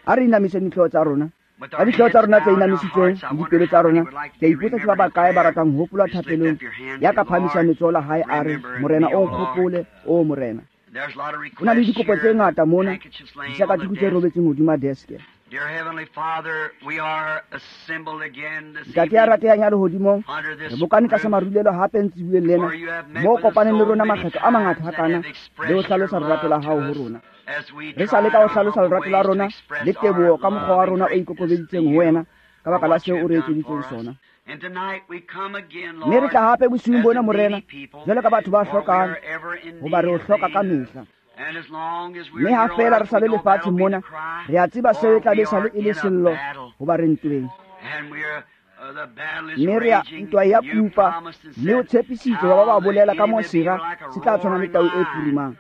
A re inamise dihlooho tsa rona. Ka dihlooho tsa rona tse inamisitsweng le dipelo tsa rona, ke a ipotsa ke ba bakae ba ratang ho hopolwa thapelong ya ka phahamisang letsoho la hae a re, Morena o nkgopole, o Morena. Ho na le dikopo tse ngata mona, disakatuku tse robetseng hodima deske. Ntate ya ratehang ya lehodimong, re bokane tlasa marulelo hape ntsibueng lena, moo kopaneng le rona makgetlo a mangata hakana le ho hlalosa lerato la hao ho rona. Re sa leka ho hlalosa lerato la rona le teboho ka mokgwa wa rona o ikokobeditseng ho wena ka baka la seo o re etseditseng sona. Mme re tla hape bosiung bona, Morena, jwalo ka batho ba hlokang, hoba re o hloka ka mehla. Mme ha feela re sa le lefatsheng mona, re a tseba seo e tla be sale e le sello, hoba re ntweng. Mme re a ntwa ya kupa, mme o tshepisitse wa ba bolela ka moo sera se tla tshwana le tau e purumang.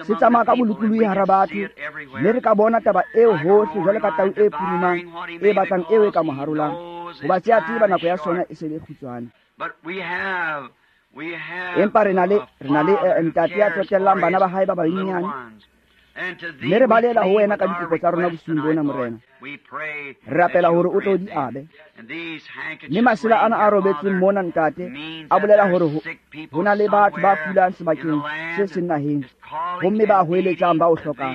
Se tsamaya ka bolokolohi hara batho, mme re ka bona taba eo hohle jwalo ka tau e purumang e batlang eo e ka mo harolang, hoba se a tseba nako ya sona e se le kgutshwane. Empa re na le ntate ya tsotellang bana ba hae ba banyenyane, mme re balela ho wena ka dikopo tsa rona bosiung bona, Morena. Re rapela hore o tlo di abe. Mme masela ana a robetseng mona, ntate, a bolela hore ho na le batho ba kulang sebakeng se seng naheng, homme ba hoeletsang ba o hlokang.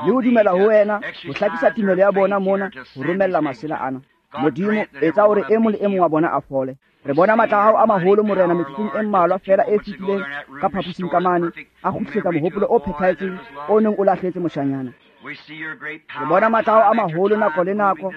Le ho dumela ho wena, ho hlakisa tumelo ya bona mona, ho romella masela ana. Modimo, etsa hore e mong le e mong wa bona a fole. Re bona matla a hao a maholo, Morena, metsotsong e mmalwa feela e fetileng ka phaposing ka mane, a kgutlisetsa mohopolo o phethahetseng o neng o lahletse moshanyana. Re bona matla a hao a maholo nako le nako,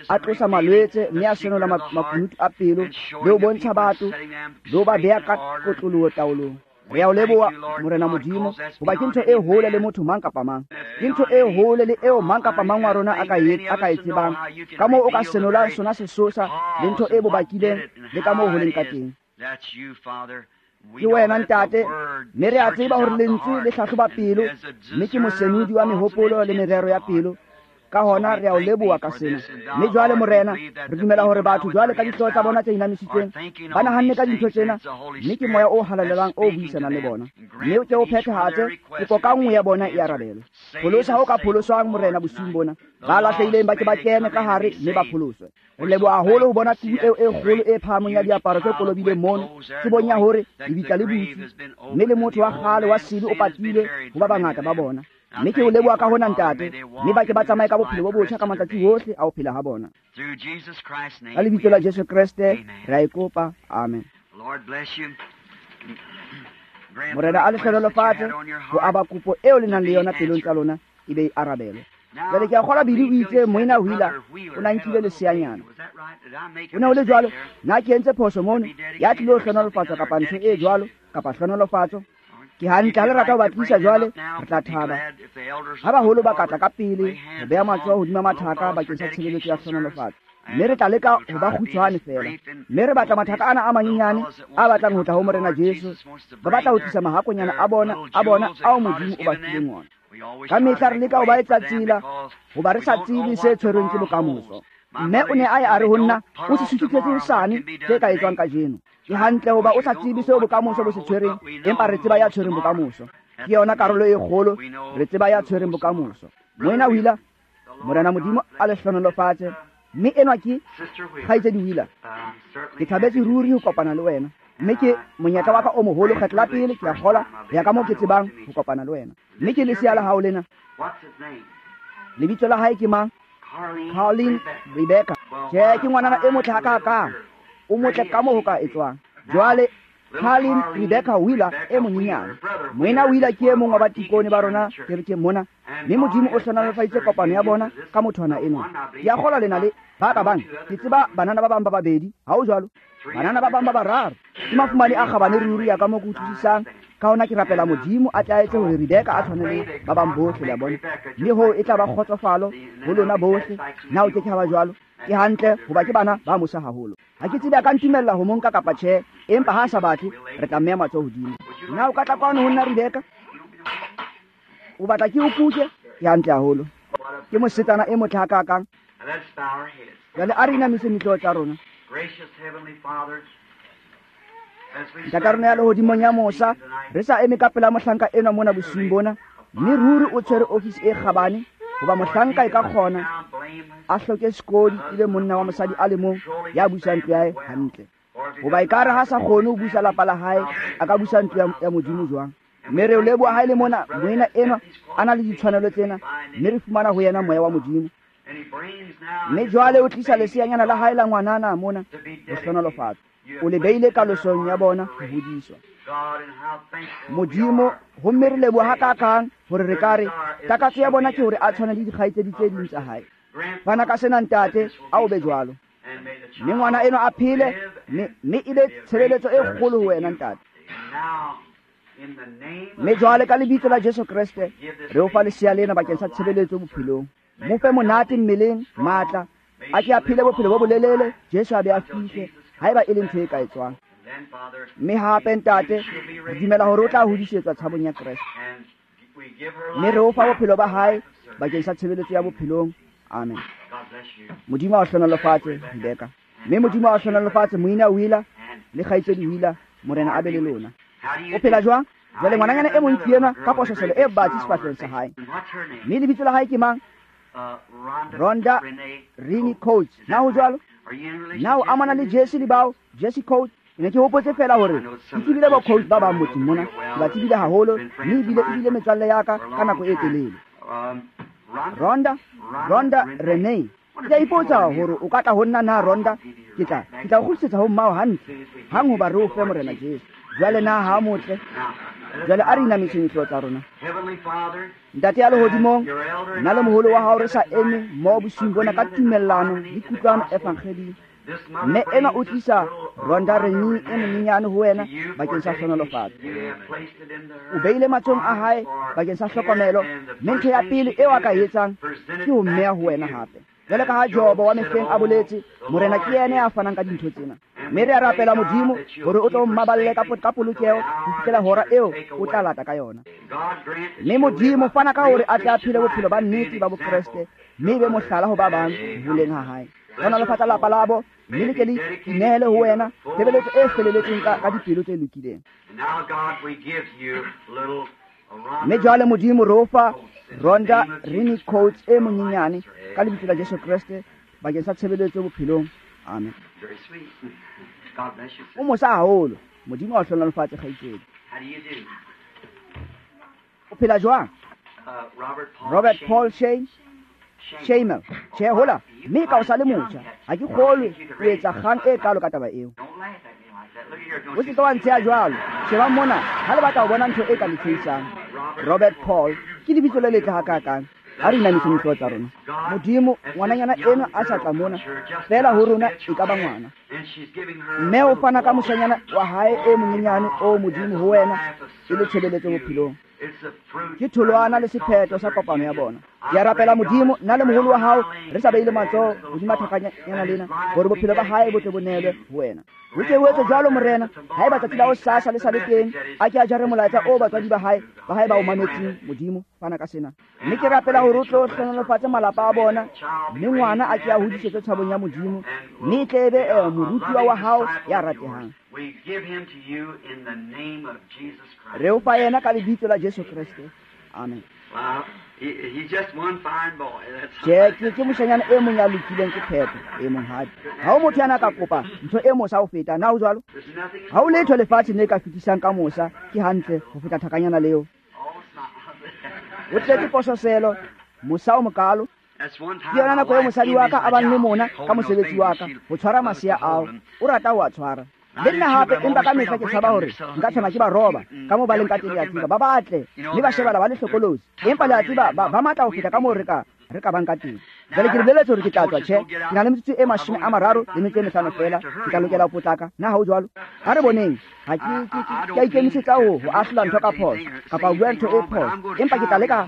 a tlosa malwetse mme a senola makunutu a pelo, le ho bontsha batho, le ho ba beha ka kotloloho taolong. Re a o leboha, Morena Modimo, hoba ke ntho e hole le motho mang kapa mang. Ke ntho e hole le eo mang kapa mang wa rona a ka e tsebang, ka moo o ka senolang sona sesosa le ntho e bo bakileng le ka moo ho leng ka teng. Ke wena, ntate, mme re a tseba hore lentswe le hlahloba pelo, mme ke mosenodi wa mehopolo le merero ya pelo. Ka hona re a o leboha ka sena. Mme jwale, Morena, re dumela hore batho jwale ka dihlooho tsa bona tse inamisitsweng ba nahanne ka dintho tsena, mme ke moya o halalelang o buisanang le bona. Mme o ke o phethahatse kopo ka nngwe ya bona e arabelwe. Pholosa ho ka pholoswang, Morena, bosiung bona. Ba lahlehileng ba ke ba kene ka hare mme ba pholoswe. Re leboha haholo ho bona tubu eo e kgolo e phahamong ya diaparo tse kolobileng mono, tsebong ya hore lebitla le butswe, mme le motho wa kgale wa sebe o patilwe ho ba bangata ba bona. Mme ke o leboha ka hona, ntate, mme ba ke ba tsamaye ka bophelo bo botjha ka matsatsi ohle a ho phela ha bona. Ka lebitso la Jesu Kreste re a e kopa, amen. Morena a le hlohonolofatse ho aba kopo eo le nang le yona pelong tsa lona e be e arabelwe. Jwale ke a kgolwa Billy o itse moena Wheeler o na nkile leseanyana. O ne ho le jwalo, na ke entse phoso mono, ya tlilo hlohonolofatswa kapa ntho e jwalo, kapa hlohonolofatso. Ke hantle ha le rata ho ba tlisa jwale, re tla thaba. Ha baholo ba ka tla ka pele ho beha matsoho hodima mathaka bakeng sa tshebeletso ya hlohonolofatso. Mme re tla leka ho ba kgutshwane feela. Mme re batla mathaka ana a manyenyane a batlang ho tla ho Morena Jesu. Ba batla ho tlisa mahakonyana a bona ao Modimo o ba fileng ona. Ka mehla re leka ho ba etsa tsela, hoba re sa tsebe se tshwerweng ke bokamoso. Mme o ne a ye a re ho nna, o se susutletse hosane tse ka etswang kajeno. Ke hantle hoba o sa tsebe seo bokamoso bo se tshwereng, empa re tseba ya tshwereng bokamoso. Ke yona karolo e kgolo, re tseba ya tshwereng bokamoso. Moena Wheeler, Morena Modimo a le hlohonolofatse. Mme enwa ke kgaitsedi Wheeler. Ke thabetse ruri ho kopana le wena. Mme ke monyetla wa ka o moholo kgetlo la pele ke a kgolwa ho ya ka moo ke tsebang ho kopana le wena. Mme ke lesea la hao lena. Lebitso la hae ke mang? Caroline Rebecca. Tjhe, ke ngwanana e motle hakakang. O motle ka moo ho ka etswang. Jwale Caroline Rebecca Wheeler e monyenyane. Moena Wheeler ke e mong wa batikone ba rona kerekeng mona, mme Modimo o hlohonolofaditse kopano ya bona ka mothwana enwa. Ke a kgolwa lena le ba ka bang. Ke tseba banana ba bang ba babedi, ha ho jwalo? Banana ba bang ba bararo. Ke mafumane a kgabane ruri ya ka moo ke utlwisisang. Ka hona ke rapela Modimo a tla etse hore Rebecca a tshwane le ba bang bohle, le a bona. Mme hoo e tla ba kgotsofalo ho lona bohle. Na o ke ke ha ba jwalo? Ke hantle hoba ke bana ba mosa haholo. Ha ke tsebe a ka ntumella ho monka kapa tjhe, empa ha a sa batle, re tla mmeha matsoho hodimo. Na o ka tla kwano ho nna, Rebecca? O batla ke o kuke? Ke hantle haholo. Ke mosetsana e motle hakakang. Jwale a re inamise dihlooho tsa rona. Ntata rona ya lehodimong ya mosa, re sa eme ka pela mohlanka enwa mona bosiung bona, Mme ruri o tshwere ofisi e kgabane, hoba mohlanka e ka kgona a hloke sekodi e be monna wa mosadi a le mong ya busang ntlo ya hae hantle. Hoba ekare ha sa kgone ho busa lapa la hae, a ka busa ntlo ya Modimo jwang? Mme re o leboha ha e le mona moena enwa a na le ditshwanelo tsena, mme re fumana ho yena moya wa Modimo. Mme jwale o tlisa leseanyana la hae la ngwanana mona ho hlohonolofatswa. O le beile kalosong ya bona ho hodiswa. Modimo, homme re leboha hakakang hore re ka re takatso ya bona ke hore a tshwane le dikgaitsedi tse ding tsa hae. Fana ka sena, ntate, a o be jwalo. Mme ngwana enwa a phele, mme e be tshebeletso e kgolo ho wena, ntate. Mme jwale ka lebitso la Jesu Kreste re o fa lesea lena bakeng sa tshebeletso bophelong. Mo fe monate mmeleng, matla, a ke a phele bophelo bo bolelele, Jesu a be a fihle, haeba e le ntho e ka etswang. Mme hape, ntate, re dumela hore o tla hodisetswa tshabong ya Kreste. Mme re o fa bophelo ba hae bakeng sa tshebeletso ya bophelong. Amen. Modimo a o hlohonolofatse, Rebeka. Mme Modimo a o hlohonolofatse, moena Wheeler le kgaitsedi Wheeler. Morena a be le lona. O phela jwang? Jwale ngwananyana e mong ke enwa ka pososelo e batsi sefahlehong sa hae. Mme lebitso la hae ke mang? Rhonda Rini Coates. Na ho jwalo? Na o amana le Jesse le bao? Jesse Coates. Ke ne ke hopotse feela hore ke tsebile bo coach ba bang motseng mona. Ke ba tsebile haholo, mme ebile metswalle ya ka ka nako e telele. Rhonda Renee. Ke a ipotsa hore o ka tla ho nna na, Rhonda? Ke tla o kgutlisetsa ho mmao hantle hang hoba re o fe Morena Jesu. Jwale na ha motle? Jwale a re inamiseng dihlooho tsa rona. Ntate ya lehodimong, nna le moholo wa hao re sa eme mmoho bosiung bona ka tumellano le kutlwano evangeding. Mme enwa o tlisa Rhonda Renee e monyenyane ho wena bakeng sa hlohonolofatso. O beile matsohong a hae bakeng sa hlokomelo, mme ntho ya pele eo a ka e etsang ke ho mmeha ho wena hape. Jwale ka ha Jobo wa mehleng a boletse, Morena ke yena ya fanang ka dintho tsena. Mme re a rapela Modimo hore o tlo mmaballe ka polokeho ho fihlela hora eo o tla lata ka yona. Mme Modimo fana ka hore a tle a phele bophelo ba nnete ba Bokreste, mme e be mohlala ho ba bang ho holeng ha hae. Hlohonolofatsa lapa labo, mme le ke le inehele ho wena tshebeletso e feleletseng ka dipelo tse lokileng. Mme jwale Modimo re o fa Rhonda Rini Coates e monyenyane ka lebitso la Jesu Kreste bakeng sa tshebeletso bophelong. Amen. O mosa haholo. Modimo a o hlohonolofatse, kgaitsedi. O phela jwang? Robert Paul Shane Shamel. Tjhe, hola, mme ka o sa le motjha, ha ke kgolwe o etsa kgang e kalo ka taba eo. O se ke wa ntsheha jwalo. Sheba mona, ha le batla ho bona ntho e ka le tshehisang. Robert Paul ke lebitso le letle hakakang. Ha re inamiseng dihlooho tsa rona. Modimo, ngwananyana enwa a sa tla mona, feela ho rona e ka ba ngwana. Mme o fana ka moshanyana wa hae e monyenyane o Modimo ho wena e le tshebeletso bophelong. Ke tholwana le sephetho sa kopano ya bona. Ke a rapela Modimo, nna le moholo wa hao re sa beile matsoho hodima thakanyana lena, hore bophelo ba hae bo tle bo neelwe ho wena. Ho ke ho etse jwalo, Morena, haeba tsatsi la hosasa le sa le teng, a ke a jare molaetsa o batswadi ba hae ba o mametseng. Modimo, fana ka sena. Mme ke rapela hore o tlo hlohonolofatse malapa a bona, mme ngwana a ke a hodisetswe tshabong ya Modimo, mme e tle e be morutuwa wa hao ya ratehang. Re o fa yena ka lebitso la Jesu Kreste. Amen. Tjhe, ke moshanyana e mong ya lokileng ke phepo e monghadi. Ha ho motho ya na ka kopa ntho e mosa ho feta, na ho jwalo? Ha ho letho lefatsheng le ka fetisang ka mosa, ke hantle ho feta thakanyana leo. O tletse pososelo, mosa o mokalo. Ke yona nako eo mosadi wa ka a bang le mona ka mosebetsi wa ka, ho tshwara masea ao. O rata ho a tshwara. Le nna hape, empa ka mehla ke tshaba hore nka tshwana ke ba roba ka moo ba leng ka teng, le a tseba. Ba batle, mme ba shebala ba le hlokolosi. Empa le a tseba, ba matla ho feta ka moo re ka bang ka teng. Jwale ke le boleletse hore ke tla tswa, tjhe, ke na le metsotso e 35 feela, ke tla lokela ho potlaka. Na ha ho jwalo? Ha re boneng. Ha ke a ikemisetsa ho ahlola ntho ka phoso kapa ho bua ntho e phoso, empa ke tla leka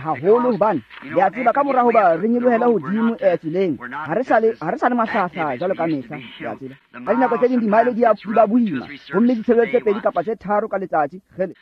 haholo, hobane le a tseba ka mora hoba re nyolohele hodimo tseleng, ha re sa le mahlaahla jwalo ka mehla, le a tseba. Ka dinako tse ding dimaele di ba boima, homme ditshebeletso tse 2 kapa tse 3 ka letsatsi. Kgele.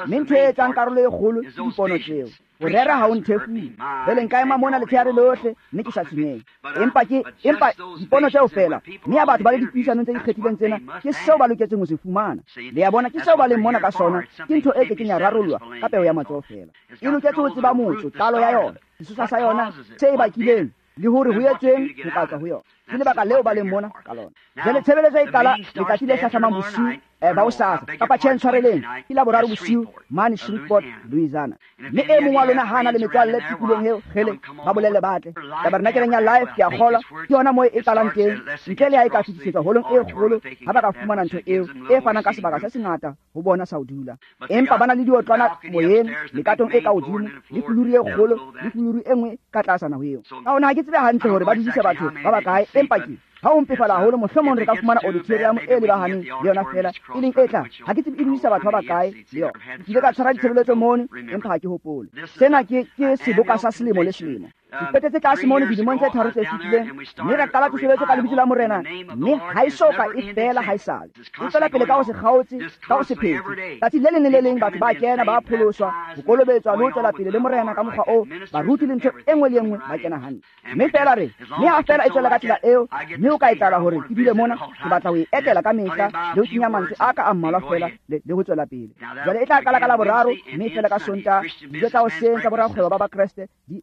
Mme ntho e etsang karolo e kgolo ke dipono tseo. Ho rera ha o nthefule. Jwale nka ema mona letshehare lohle mme ke sa tshwenyehe. Empa dipono tseo feela, mme ya batho ba le dipuisanong tse ikgethileng tsena, ke seo ba loketseng ho se fumana. Le a bona ke seo ba leng mona ka sona, ke ntho e ke keng ya rarollwa ka peo ya matsoho feela. E loketse ho tseba motso, qalo ya yona, sesosa sa yona, se e bakileng, le hore ho etsweng ho ka tswa ho yona. Ke lebaka leo ba leng mona ka lona. Jwale tshebeletso e qala letsatsi le hlahlamang bosiu ba hosasa, kapa tjhe ntshwareleng, ke Laboraro bosiu mane Shreveport, Louisiana. Mme e mong wa lona ha na le metswalle tikolong eo, kgele, ba bolelle ba tle. Tabernakeleng ya Life, ke a kgolwa, ke yona moo e qalang teng, ntle le ha e ka fetisetswa holong e kgolo, ha ba ka fumana ntho eo e fanang ka sebaka se sengata ho bona sa ho dula. Empa ba na le diotlwana moyeng, mekatong e ka hodimo, le fuluru e kgolo, le fuluru e nngwe ka tlasana ho eo. Ka hona ha ke tsebe hantle hore ba dudise batho ba bakae, empa ke ha o mpefala haholo, mohlomong re ka fumana auditorium e lebahaneng le yona feela, e leng e tla. Ha ke tsebe e dudisa batho ba bakae le yona. Ke ile ka tshwara ditshebeletso mono, empa ha ke hopole. Sena ke seboka sa selemo le selemo. Ke qetetse tlase mono dilemong tse 3 tse fetileng, mme ra qala tsoseletso ka lebitso la Morena, mme ha e so ka e fela haesale. E tswela pele ka ho se kgaotse, ka ho se phetse. Tsatsi le leng le le leng batho ba kena, ba pholoswa, ho kolobetswa le ho tswela pele le Morena ka mokgwa oo, baruti le ntho e nngwe le e nngwe ba kena hantle. Mme fela re, mme ha fela e tswela ka tsela eo, mme o ka etsahala hore ke dule mona, ke batla ho e etela ka mehla le ho kenya mantswe a ka a mmalwa fela le ho tswela pele. Jwale e tla qala ka Laboraro, mme e fela ka Sontaha, dijo tsa hoseng tsa borakgwebo ba Bakreste di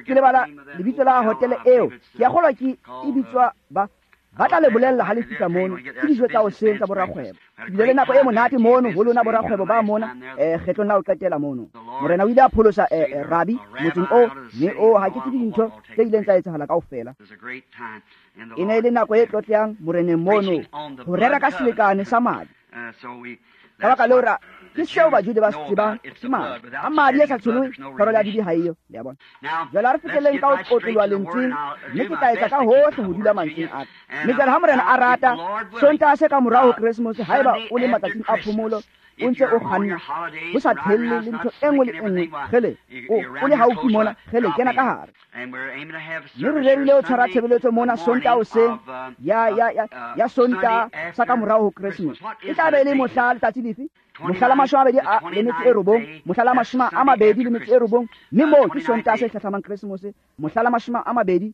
ke lebala lebitso la hotele eo, ke a kgolwa ke e bitswa ba tla le bolella ha le fihla mono, ke dijo tsa hoseng tsa borakgwebo. Ke bile le nako e monate mono ho lona borakgwebo ba mona, kgetlong la ho qetela mono. Morena o ile a pholosa rabi motseng oo, mme o ha ke tsebe dintho tse ileng tsa etsahala kaofela. E ne e le nako e tlotlehang Moreneng mono, ho rera ka selekane sa madi. Ka baka leo ra ke seo Bajude ba se tsebang, ke madi. Ha madi a sa tsholohe, tshwarelo ya dibe ha eyo, le a bona. Jwale ha re feteleng ka ho otloloha lentsweng, mme ke tla etsa ka hohle ho dula mantsweng a ka. Mme jwale ha Morena a rata, Sontaha se ka morao ho Keresemose, haeba o le matsatsing a phomolo, o ntse o kganna, ho sa thelle le ntho e nngwe le e nngwe, kgele, o le haufi mona, kgele, kena ka hare. Mme re rerile ho tshwara tshebeletso mona Sontaha hoseng ya Sontaha sa ka morao ho Keresemose. E tla be e le mohla letsatsi lefe? Mohla la 29, mohla la 29, mme moo ke Sontaha se hlahlamang Keresemose, mohla la 29.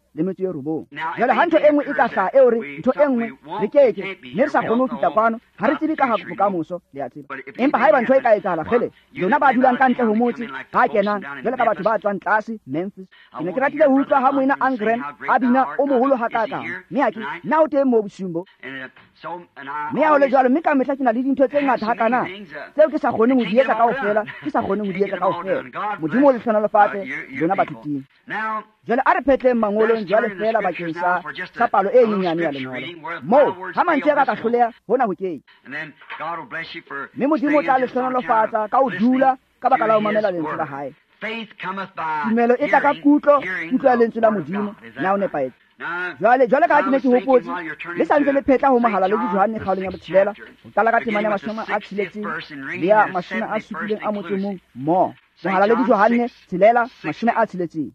Jwale ha ntho e nngwe e ka hlaha eo re ntho e nngwe re keke, mme re sa kgone ho fihla kwano, ha re tsebe ka ha bokamoso, le a tseba. Empa haeba ntho e ka etsahala, kgele, lona ba dulang ka ntle ho motse, ba kenang jwale ka batho ba tswang tlase Memphis. Ke ne ke ratile ho utlwa ha moena Angren a bina o moholo hakakang, mme ha ke nna o teng moo bosiung bo. Mme ha ho le jwalo, mme ka mehla ke na le dintho tse ngata hakana tseo ke sa kgoneng ho di etsa kaofela, ke sa kgoneng ho di etsa kaofela. Modimo o le hlohonolofatse lona batho ting. Jwale a re phetleng mangolong jwale fela bakeng sa palo e nyenyane ya lengolo. Moo ha mantswe a ka hloleha, hona ho keke. Mme Modimo o tla le hlohonolofatsa ka ho dula ka baka la ho mamela lentswe la hae. Tumelo e tla ka kutlo, kutlo ya lentswe la Modimo. Na o nepahetse? Jwale ka ha ke ne ke hopotse, le sa ntse le phetla ho Mohalaledi Johanne kgaolong ya 6, ho qala ka temana ya 60 le ya 71 mo. Mohalaledi Johanne 6, 60.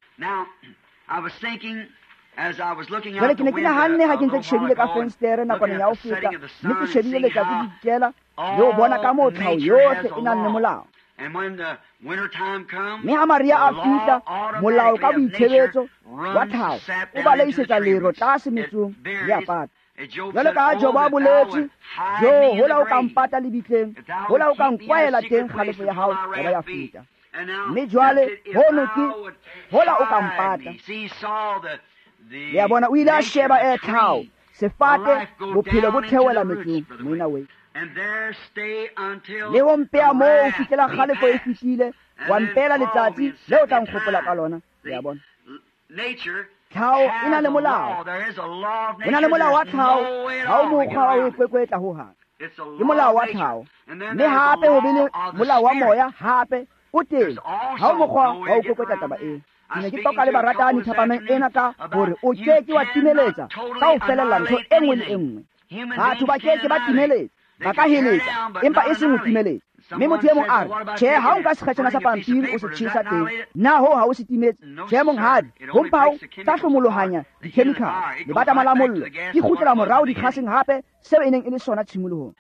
Jwale ke ne ke nahanne ha ke ntse ke shebile ka fensetere nakwaneng ya ho feta, mme ke shebile letsatsi le dikela le ho bona ka moo tlhaho yohle e nang le molao. Mme ha Maria a fihla, molao ka boitshebetso wa tlhaho o baleisetsa lero tlase metsong le a pata. Jwale ka ha Jobo a boletse, Jo, hola o ka mpata lebitleng, hola o ka nkwaela teng kgalefo ya hao ya ba ya feta. Mme jwale hono ke hola o ka mpata. Le a bona, o ile a sheba e tlhaho, sefate, bophelo bo theohela metsong, moena we. Le ho mpea moo ho fihlela kgalefo e fihlile, wa mpeela letsatsi le o tla nkgopola ka lona. Le a bona, tlhaho e na le molao. Ho na le molao wa tlhaho, ha o mokgwa wa ho e kwekwetla ho hang. Ke molao wa tlhaho. Mme hape ho be le molao wa moya hape o teng, ha o mokgwa wa ho kwekwetla taba eo. Ke ne ke toka le baratani thapameng ena ka hore o ke ke wa timeletsa ka ho felella ntho e nngwe le e nngwe. Batho ba ke ke ba timeletsa, ba ka heletsa, empa e seng ho timeletsa. Mme motho e mong a re, tjhe, ha o nka sekgetjhana sa pampiri o se tjhesa teng, na hoo ha o se timetse? Tjhe, monghadi, ho mpa ho tla hlomolohanya dikhemikhale, lebatama la mollo, di kgutlela morao dikgaseng hape, seo e neng e le sona tshimolohong.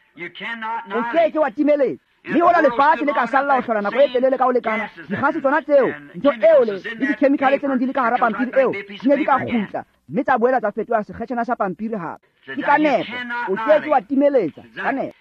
O ke ke wa timeletsa. Mme hola lefatshe le ka salla ho hlola nako e telele ka ho lekana, dikgase tsona tseo, ntho eo le dikhemikhale tse neng di le ka hara pampiri eo, di ne di ka kgutla, mme tsa boela tsa fetoha sekgetjhana sa pampiri hape. Ke ka nepo, o ke ke wa timeletsa ka nepo.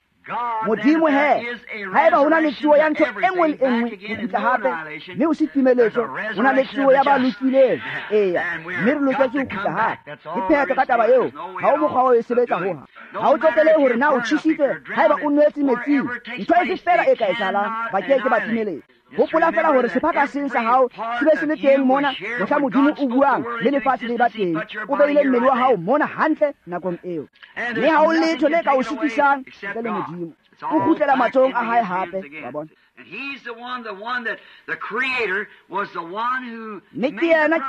Modimo he, haeba ho na le tsuo ya ntho e nngwe le e nngwe ho kgutla hape, mme ho se timeletso, ho na le tsuo ya ba lokileng. Eya, mme re loketse ho kgutla hape. Ke phetho ka taba eo, ha o mokgwa wa ho e sebetsa hoha. Ha o tsotelehe hore na o tjhesitswe, haeba o nwetse metsing, ntho efe feela e ka etsahalang, ba ke ke ba timeletsa. Hopola feela hore sephaka seng sa hao se be se le teng mona mohla Modimo o buang le lefatshe le ba teng. O beile mmele wa hao mona hantle nakong eo. Mme ha o letho le ka o sitisang ntle le Modimo. O kgutlela matsohong a hae hape, wa bona. Mme ke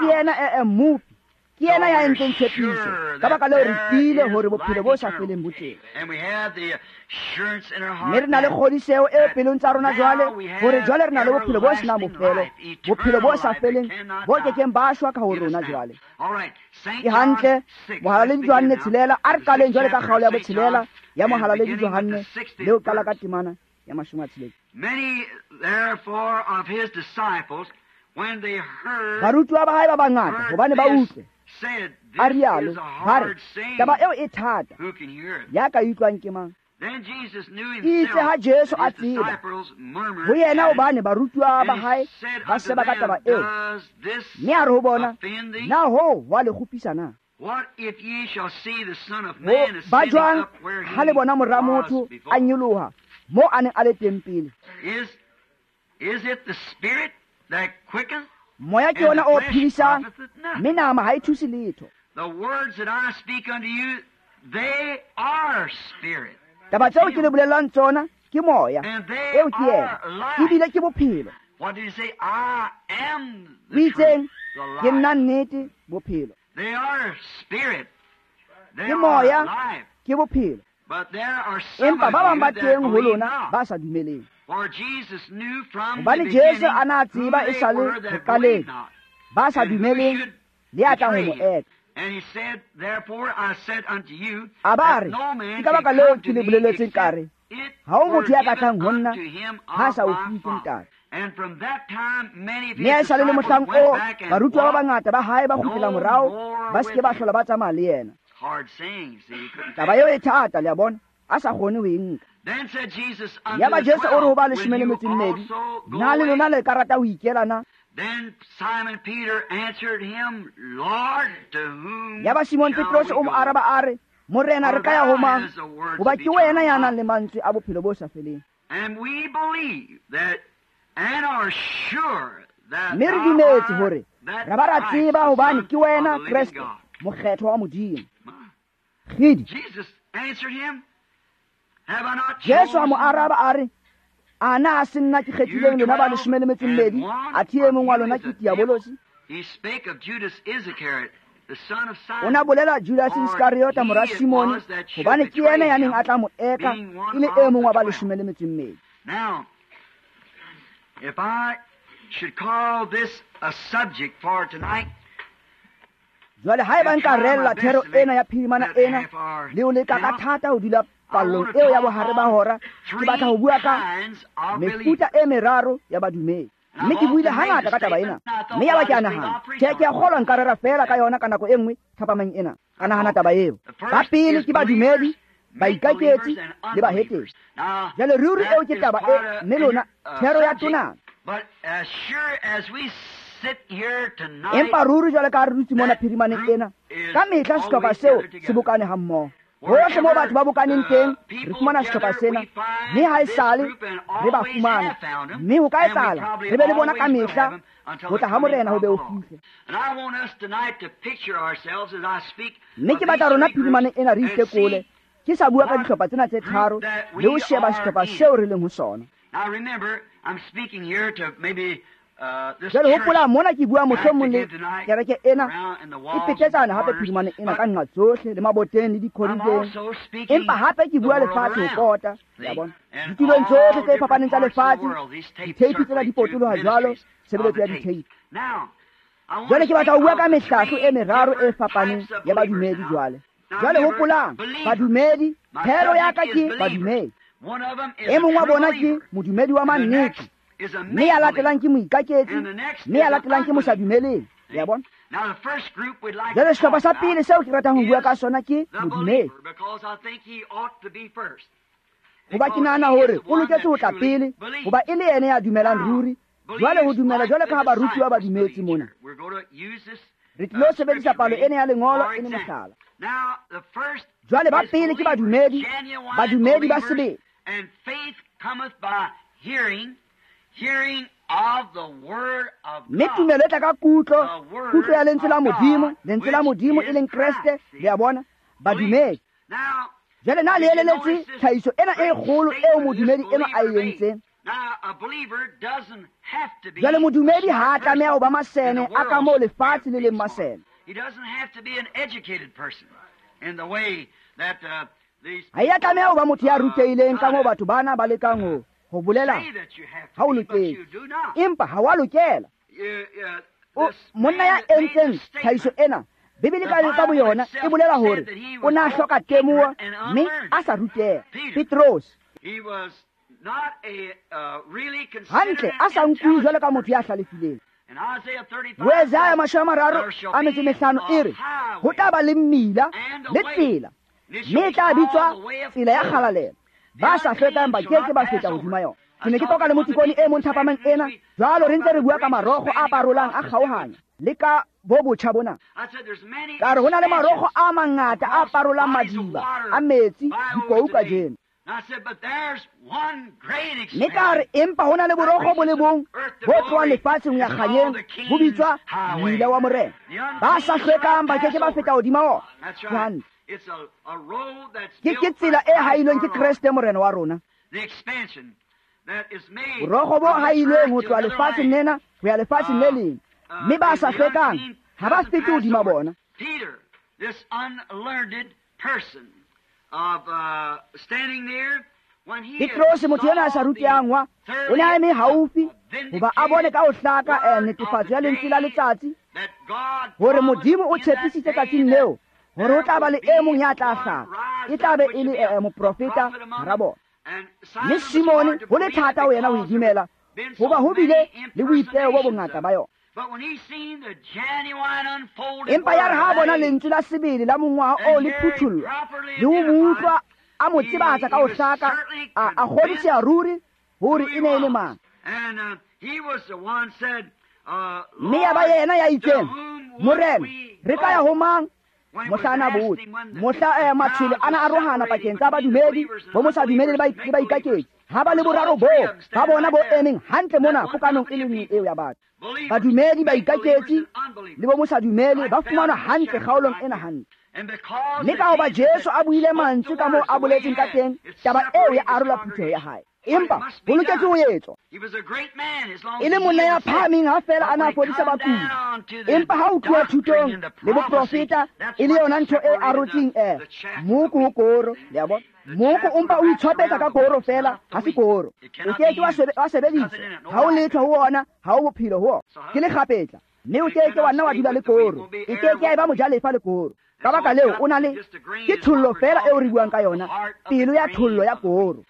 yena mmopi. Ke yena ya entseng tshepiso. Ka baka leo re tiile hore bophelo bo sa feleng bo teng. Mme re na le kgodiseho e pelong tsa rona jwale, hore jwale re na le bophelo bo senang bofelo, bophelo bo sa feleng, bo kekeng ba shwa ka ho rona jwale. Ke hantle, Mohalaledi Johanne 6, a re qaleng jwale ka kgaolo ya bo-6 ya Mohalaledi Johanne, le ho qala ka temana ya 60. Barutuwa ba hae ba bangata hobane ba utlwe a rialo, ba re, taba eo e thata, ya ka utlwang ke mang? Itse ha Jesu a tseba ho yena hobane barutuwa ba hae ba seba ka taba eo, mme a re ho bona, na hoo ho a le kgopisa na? Ba jwang ha le bona mora motho a nyoloha moo a neng a le teng pele? Moya ke yona o phedisang, mme nama ha e thuse letho. Taba tseo ke le bolellang tsona ke moya, eo ke yena, ebile ke bophelo. O itseng, ke nna nnete, bophelo. Ke moya, ke bophelo. Empa ba bang ba teng ho lona ba sa dumeleng. Hobane Jesu a na tseba e sa le ho qaleng, ba sa dumeleng le ya tlang ho mo eka. A ba re, ke ka baka leo ke le boleletseng ka re, ha ho motho ya ka tlang ho nna ha sa o fuwe ke Ntate. Mme ha esale le mohlang oo, barutuwa ba bangata ba hae ba kgutlela morao, ba se ke ba hlola ba tsamaya le yena. Taba eo e thata, le a bona, a sa kgone ho e nka. Yaba Jesu o re ho ba 12, na le lona le ka rata ho ikela na? Yaba Simon Petrose o mo araba a re, Morena, re ka ya ho mang? Hoba ke wena ya nang le mantswe a bophelo bo sa feleng. Mme re dumetse hore ra ba ra tseba hobane ke wena Kreste, mokgethwa wa Modimo. Kgidi. Jesu a mo araba a re, a na a se nna ke kgethileng lona ba 12, athe e mong wa lona ke diabolosi? O na bolela Judas Iskariota mora Simone, hobane ke yena ya neng a tla mo eka e le e mong wa ba 12. Now, if I should call this a subject for tonight, Jwale haeba nka reella thero ena ya phirimana ena le ho leka ka thata ho dula pallong eo ya bohare ba hora, ke batla ho bua ka mefuta e meraro ya badumedi. Mme ke buile hangata ka taba ena, mme yaba ke a nahana, tjhe, ke a kgolwa nka rera feela ka yona ka nako e nngwe thapameng ena. Ka nahana taba eo. Ba pele ke badumedi, baikaketsi le bahetesi. Jwale ruri eo ke taba e, mme lona thero ya tonana. Empa ruri jwale ka re dutse mona phirimaneng ena, ka mehla sehlopha seo se bokane hammoho. Hohle moo batho ba bokaneng teng, re fumana sehlopha sena, mme ha esale re ba fumana, mme ho ka etsahala re be le bona ka mehla ho tla ha Morena ho be ho fihle. Mme ke batla rona phirimaneng ena re itekole, ke sa bua ka dihlopha tsena tse tharo le ho sheba sehlopha seo re leng ho sona. Jwale hopola mona ke bua mohlomong le kereke ena e petetsana hape phirimane ena ka nqa tsohle le maboteng le dikhorideng, empa hape ke bua lefatshe ho pota, ya bona, ditulong tsohle tse fapaneng tsa lefatshe, ditheipi tsena di potoloha jwalo, tshebeletso ya ditheipi. Jwale ke batla ho bua ka mehlahlo e meraro e fapaneng ya badumedi jwale. Jwale hopolang, badumedi, thero ya ka ke badumedi. E mong wa bona ke modumedi wa mannete, mme ya latelang ke moikaketsi, mme ya latelang ke mosadumeleng. Ya bona? Jwale sehlopha sa pele seo ke ratang ho bua ka sona ke modumedi. Hoba ke nahana hore o loketse ho tla pele, hoba e le yena ya dumelang ruri. Jwale ho dumela jwale ka ha barutuwa ba dumetse mona. Re tlilo sebedisa palo ena ya lengolo e le mohlala. Jwale ba pele ke badumedi, badumedi ba sebele. Mme tumelo e tla ka kutlo, kutlo ya lentswe la Modimo, lentswe la Modimo e leng Kreste, le a bona, badumedi. Jwale na le eleletse tlhahiso ena e kgolo eo modumedi enwa a e entseng. Jwale modumedi ha a tlameha ho ba masene a ka moo lefatshe le leng masene. Ha e a tlameha ho ba motho ya rutehileng ka moo batho bana ba lekang ho bolela ha o loketse, empa ha wa lokela. Monna ya entseng tlhahiso ena, Bibele ka boyona e bolela hore o na hloka temoho mme a sa ruteha. Petros hantle a sa nkuwe jwalo ka motho ya hlalefileng. Ho Isaiah 35 e re ho tla ba le mmila le tsela, mme e tla bitswa tsela ya kgalalelo. Ba sa hlwekang ba ke ke ba feta hodima yona. Ke ne ke qoqa le motikone e mong thapameng ena, jwalo re ntse re bua ka marokgo a parolang a kgaohanya le ka bo botjha bona. Ka re ho na le marokgo a mangata a parolang madiba a metsi dikou kajeno. Mme ka re empa ho na le borokgo bo le bong bo tlohang lefatsheng ho ya kganyeng, bo bitswa mmila wa Morena. Ba sa hlwekang ba ke ke ba feta hodima ona. Hantle. Ke tsela e hailweng ke Kreste Morena wa rona. Borokgo bo hailweng ho tloha lefatsheng lena ho ya lefatsheng le leng, mme ba sa hlwekang ha ba fete hodima bona. Petrose, motho ena a sa rutehang wa, o ne a eme haufi hoba a bone ka ho hlaka netefatso ya lentswe la letsatsi hore Modimo o tshepisitse tsatsing leo hore ho tla ba le e mong ya tla hlaha, e tla be e le moprofeta hara bona. Mme Simone ho le thata ho yena ho e dumela, hoba ho bile le boipeo bo bongata ba yona. Empa ya re ha bona lentswe la sebele la mongwaha oo le phuthullwa, le ho mo utlwa a mo tsebatsa ka ho hlaka, a kgodiseha ruri hore e ne e le mang. Mme ya ba yena ya itseng, Morena, re ka ya ho mang? Mohla ana botse, mohla matshwele ana arohana pakeng tsa badumedi bo mosadumedi le baikaketsi. Ha ba le boraro boo ba bona bo emeng hantle mona pokanong e le nngwe eo ya batho. Badumedi, baikaketsi le bo mosadumedi ba fumanwa hantle kgaolong ena hantle. Mme ka hoba Jesu a buile mantswe ka moo a boletseng ka teng, taba eo ya arola phutheho ya hae. Empa ho loketse ho etswa. E le monna ya phahameng ha feela a na fodisa bakudi. Empa ha o tloha thutong le boprofeta e le yona ntho e arotseng moko ho koro, le a bona. Moko o mpa o itshwapetsa ka koro feela, ha se koro. O ke ke wa sebedisa, ha o letho ho ona, ha o bophelo ho ona. Ke lekgapetla, mme o ke ke wa nna wa dula le koro. E ke ke ya eba mojalefa le koro. Ka baka leo o na le ke thollo feela eo re buang ka yona, pelo ya thollo ya koro.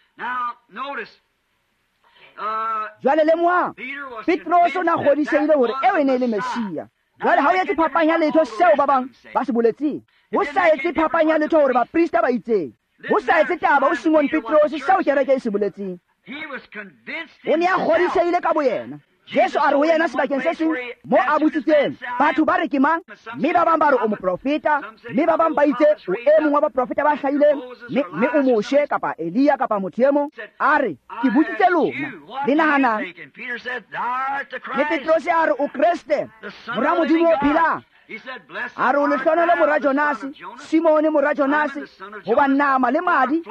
Jwale lemohang, Petrose o na kgodisehile hore eo e ne e le Messia. Jwale ha o etse phapang ya letho seo ba bang ba se boletseng, ho sa etse phapang ya letho hore baprista ba itseng, ho sa etse taba ho Simon Petrose seo kereke e se boletseng. O ne a kgodisehile ka boyena. Jesu a re ho yena sebakeng se seng mo a botsitseng, batho ba re ke mang? Mme ba bang ba re o moprofeta, mme ba bang ba itse o e mong wa baprofeta ba hlahileng, mme o Moshe kapa Elia kapa motho e mong. A re, ke botsitse lona, le nahanang? Mme Petrose a re, o Kreste, mora Modimo o phelang. A re o lehlohonolo mora Jonase, Simone mora Jonase, hoba nama le madi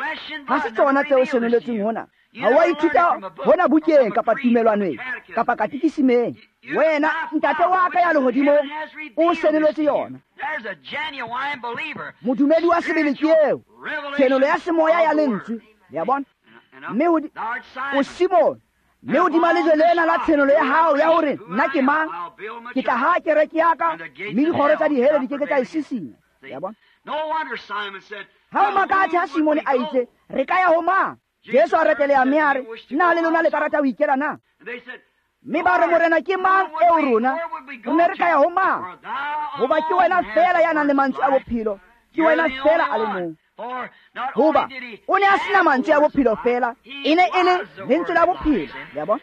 ha se tsona tseo senoletseng hona. Ha wa ithuta hona bukeng kapa tumelwaneng kapa katikisimeng. Wena ntate wa ka ya lehodimong o senoletse yona. Modumedi wa sebele ke eo, tshenolo ya semoya ya lentswe, le a bona. Mme o Simone, mme hodima lejwe lena la tshenolo ya hao ya hore nna ke mang, ke tla ha kereke ya ka, mme dikgoro tsa dihele di ke ke tsa e sisinya. Le a bona. Ha o makatse ha Simone a itse, re ka ya ho mang? Jesu a reteleha mme a re, na le lona le ka rata ho ikela na? Mme ba re, Morena, ke mang eo rona? Re ne re ka ya ho mang? Hoba ke wena feela ya nang le mantswe a bophelo, ke wena feela a le mong. Hoba o ne a sena mantswe a bophelo fela, e ne e le lentswe la bophelo. Le a bona?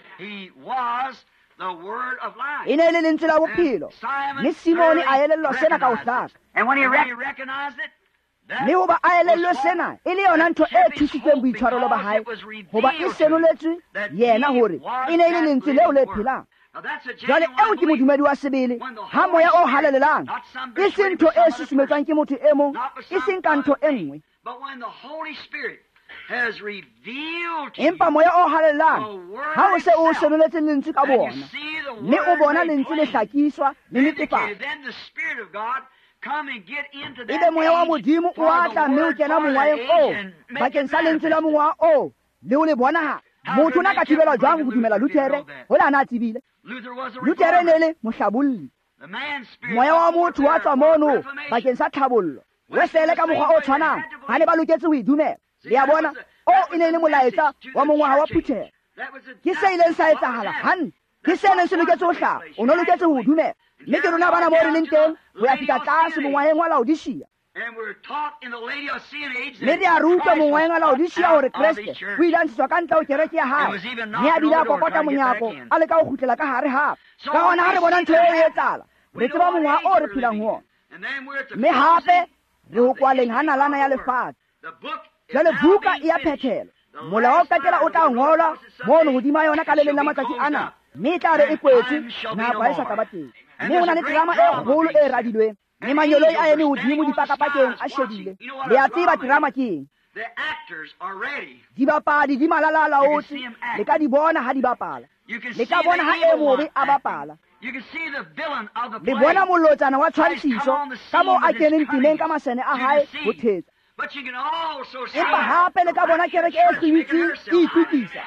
E ne e le lentswe la bophelo. Mme Simone a elellwa sena ka ho hlaka. Mme hoba a elellwe sena, e le yona ntho e thusitseng boitshwarelo ba hae, hoba e senoletswe yena hore e ne e le lentswe leo le phelang. Jwale eo ke modumedi wa sebele, ha moya o halalelang, e seng ntho e susumetswang ke motho e mong, e seng ka ntho e nngwe. Empa moya o halalelang, ha o se o senoletse lentswe ka bona, mme o bona lentswe le hlakiswa le netefatsa, ebe moya wa Modimo o atla mme o kena mongwaheng oo bakeng sa lentswe la mongwaha oo le o le bonahala. Motho o na ka thibelwa jwang ho dumela Luthere hola a na tsebile? Luthere e ne le mohlabolli. Moya wa motho wa tswa mono bakeng sa tlhabollo. Wesele ka mokgwa o tshwanang, ba ne ba loketse ho e dumela. Le a bona, o e ne e le molaetsa wa mongwaha wa phutheho. Ke se ileng sa etsahala hantle. Ke se neng se loketse ho hlaha, o no loketse ho dumela. Mme ke rona bana moo re leng teng ho ya fihla tlase mongwaheng wa Laodicea. Mme re a rutwa mongwaheng wa Laodicea hore Kreste o ile a ntshetswa ka ntle ho kereke ya hae, mme a bile a kokota monyako a leka ho kgutlela ka hare hape. Ka hona ha re bona ntho eo e etsahala, re tseba mongwaha o re phelang ho ona. Mme hape re ho kwaleng ha nalana ya lefatshe. Jwale buka e a phethelwa. Molao wa ho qetela o tla ngolwa mono hodima yona ka le leng la matsatsi ana, mme e tla re e kwetswe, nako ha e sa tla ba teng. Mme ho na le terama e kgolo e radilweng, mme mangeloi a eme hodimo dipakapakeng a shebile. Le a tseba terama ke eng? Dibapadi di malala a laotse, le ka di bona ha di bapala. Le ka bona ha e mobe a bapala. Le bona molotsana wa tshwantshiso ka moo a keneng temeng ka masene a hae ho thetsa. Empa hape le ka bona kereke e hlwibitseng e itukisa.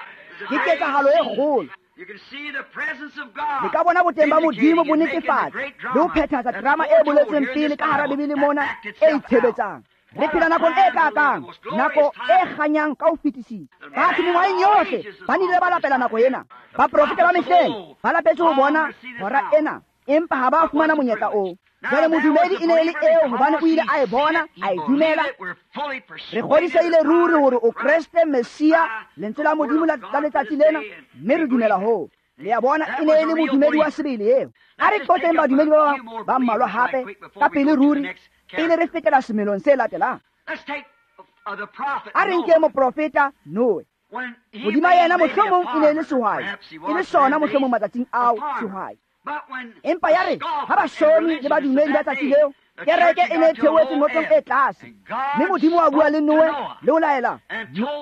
Ke ketsahalo e kgolo. Le ka bona boteng ba Modimo bo netefatsa le ho phethahatsa drama e boletsweng pele ka hara Bibele mona e itshebetsang. Re phela nakong e kakang, nako e kganyang ka ho fetisisa. Batho mengwaheng yohle ba nnile ba lapela nako ena. Baprofeta ba mehleng ba lapetse ho bona hora ena, empa ha ba fumana monyetla oo. Jwale modumedi e ne e le eo hobane o ile a e bona, a e dumela. Re kgodisehile ruri hore o Kreste Messia, lentswe la Modimo la letsatsi lena, mme re dumela hoo. Le a bona, e ne e le modumedi wa sebele eo. A re qotseng badumedi ba mmalwa hape ka pele ruri, pele re fetela semelong se latelang. A re nke moprofeta Noe. Hodima yena mohlomong e ne e le sehwai, e le sona mohlomong matsatsing ao sehwai. Empa ya re ha basomi le badumedi ba tsatsi leo, kereke e ne e theohetse notlong e tlase, mme Modimo wa bua le Noe le ho laela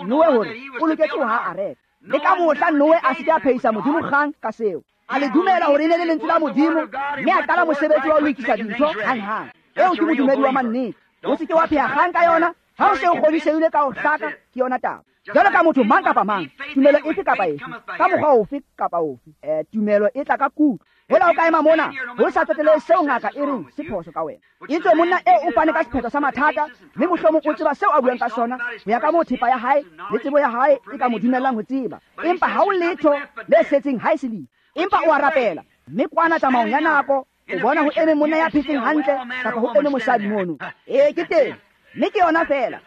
Noe hore o loketse ho haha areka. Le ka mohla Noe a se ke a phehisa Modimo kgang ka seo. A le dumela hore e ne le lentswe la Modimo, mme a qala mosebetsi wa ho lokisa dintho hanghang. Eo ke modumedi wa mannete. O se ke wa pheha kgang ka yona, ha o se o kgodisehile ka ho hlaka ke yona taba. Jwalo ka motho mang kapa mang, tumelo efe kapa efe, ka mokgwa ofe kapa ofe, tumelo e tla ka kutlo. Hola o ka ema mona, ho sa tsotelehe seo ngaka e reng se phoso ka wena. Etswe monna eo o fane ka sephetho sa mathata, mme mohlomong o tseba seo a buang ka sona, ho ya ka moo thepa ya hae le tsebo ya hae e ka mo dumellang ho tseba. Empa ha o letho le setseng ha e se lefu. Empa o a rapela, mme kwana tsamaong ya nako, o bona ho eme monna ya phetseng hantle kapa ho eme mosadi mono. Ee, ke teng, mme ke yona feela.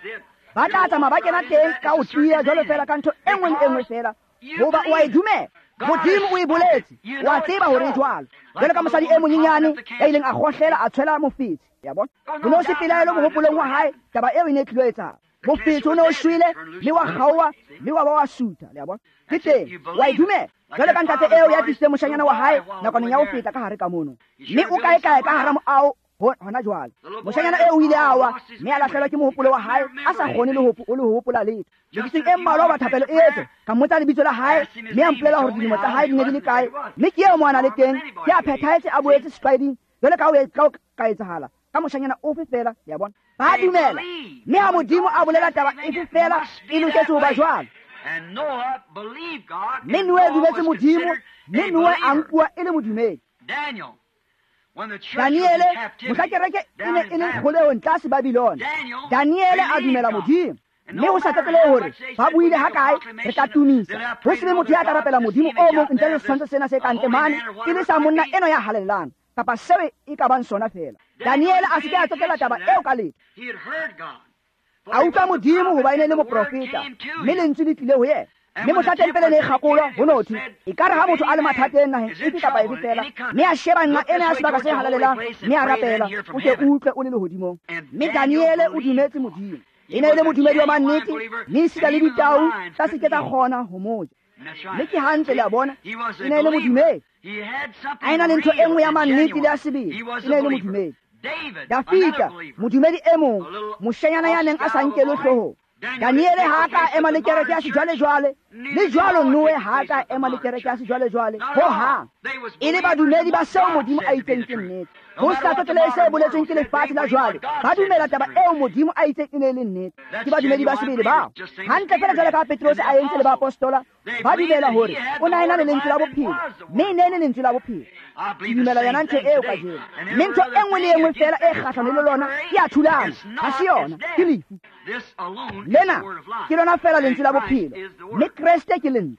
Ba tla tsamaya ba kena teng ka ho tiya jwalo feela ka ntho e nngwe le e nngwe feela, hoba o a e dumela. Modimo o e boletse, o a tseba hore e jwalo. Jwalo ka mosadi e monyenyane ya ileng a kgohlela a tshwela mofetshe, ya bona. Ho ne ho se pelaelo mohopolong wa hae, taba eo e ne e tlilo etsahala. Mofetshe o ne o shwele, mme wa kgaoha, mme wa ba wa sutha, le a bona. Ke teng, o a e dumela. Jwalo ka ntate eo ya tlisitseng moshanyana wa hae nakwaneng ya ho feta ka hare ka mono, mme o kae-kae ka hara moaho hona jwale. Moshanyana eo o ile a wa, mme a lahlehelwa ke mohopolo wa hae, a sa kgone le ho hopola letho. Meketseng e mmalwa hoba thapelo e etswe, ka mmotsa lebitso la hae, mme a mpolela hore dilemo tsa hae di ne di le kae, mme ke eo mo a na le teng, ke a phethahetse a boetse setlwaeding, jwalo ka ho ka etsahala ka moshanyana ofe feela, le a bona. Ba dumela, mme ha Modimo a bolela taba efe feela, e loketse ho ba jwalo. Mme Noe dumetse Modimo, mme Noe a nkuwa e le modumedi. Daniele, mohla kereke e ne e le kgolehong tlase Babilona, Daniele a dumela Modimo. Mme ho sa tsotelehe hore ba buile ha kae, re tla tumisa. Ho se be motho ya tla rapela Modimo o mong ntle le setshwantsho sena se ka ntle mane, e le sa monna enwa ya halalelang, kapa seo e ka bang sona feela. Daniele a se ke a tsotella taba eo ka letho. A utlwa Modimo hoba e ne le moprofeta, mme lentswe le tlile ho yena. Mme mohla tempele ne e kgakolwa ho no thwe ekare ha motho a le mathateng naheng efe kapa efe fela, mme a sheba nqa ena ya sebaka se halalelang, mme a rapela, o ke utlwe o le lehodimong. Mme Daniele o dumetse Modimo. E ne e le modumedi wa mannete, mme esita le ditau tsa se ke tsa kgona ho mo ja. Mme ke hantle, le a bona, e ne e le modumedi. A ena le ntho e nngwe ya mannete le ya sebele, e ne e le modumedi. Dafita, modumedi e mong, moshanyana ya neng a sa nkelwe hloohong. Daniele ha a ka ema le kereke ya sejwalejwale, le jwalo Noe ha a ka ema le kereke ya sejwalejwale ho hang. E le badumedi ba seo Modimo a itseng ke nnete. Ho sa tsotelehe se boletsweng ke lefatshe la jwale, ba dumela taba eo Modimo a itseng e ne e le nnete. Ke badumedi ba sebele bao. Hantle fela jwalo ka Petrose a entse le baapostola, ba dumela hore o na ena le lentswe la bophelo, mme e ne e le lentswe la bophelo. Ke dumela yona ntho eo kajeno. Mme ntho e nngwe le e nngwe fela e kgahlano le lona ke a thulana, ha se yona, ke lefu. Lena ke lona fela lentswe la bophelo, mme Kreste ke lentswe.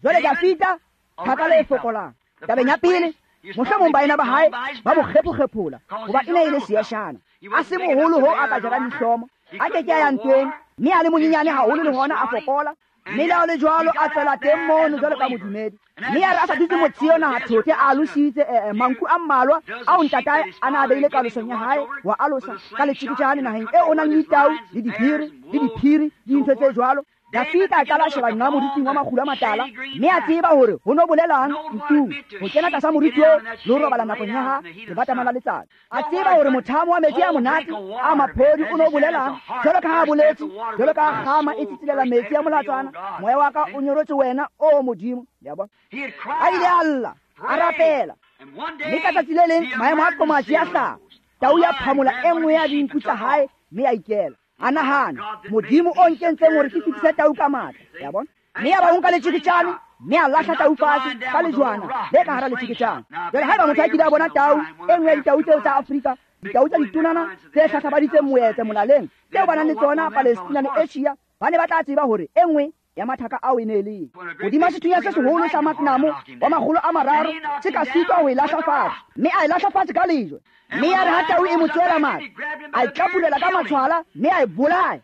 Jwale Dafita, thaka le e fokolang. Tabeng ya pele, mohlomong baena ba hae ba mo kgephokgephola hoba e ne e le seeshana. A se moholo ho a ka jarang dihlomo, a ke ke a ya ntweng, mme a le monyenyane haholo le hona a fokola. Mme le ha ho le jwalo a tswela teng mono jwalo ka modumedi. Mme ya re a sa dutse motsheo naha thothe a alositse manku a mmalwa ao ntatae a na a beile kalosong ya hae wa alosa ka letjeketjane naheng eo o nang le ditau le dibiri le diphiri le dintho tse jwalo. Dafita a qala a sheba nqa moriting wa makgulo a matala, mme a tseba hore ho no bolelang ntung ho kena tlasa moriti oo le ho robala nakong ya ha lebatama la letsatsi. A tseba hore mothamo wa metsi a monate a maphodi o no bolelang, jwalo ka ha a boletse, jwalo ka ha kgama e tsitsilela metsi a molatswana, moya wa ka o nyoretswe wena, o Modimo. Le a bona? A ile a lla, a rapela. Mme ka tsatsi le leng maemo a qomatsi a hlaha. Tau ya phamola e nngwe ya dinku tsa hae mme ya ikela. A nahana, Modimo o nkentseng hore ke fetise tau ka matla. Ya bona? Mme ya ba o nka letjeketjane, mme a lahla tau fatshe ka lejwana le ka hara letjeketjane. Jwale haeba motho a kile a bona tau, e nngwe ya ditau tseo tsa Afrika, ditau tsa ditonana tse hlahlabaditseng moetse molaleng, tseo ba nang le tsona Palestina le Asia, ba ne ba tla tseba hore e nngwe ya mathaka ao e ne e le eng. Hodima sethunya se seholo sa Magnamo wa 300 se ka sitwa ho e lahla fatshe, mme a e lahla fatshe ka lejwe. Mme ya re ha tau e mo tswela matla, a e tlapulela ka matshwala mme a e bolaya.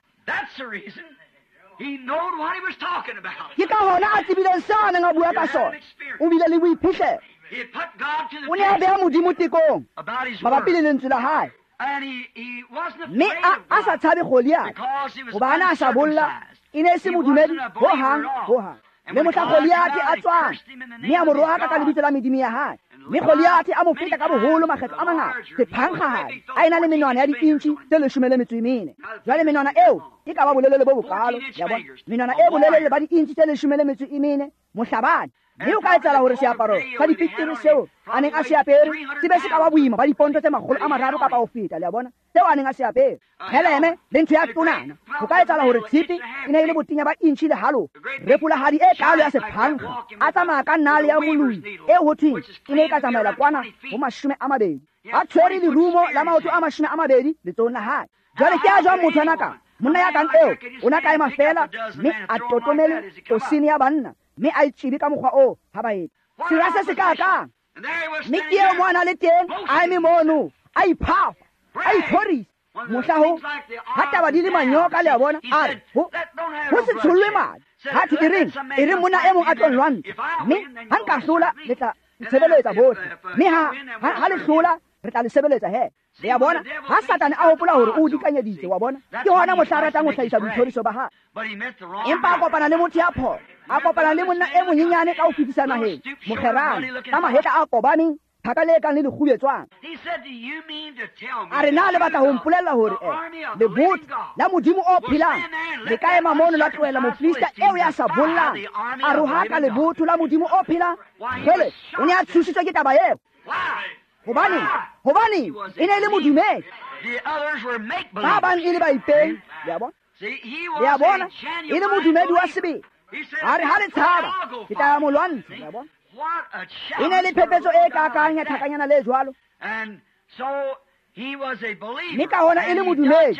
Ke ka hona a tsebileng seo a neng a bua ka sona. O bile le boiphihlelo. O ne a beha Modimo tekong mabapi le lentswe la hae. Mme a sa tshabe Goliath, hoba a ne a sa bolla, e ne e se modumedi ho hang ho hang. Mme mohla Goliath a tswang, mme a mo rohaka ka lebitso la medimo ya hae. Mme Goliath a mo feta ka boholo makgetlo a mangata, sephankgahadi, a ena le menwana ya di-inchi tse 14. Jwale menwana eo e ka ba bolelele bo bokalo, ya bona, menwana e bolelele ba di-inchi tse 14, mohlabani. Mme o ka etsahala hore seaparo sa dipikiri seo a neng a se apere se be se ka ba boima ba diponto tse 300 kapa ho feta, le a bona, seo a neng a se apere. Heleme le ntho ya tonana, ho ka etsahala hore tshipi e ne e le botenya ba inchi le halofo. Repolahadi e kalo ya sephankga, a tsamaya ka nale ya moloi e ho thweng e ne e ka tsamaela kwana ho 20. A tshwere lerumo la maoto a 20 letsohong la hae. Jwale ke a jwang motho ana ka monna ya kang eo, o na ka ema fela mme a totomele tosene ya banna, mme a itšibe ka mokgwa oo ha ba etla. Sera se se kaakang. Mme ke eo mo a na le teng, a eme mono, a iphafa, a ithorisa. Mohla ho ha taba di le manyoka, le a bona, a re ho se tshollwe madi. Ha thwe e reng monna e mong a tlo nlwantsha, mme ha nka hlola le tla ntshebeletsa bohle, mme ha le hlola re tla le sebeletsa he. Le a bona, ha Satane a hopola hore o dikanyeditse, wa bona, ke hona mohla a ratang ho hlahisa boithoriso ba hae. Empa a kopana le motho ya phoso, a kopana le monna e monyenyane ka ho fetisa naheng, mokgerane, ka mahetla a kobaneng, thaka le kang le lekgubetswang. A re na le batla ho mpolella hore lebotho la Modimo o phelang le ka ema mono la tlohela mofilista eo ya sa bollang, a rohaka lebotho la Modimo o phelang? Jwale o ne a tshositswe ke taba eo. Hobane e ne e le modumedi. Ba bang e le baipei, le a bona. Le a bona, e le modumedi wa sebele. A re ha le tshaba, ke tla ya mo lwantsha, le a bona. E ne le phephetso e kakang ya thakanyana le jwalo. Mme ka hona e le modumedi,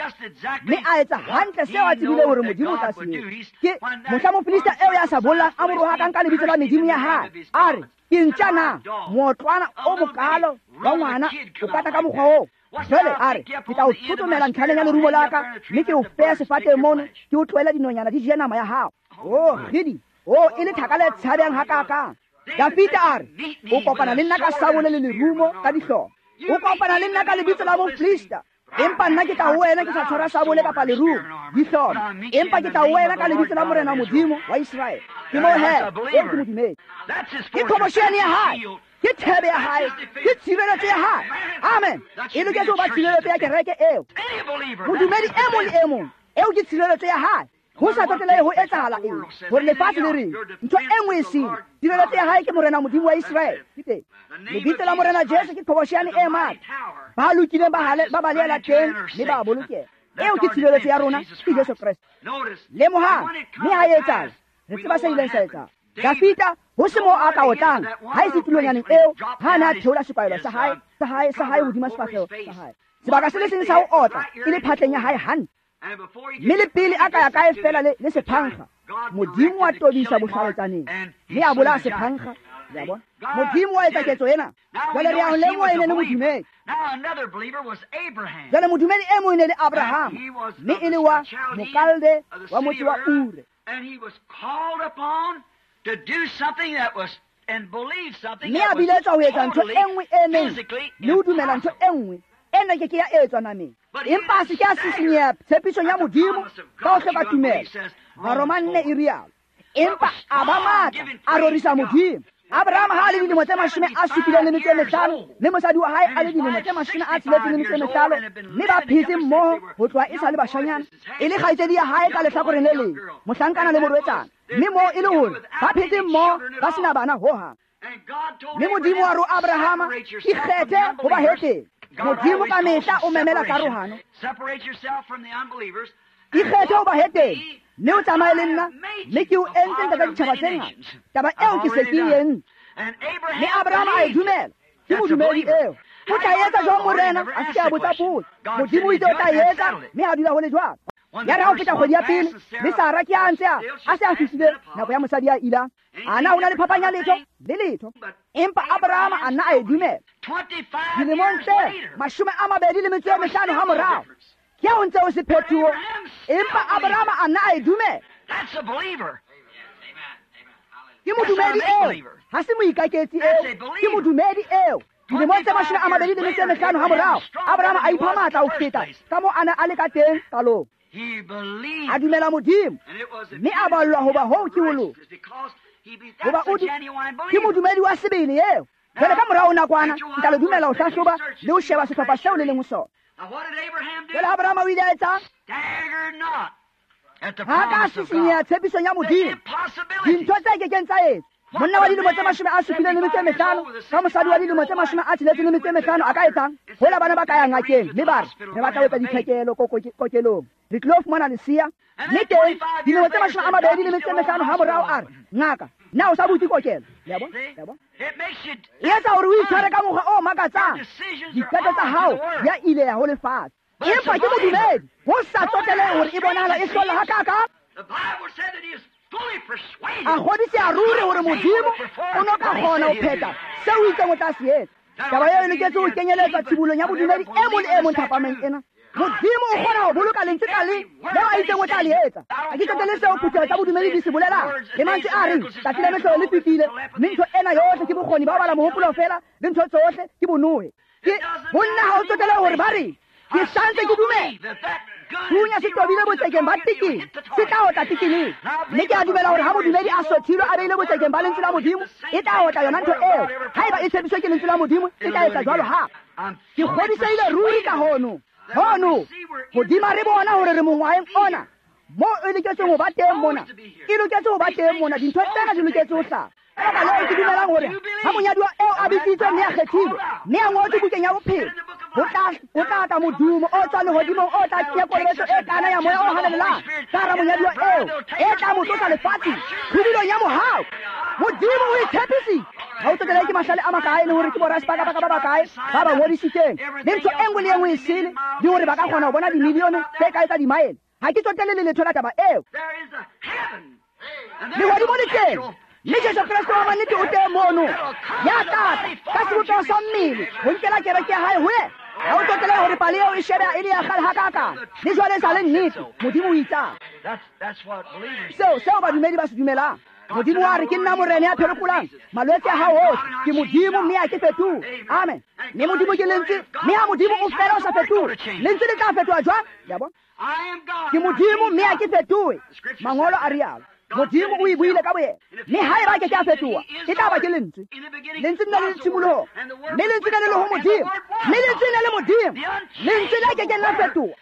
mme a etsa hantle seo a tsebile hore Modimo o tla se etsa. Ke mohla mofilista eo ya sa bollang a mo rohakang ka lebitso la medimo ya hae, a re, ke ntja na mootlwana o mokalo wa ngwana o kata ka mokgwa oo? Jwale a re, ke tla o thotomela ntlhaneng ya lerumo la ka, mme ke o feya sefateng mono, ke o tlohela dinonyana di je nama ya hao. Oh, kgidi, oh, e le thaka le tshabehang hakakang. Dafita a re, o kopana le nna ka sabole le lerumo ka dihlooho. O kopana le nna ka lebitso la moflista. Empa nna ke tla ho wena ke sa tshwara sabole kapa lerumo, dihlooho. Empa ke tla ho wena ka lebitso la Morena Modimo wa Iseraele. Ke moo he, eo ke modumedi. Ke qhobosheane ya hae, ke thebe ya hae, ke tshireletso ya hae. Amen. E loketse ho ba tshireletso ya kereke eo. Modumedi e mong le e mong, eo ke tshireletso ya hae. Ho sa tsotelehe ho etsahala eng, hore lefatshe le reng, ntho e nngwe e sele, tshireletso ya hae ke Morena Modimo wa Iseraele. Ke teng. Lebitso la Morena Jesu ke qhobosheane e matla. Ba lokileng ba balehela teng mme ba bolokeha. Eo ke tshireletso ya rona, ke Jesu Kreste. Lemohang, mme ha e etsahala, re tseba se ileng sa etsahala. Dafita, ho se moo a ka otlang, ha e se tulonyaneng eo, ha a ne a theola sekwahelo sa hae, sa hae, sa hae hodima sefahleho sa hae. Sebaka se le seng sa ho otla, e le phatleng ya hae hantle. Mme le pele a ka ya kae fela le sephankga, Modimo wa tobisa bohlaletsaneng, mme a bolaya sephankga. Le a bona? Modimo wa etsa ketso ena. Jwale re a ho lemoha e ne le modumedi. Jwale modumedi e mong e ne le Abrahama, mme e le wa Mokalde wa motse wa Ure. Mme a biletswa ho etsa ntho e nngwe e neng, le ho dumela ntho e nngwe e neng ke ke ya etswa nameng. Empa a se ke a sisinyeha tshepisong ya Modimo ka ho hloka tumelo. Baroma 4 e rialo. Empa a ba matla, a rorisa Modimo. Abraham ha a le dilemo tse 75, mme mosadi wa hae a le dilemo tse 65, mme ba phetse mmoho ho tloha e sa le bashanyana, e le kgaitsedi ya hae ka lehlakoreng le leng, mohlankana le morwetsana, mme moo e le hore ba phetse mmoho ba sena bana hohang. Mme Modimo wa ro Abrahama, ikgethe ho ba heteng. Modimo ka mehla o memela karohano. Ikgethe ho ba heteng, mme o tsamaye le nna, mme ke o entse ntata ditjhaba tse ngata. Taba eo ke se ke e entse. Mme Abrahama a e dumela. Ke modumedi eo. O tla etsa jwang Morena? A se ke a botsa potso. Modimo o itse o tla etsa, mme a dula ho le jwalo. Ya re ha ho feta kgwedi ya pele, mme Sara ke a ntse a se a fihlile nako ya mosadi ya ilang. Ana ho na le phapang ya letho? Le letho. Empa Abrahama a nna a e dumela. Dilemong tse 25 ha morao, ke ha ho ntse ho se phetoho, empa Abrahama a nna a e dumela. Ke modumedi eo, ha se moikaketsi eo, ke modumedi eo. Dilemong tse 25 ha morao, Abrahama a ipha matla ho feta ka moo a ne a le ka teng qalong. A dumela Modimo, mme a ballwa hoba hoo ke ho loka. Hoba o ke modumedi wa sebele eo. Jwale ka morao nakwana, ke tla le dumela ho hlahloba le ho sheba sehlopha seo le leng ho sona. Jwale Abrahama o ile a etsang? Ha ka sisinyeha tshepisong ya Modimo. Dintho tse kekeng tsa etswa. Monna wa dilemo tse 75 ka mosadi wa dilemo tse 65 a ka etsang? Hola bana ba ka ya ngakeng mme ba re, re batla ho etsa ditlhekelo kokelong. Re tlilo fumana lesea. Mme teng dilemo tse 25 ha morao a re, ngaka, na o sa butse kokelo? Le a bona? Le a bona? E etsa hore o itshware ka mokgwa o makatsang. Diqeto tsa hao di a ileha ho lefatshe. Empa ke modumedi, ho sa tsotelehe hore e bonahala e hlolla hakakang. A kgodiseha ruri hore Modimo o no ka kgona ho phetha seo o itseng o tla se etsa. Taba eo e loketse ho kenyeletswa tshibolong ya bodumedi e mong le e mong thapameng ena. Modimo o kgona ho boloka lentswe ka leng leo a itseng o tla le etsa. Ha ke tsotelle seo phutheho tsa bodumedi di se bolelang, le mantswe a reng tsatsi la mehlolo le fetile, mme ntho ena yohle ke bokgoni ba ho bala mohopolo feela, le ntho tsohle ke bonohe. Ke ho nna ha o tsotele hore ba reng, ke santse ke dumela. Thunya se tobile botsekeng ba tekene, se tla otla tekeneng. Mme ke a dumela hore ha modumedi a sothilwe a beile botsekeng ba lentswe la Modimo, e tla otla yona ntho eo. Haeba e tshepiswe ke lentswe la Modimo, e tla etsa jwalo hape. Ke kgodisehile ruri ka hono. Hono, hodima re bona hore re mongwaheng ona, moo e loketseng ho ba teng mona. E loketse ho ba teng mona, dintho tsena di loketse ho hlaha. Ka baka leo ke dumelang hore ha monyaduwa eo a bitsitswe mme a kgethilwe, mme a ngotswe bukeng ya bophelo, ho tla tla modumo o tswang lehodimong o tla kenya kolobetso e kana ya moya o halalelang ka hara monyaduwa eo, e tla mo tlosa lefatsheng tlhobilong ya mohau. Modimo o itshepisitse. Ha o tsotelehe ke mahlale a makae le hore ke borasepakapaka ba bakae ba ba ngodisitseng, le ntho e nngwe le e nngwe e sele, le hore ba ka kgona ho bona dimilione tse kae tsa dimaele. Ha ke tsotelle le letho la taba eo. Lehodimo le teng, mme Jesu Kreste wa mannete o teng mono, ya tla tla ka sebopeho sa mmele ho nkela kereke ya hae ho yena. Ha o tsotele hore pale eo e shebeha e le ya kgale hakakang, le jwale e sa le nnete. Modimo o itsang. Seo badumedi ba se dumelang. Modimo wa re ke nna morena ya phekolang malwetse a hao ohle. Ke Modimo mme ha ke fetohe. Amen. Mme Modimo ke lentswe, mme ha Modimo o fela o sa fetohe, lentswe le tla fetoha jwang? Le a bona? Ke Modimo mme ha ke fetohe. Mangolo a rialo. Modimo o e buile ka boyena. Mme haeba ke ke a fetoha, e tla ba ke lentswe. Lentswe le na le tshimoloho, mme lentswe le le ho Modimo, mme lentswe le le Modimo. Lentswe le ke ke la fetoha.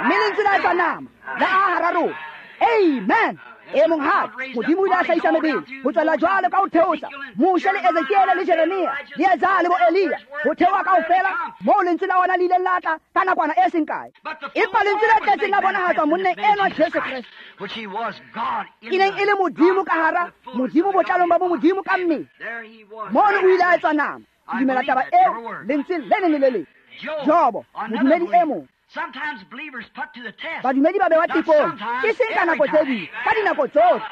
Mme lentswe la etsa nama, la aha hara rona. Amen. E monghadi, Modimo o ile a hlahisa mebele ho tswella jwalo ka ho theosa Moshe le Ezekiele le Jeremia le Isaiah le bo Elia, ho theoha kaofela moo lentswe la ona le ileng la tla ka nakwana e seng kae. Empa lentswe le tletseng la bonahatswa monneng enwa Jesu Kreste, e neng e le Modimo ka hara Modimo botlalong ba bomodimo ka mmele. Mono o ile a etswa nama. Ke dumela taba eo lentswe le leng le le leng. Jobo, modumedi e mong. Badumedi ba bewa tekong, ke seng ka nako tse ding, ka dinako tsohle.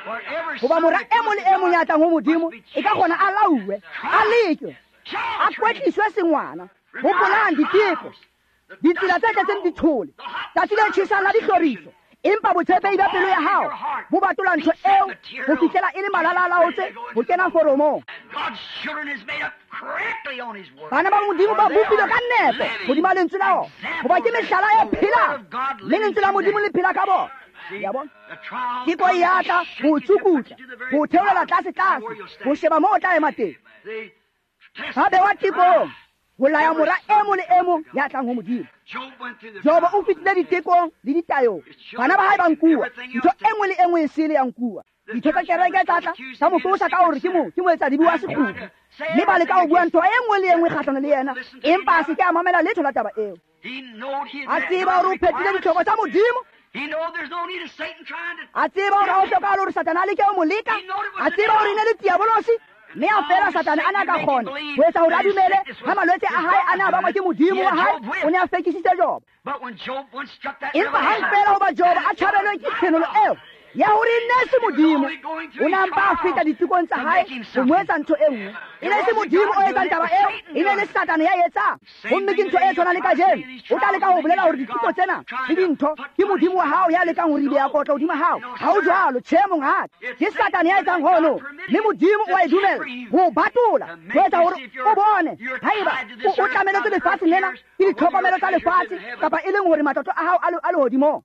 Hoba mora e mong le e mong ya tlang ho Modimo, e ka kgona a lauwe, a lekwe, a kwetliswe sengwana. Hopolang diteko, ditsela tse tletseng dithole, tsatsi le tjhesang la dihloriso. Empa botshepehi ba pelo ya hao bo batola ntho eo ho fihlela e le malala-a-laotse ho kena foromong. Bana ba Modimo ba bopilwe ka nepo hodima lentswe la ona, hoba ke mehlala e phelang, mme lentswe la Modimo le phela ka bona. Ya bona? Teko e ya tla ho o tsukutla, ho o theolela tlase-tlase, ho sheba moo o tla ema teng. Ba bewa tekong ho laya mora e mong le e mong ya tlang ho Modimo. Jobo o fetile ditekong le ditayong. Bana ba hae ba nkuwa, ntho e nngwe le e nngwe e sele ya nkuwa. Ditho tsa kereke tsa tla tsa mo qosa ka hore ke moetsadibe wa sekgukgu, mme ba leka ho bua ntho e nngwe le e nngwe kgahlano le yena, empa a se ke a mamela letho la taba eo. A tseba hore o phethile ditlhoko tsa Modimo. A tseba hore ha ho hlokahale hore Satane a leke ho mo leka. A tseba hore e ne le diabolosi. Mme a fela Satane a ne a ka kgona ho etsa hore a dumele ha malwetse a hae a ne a bakwa ke Modimo wa hae, o ne a fekisitse Jobo. Empa hang fela hoba Jobo a tjhabelwe ke tshenolo eo ya hore e ne se Modimo, o ne a mpa a feta ditekong tsa hae ho mo etsa ntho e nngwe. E ne se Modimo o etsang taba eo, e ne le Satane ya etsang. Gomme ke ntho e tshwanang le kajeno. O tla leka ho bolela hore diteko tsena le dintho ke Modimo wa hao ya lekang ho ribeha kotlo hodima hao. Ha ho jwalo, tjhe monghadi. Ke Satane ya etsang hono, mme Modimo o a e dumella ho o batola, ho etsa hore o bone haeba o tlameletse lefatshe lena ke ditlhokomelo tsa lefatshe kapa e leng hore matlotlo a hao a lehodimong.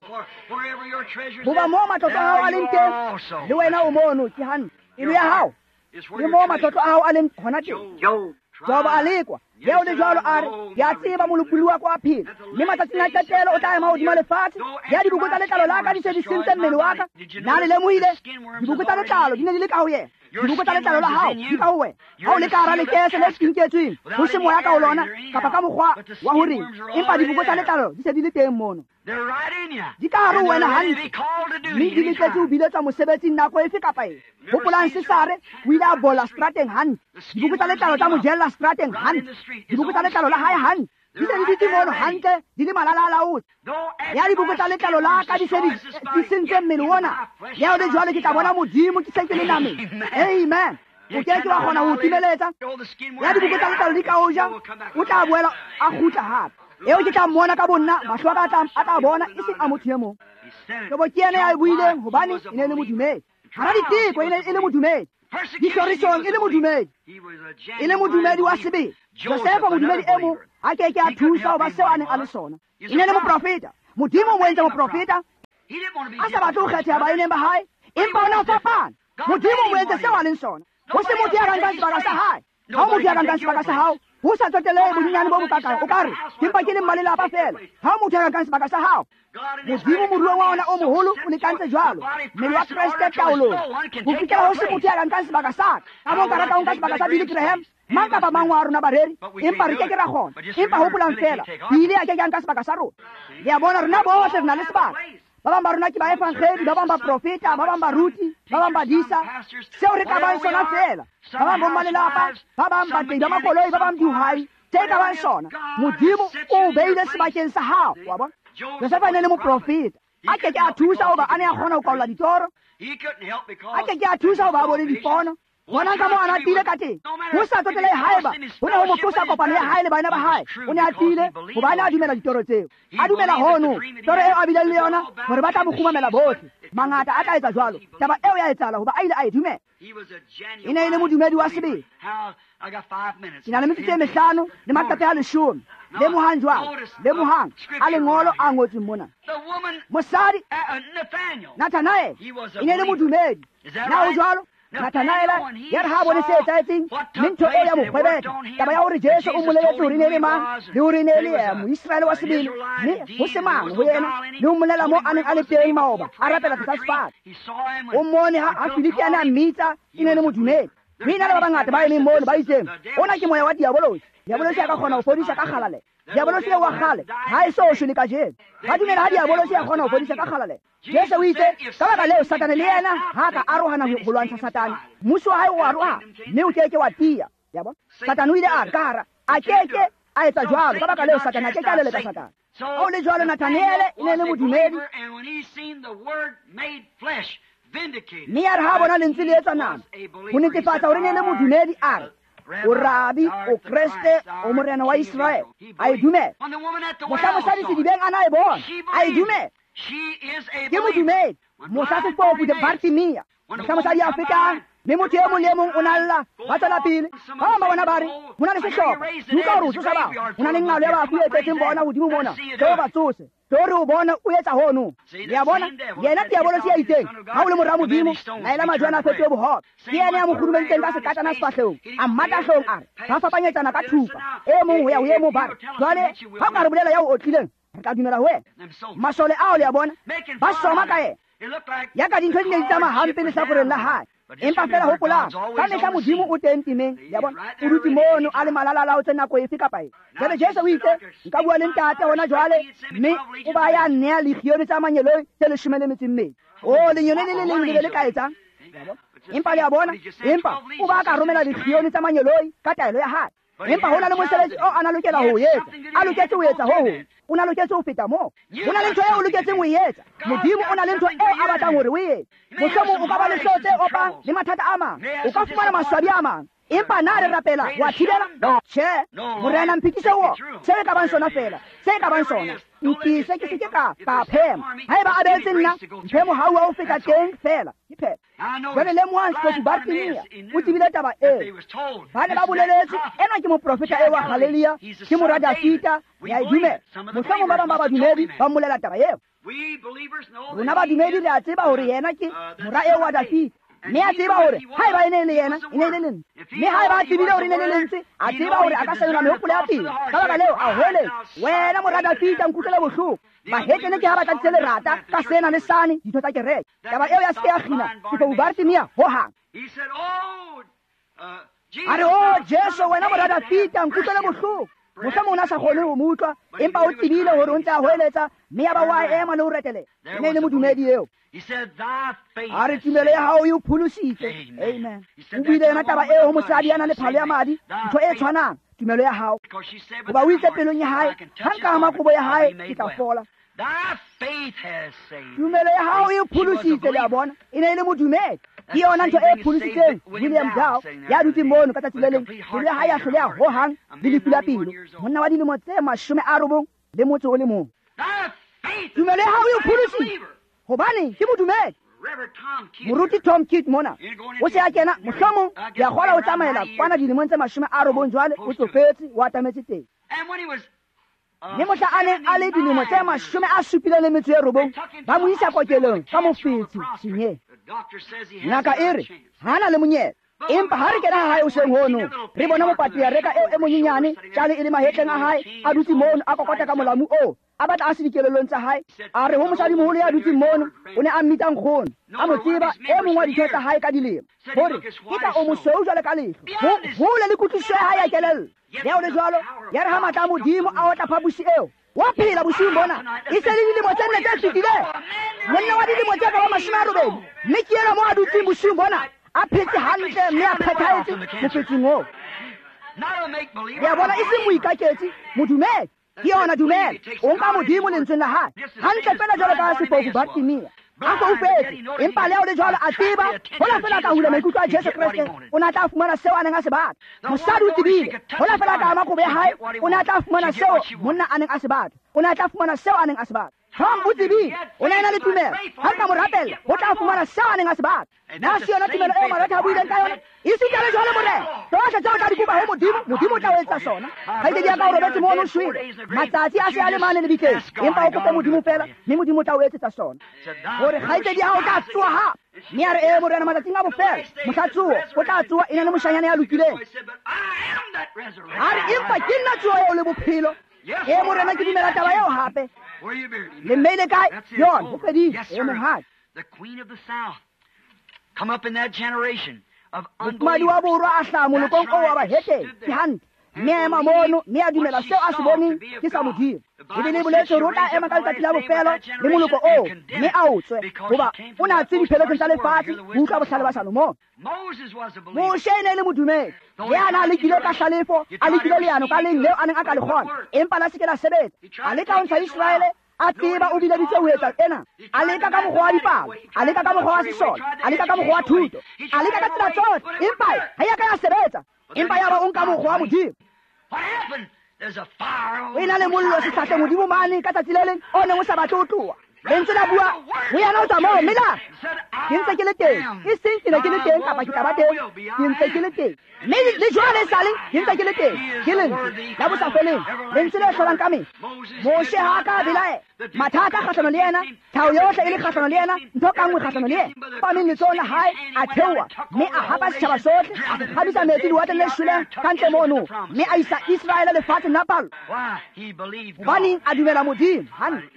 Hoba moo matlotlo a hao a leng teng, le wena o mono. Ke hantle. Pelo ya hao le moo matlotlo a hao a leng hona teng. Jobo a lekwa, leo le jwalo a re, ke a tseba molopolli wa ka wa phela, mme matsatsing a qetelo o tla ema hodima lefatshe. Ya diboko tsa letlalo la ka di se di sentse mmele wa ka. Na le lemohile? Diboko tsa letlalo di ne di le ka ho yena. Diboko tsa letlalo la hao di ka ho wena. Ha o le ka hara lekese le tsinketsweng, ho se moya ka ho lona kapa ka mokgwa wa ho reng, empa diboko tsa letlalo di se di le teng mono. Di ka hare ho wena hantle, mme di loketse ho biletswa mosebetsing nako efe kapa efe. Hopolang Sesare o ile a bola strateng hantle. Diboko tsa letlalo tsa mo jella strateng hantle. Diboko tsa letlalo la hae hantle. Di se di dutse mono hantle, di le malala a laotse. Ya diboko tsa letlalo la ka di se di sentse mmele ona. Ya o le jwalo ke tla bona Modimo ke se ke le nameng. Amen. O ke ke wa kgona ho timeletsa. Ya diboko tsa letlalo di ka o ja, o tla boela a kgutla hape. Eo ke tla mmona ka bonna, mahlo a ka a tla bona, e seng a motho e mong. Jobo ke yena ya e buileng hobane e ne e le modumedi. Hara diteko e ne e le modumedi. Dihlorisong e le modumedi. E le modumedi wa sebele. Josefa modumedi e mong a ke ke a thusa hoba seo a neng a le sona. E ne le moprofeta. Modimo o mo entse moprofeta. A sa batle ho kgetheha baeneng ba hae, empa o ne a fapana. Modimo o mo entse seo a leng sona. Ho se motho ya ka nkang sebaka sa hae. Ha ho motho ya ka nkang sebaka sa hao. Ho sa tsotelehe bonyenyane bo bokakang, o ka re, ke mpa ke le mmalelapa feela. Ha ho motho ya ka nkang sebaka sa hao. Modimo moruong wa ona o moholo o lekantse jwalo mmele wa Kreste taolong ho fihlela ho se motho ya ka nkang sebaka sa ka. Ka moo nka ratang ho nka sebaka sa Billy Graham, mang kapa mang wa rona bareri, empa re ke ke ra kgona. Empa hopolang feela, Billy a ke ke a nka sebaka sa rona. Le a bona, rona bohle re na le sebaka. Ba bang ba rona ke baevangedi, ba bang baprofeta, ba bang baruti, ba bang badisa. Seo re ka bang sona feela. Ba bang bommalelapa, ba bang batei ba makoloi, ba bang dihwai. Tse ka bang sona. Modimo o beile sebakeng sa hao. Wa bona? Josefa e ne le moprofeta. A ke ke a thusa hoba a ne a kgona ho kwaola ditoro. A ke ke a thusa hoba a bone dipono. Bonang ka moo a na tiile ka teng. Ho sa tsotelehe haeba ho ne ho mo qosa kopano ya hae le baena ba hae, o ne a tiile hobane a dumela ditoro tseo. A dumela hono, toro eo a bileng le yona hore ba tla mo kgumamela bohle. Mangata a tla etsa jwalo. Taba eo ya etsahala hoba a ile a e dumela. E ne e le modumedi wa sebele. Ke na le metsotso e mehlano le maqephe a 10. Lemohang jwalo, lemohang a lengolo a ngotsweng mona. Mosadi Nathanael e ne e le modumedi. Na ho jwalo? Nathanael ya re ha a bone se etsahetseng, mme ntho eo ya mo kgwebetha, taba ya hore Jesu o mmoleletse hore e ne e le mang, le hore e ne e le Moiseraele wa sebele, mme ho se mang ho yena, le ho mmolela moo a neng a le teng maoba, a rapela tlasa sefate. O mmone ha Filipi a ne a mmitsa, e ne e le modumedi. Mme ena le ba bangata ba emeng mono ba itseng, ona ke moya wa diabolosi. Diabolosi a ka kgona ho fodisa ka kgalalelo. Diabolosi eo wa kgale ha e so shwe le kajeno. Ba dumela ha diabolosi a kgona ho fodisa ka kgalalelo. Jesu o itse, ka baka leo Satane le yena ha ka arohana ho lwantsha Satane, mmuso wa hae o aroha mme o keke wa tiya. Ya bona? Satane o ile a re ka hara, a keke a etsa jwalo. Ka baka leo Satane a keke a leleka Satane. Ha o le jwalo, Nathanaele e ne e le modumedi. Mme ya re ha bona lentswe le etswa nama, ho netefatsa hore e ne e le modumedi, a re, o rabi, o Kreste, o morena wa Israele. A e dumela. Mohla mosadi sedibeng a na e bona, a e dumela. Ke modumedi. Mohla sefofu Bartimea, mohla mosadi a fetang, mme motho e mong le e mong o na lla, ba tswela pele. Ba bang ba bona ba re, ho na le sehlopha, utlwa hore o tsosa batho, ho na le nqalo ya bafu e tletseng bona hodimo mona, tlo ba tsose. Tlo re o bona o etsa hono. Le a bona? Yena diabolosi ya itseng, ha o le mora Modimo, laela majwe ana a fetohe bohobe. Ke yena ya mo kgurumeditseng ka sekatana sefahlehong, a mmata hloohong a re, ba fapanyetsana ka thupa, e mong ho ya ho e mong ba re, jwale ha o ka re bolela ya o otlileng, re tla dumela ho wena. Masole ao le a bona, ba soma ka yena. Ya ka dintho di ne di tsamaya hampe lehlakoreng la hae. Empa fela hopolang, ka mehla Modimo o teng temeng, le a bona, o dutse mono a le malalalaotse nako efe kapa efe. Jwale Jesu o itse, nka bua le ntate hona jwale, mme o ba ya nnea legione tsa mangeloi tse 12. O lenyone le le leng le be le ka etsang? Empa le a bona, empa o ba ka romela legione tsa mangeloi ka taelo ya hae. Empa ho na le mosebetsi o a na lokela ho etsa, a loketse ho etsa ho hong. O na loketse ho feta moo. Ho na le ntho eo o loketseng ho e etsa. Modimo o na le ntho eo a batlang hore o e etse. Mohlomong o ka ba le hlooho tse opang le mathata a mang. O ka fumana maswabi a mang. Empa na re rapela wa thibela? Tjhe. Morena mphikise ho se e ka bang sona fela, se e ka bang sona. Nkise ke se ke ka phema. Haeba a beetse nna, mphe mohau wa ho feta teng fela. Ke phetho. Jwale lemohang sefofu Bartimea o tsebile taba eo. Ba ne ba boleletse, enwa ke moprofeta eo wa Galilea, ke mora Dafita, re a e dumela. Mohlomong ba bang ba badumedi ba mmolela taba eo. Rona badumedi re a tseba hore yena ke mora eo wa Dafita. Mme a tseba hore haeba e ne e le yena, e ne e le lentswe. Mme haeba a tsebile hore e ne e le lentswe, a tseba hore a ka senola mehopolo ya pele. Ka baka leo a hweletsa, wena mora Dafita, nkutlwele bohloko. Bahetene ke ha ba tladitse lerata ka sena le sane, ditho tsa kereke. Taba eo ya se ke ya kgina sefofu Bartimea hohang. A re, o Jesu, wena mora Dafita, nkutlwele bohloko. Mohlomong o ne a sa kgone ho mo utlwa, empa o tsebile hore o ntse a hweletsa, mme ya ba wa ema le ho retelela. E ne e le modumedi eo. A re, tumelo ya hao e o pholositse. Amen. O buile yona taba eo ho mosadi ya nang le phalo ya madi, ntho e tshwanang, tumelo ya hao. Hoba o itse pelong ya hae, ha nka ama kobo ya hae, ke tla fola. Tumelo ya hao e o pholositse, le a bona. E ne e le modumedi. Ke yona ntho e pholositseng William Dow ya dutseng mono ka tsatsi le leng. Pelo ya hae ya hloleha hohang le lefu la pelo. Monna wa dilemo tse 90 le motso o le mong. Tumelo ya hao e o pholositse. Hobane ke modumedi. Moruti Tom Kidd mona o se a kena, mohlomong ke a kgola o tsamaela kwana dilemong tse 90 jwale, o tsofetse, o atametse teng. Mme mohla a neng a le dilemo tse 79, ba mo isa kokelong ka mofetshe senyeng. Ngaka e re ha na le monyetla. Empa ha re kena ha hae hoseng hono, re bona mopatriareka eo e monyenyane, tjale e le mahetleng a hae, a dutse mono a kokota ka molamu oo, a batla a se dikelellong tsa hae. A re ho mosadimoholo ya dutseng mono, o ne a mmitsa nkgono, a mo tseba, e mong wa ditho tsa hae ka dilemo, hore ke ka o mosweu jwale ka lehlwa, hole le kutlwisiso ya hae ya kelello. Le ha ho le jwalo, ya re ha matla a Modimo a otla phaposi eo, wa phela bosiung bona, e se le dilemo tse 4 tse fetileng, monna wa dilemo tse ka ba 80, mme ke ena mo a dutseng bosiung bona, a phetse hantle mme a phethahetse mofetseng oo. Le a bona, e seng moikaketsi, modumedi. Ke yona dumela. O nka Modimo lentsweng la hae. Hantle fela jwalo ka sefofu Bartimea. A foufetse, empa le ha o le jwalo a tseba hola fela ka hula maikutlo a Jesu Kreste, o ne a tla fumana seo a neng a se batla. Mosadi o tsebile hola fela ka ama kobo ya hae, o ne a tla fumana seo monna a neng a se batla. O ne a tla fumana seo a neng a se batla. Tom o tsebile, o ne a ena le tumelo. Ha re ka mo rapella, o tla fumana seo a neng a se batla. Na se yona tumelo eo Maretha a buileng ka yona? Esita le jwale Morena, tsohle tseo o tla di kopa ho Modimo, Modimo o tla o etsa sona. Kgaitsedi ya ka o robetse mono o shwele, matsatsi a se a le mane lebitleng, empa o kope Modimo fela, mme Modimo o tla o etsetsa sona. Hore kgaitsedi ya hao o tla tsoha hape. Mme a re, ee Morena, matsatsing a bofelo, mohla tsoho, o tla tsoha e na le moshanyana ya lokileng. A re, empa ke nna tsoho eo le bophelo. Ee Morena, ke dumela taba eo hape. Le mmeile kae? Yona, ho fedile. Ee monghadi. Mofumahadi wa borwa a hlaha molokong oo wa bahetene. Ke hantle. Mme a ema mono, mme a dumela seo a se boneng ke sa Modimo. Bibele e boletse hore o tla ema ka letsatsi la bofelo le moloko oo, mme a o tswe, hoba o ne a tswe dipheletsong tsa lefatshe ho utlwa bohlale ba Salomone. Moshe e ne e le modumedi, le a na a lekile ka hlalefo, a lekile leano ka leng leo a neng a ka le kgona, empa la se ke la sebetsa. A leka ho ntsha Iseraele, a tseba o bileditswe ho etsa ena. A leka ka mokgwa wa dipalo, a leka ka mokgwa wa sesole, a leka ka mokgwa wa thuto, a leka ka tsela tsohle, empa ha ya ka ya sebetsa. Empa yaba o nka mokgwa wa Modimo. O ena le mollo sehlahleng hodimo mane ka tsatsi le leng o neng o sa batle ho tloha. Lentswe la bua ho yena ho tswa moo, mme la re, ke ntse ke le teng. E seng ke ne ke le teng kapa ke tla ba teng, ke ntse ke le teng. Mme le jwale esale ke ntse ke le teng. Ke lentswe la bosafeleng, lentswe le hlolang ka mehla. Moshe ha a ka a belaela. Mathata kgahlano le yena, tlhaho yohle e le kgahlano le yena, ntho ka nngwe kgahlano le yena. Pameng letsohong la hae, a theoha, mme a hapa setjhaba sohle, a se kgabisa metsi lewatleng le shweleng ka ntle mono, mme a isa Iseraele lefatsheng la pallo. Hobaneng? A dumela Modimo. Hantle.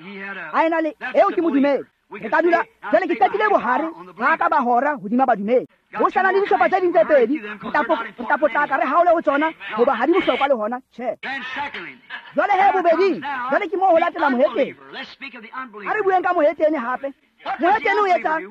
A ena le eo ke modumedi. Re ka dula jwale, ke qetile bohare ba ka ba hora hodima badumedi. Ho sa na le dihlopha tse ding tse pedi, re tla potlaka re haole ho tsona, hoba ha di bohlokwa le hona. Tjhe. Jwale he bobeding, jwale ke moo ho latela mohetene. Ha re bueng ka mohetene hape. Mohetene o etsang?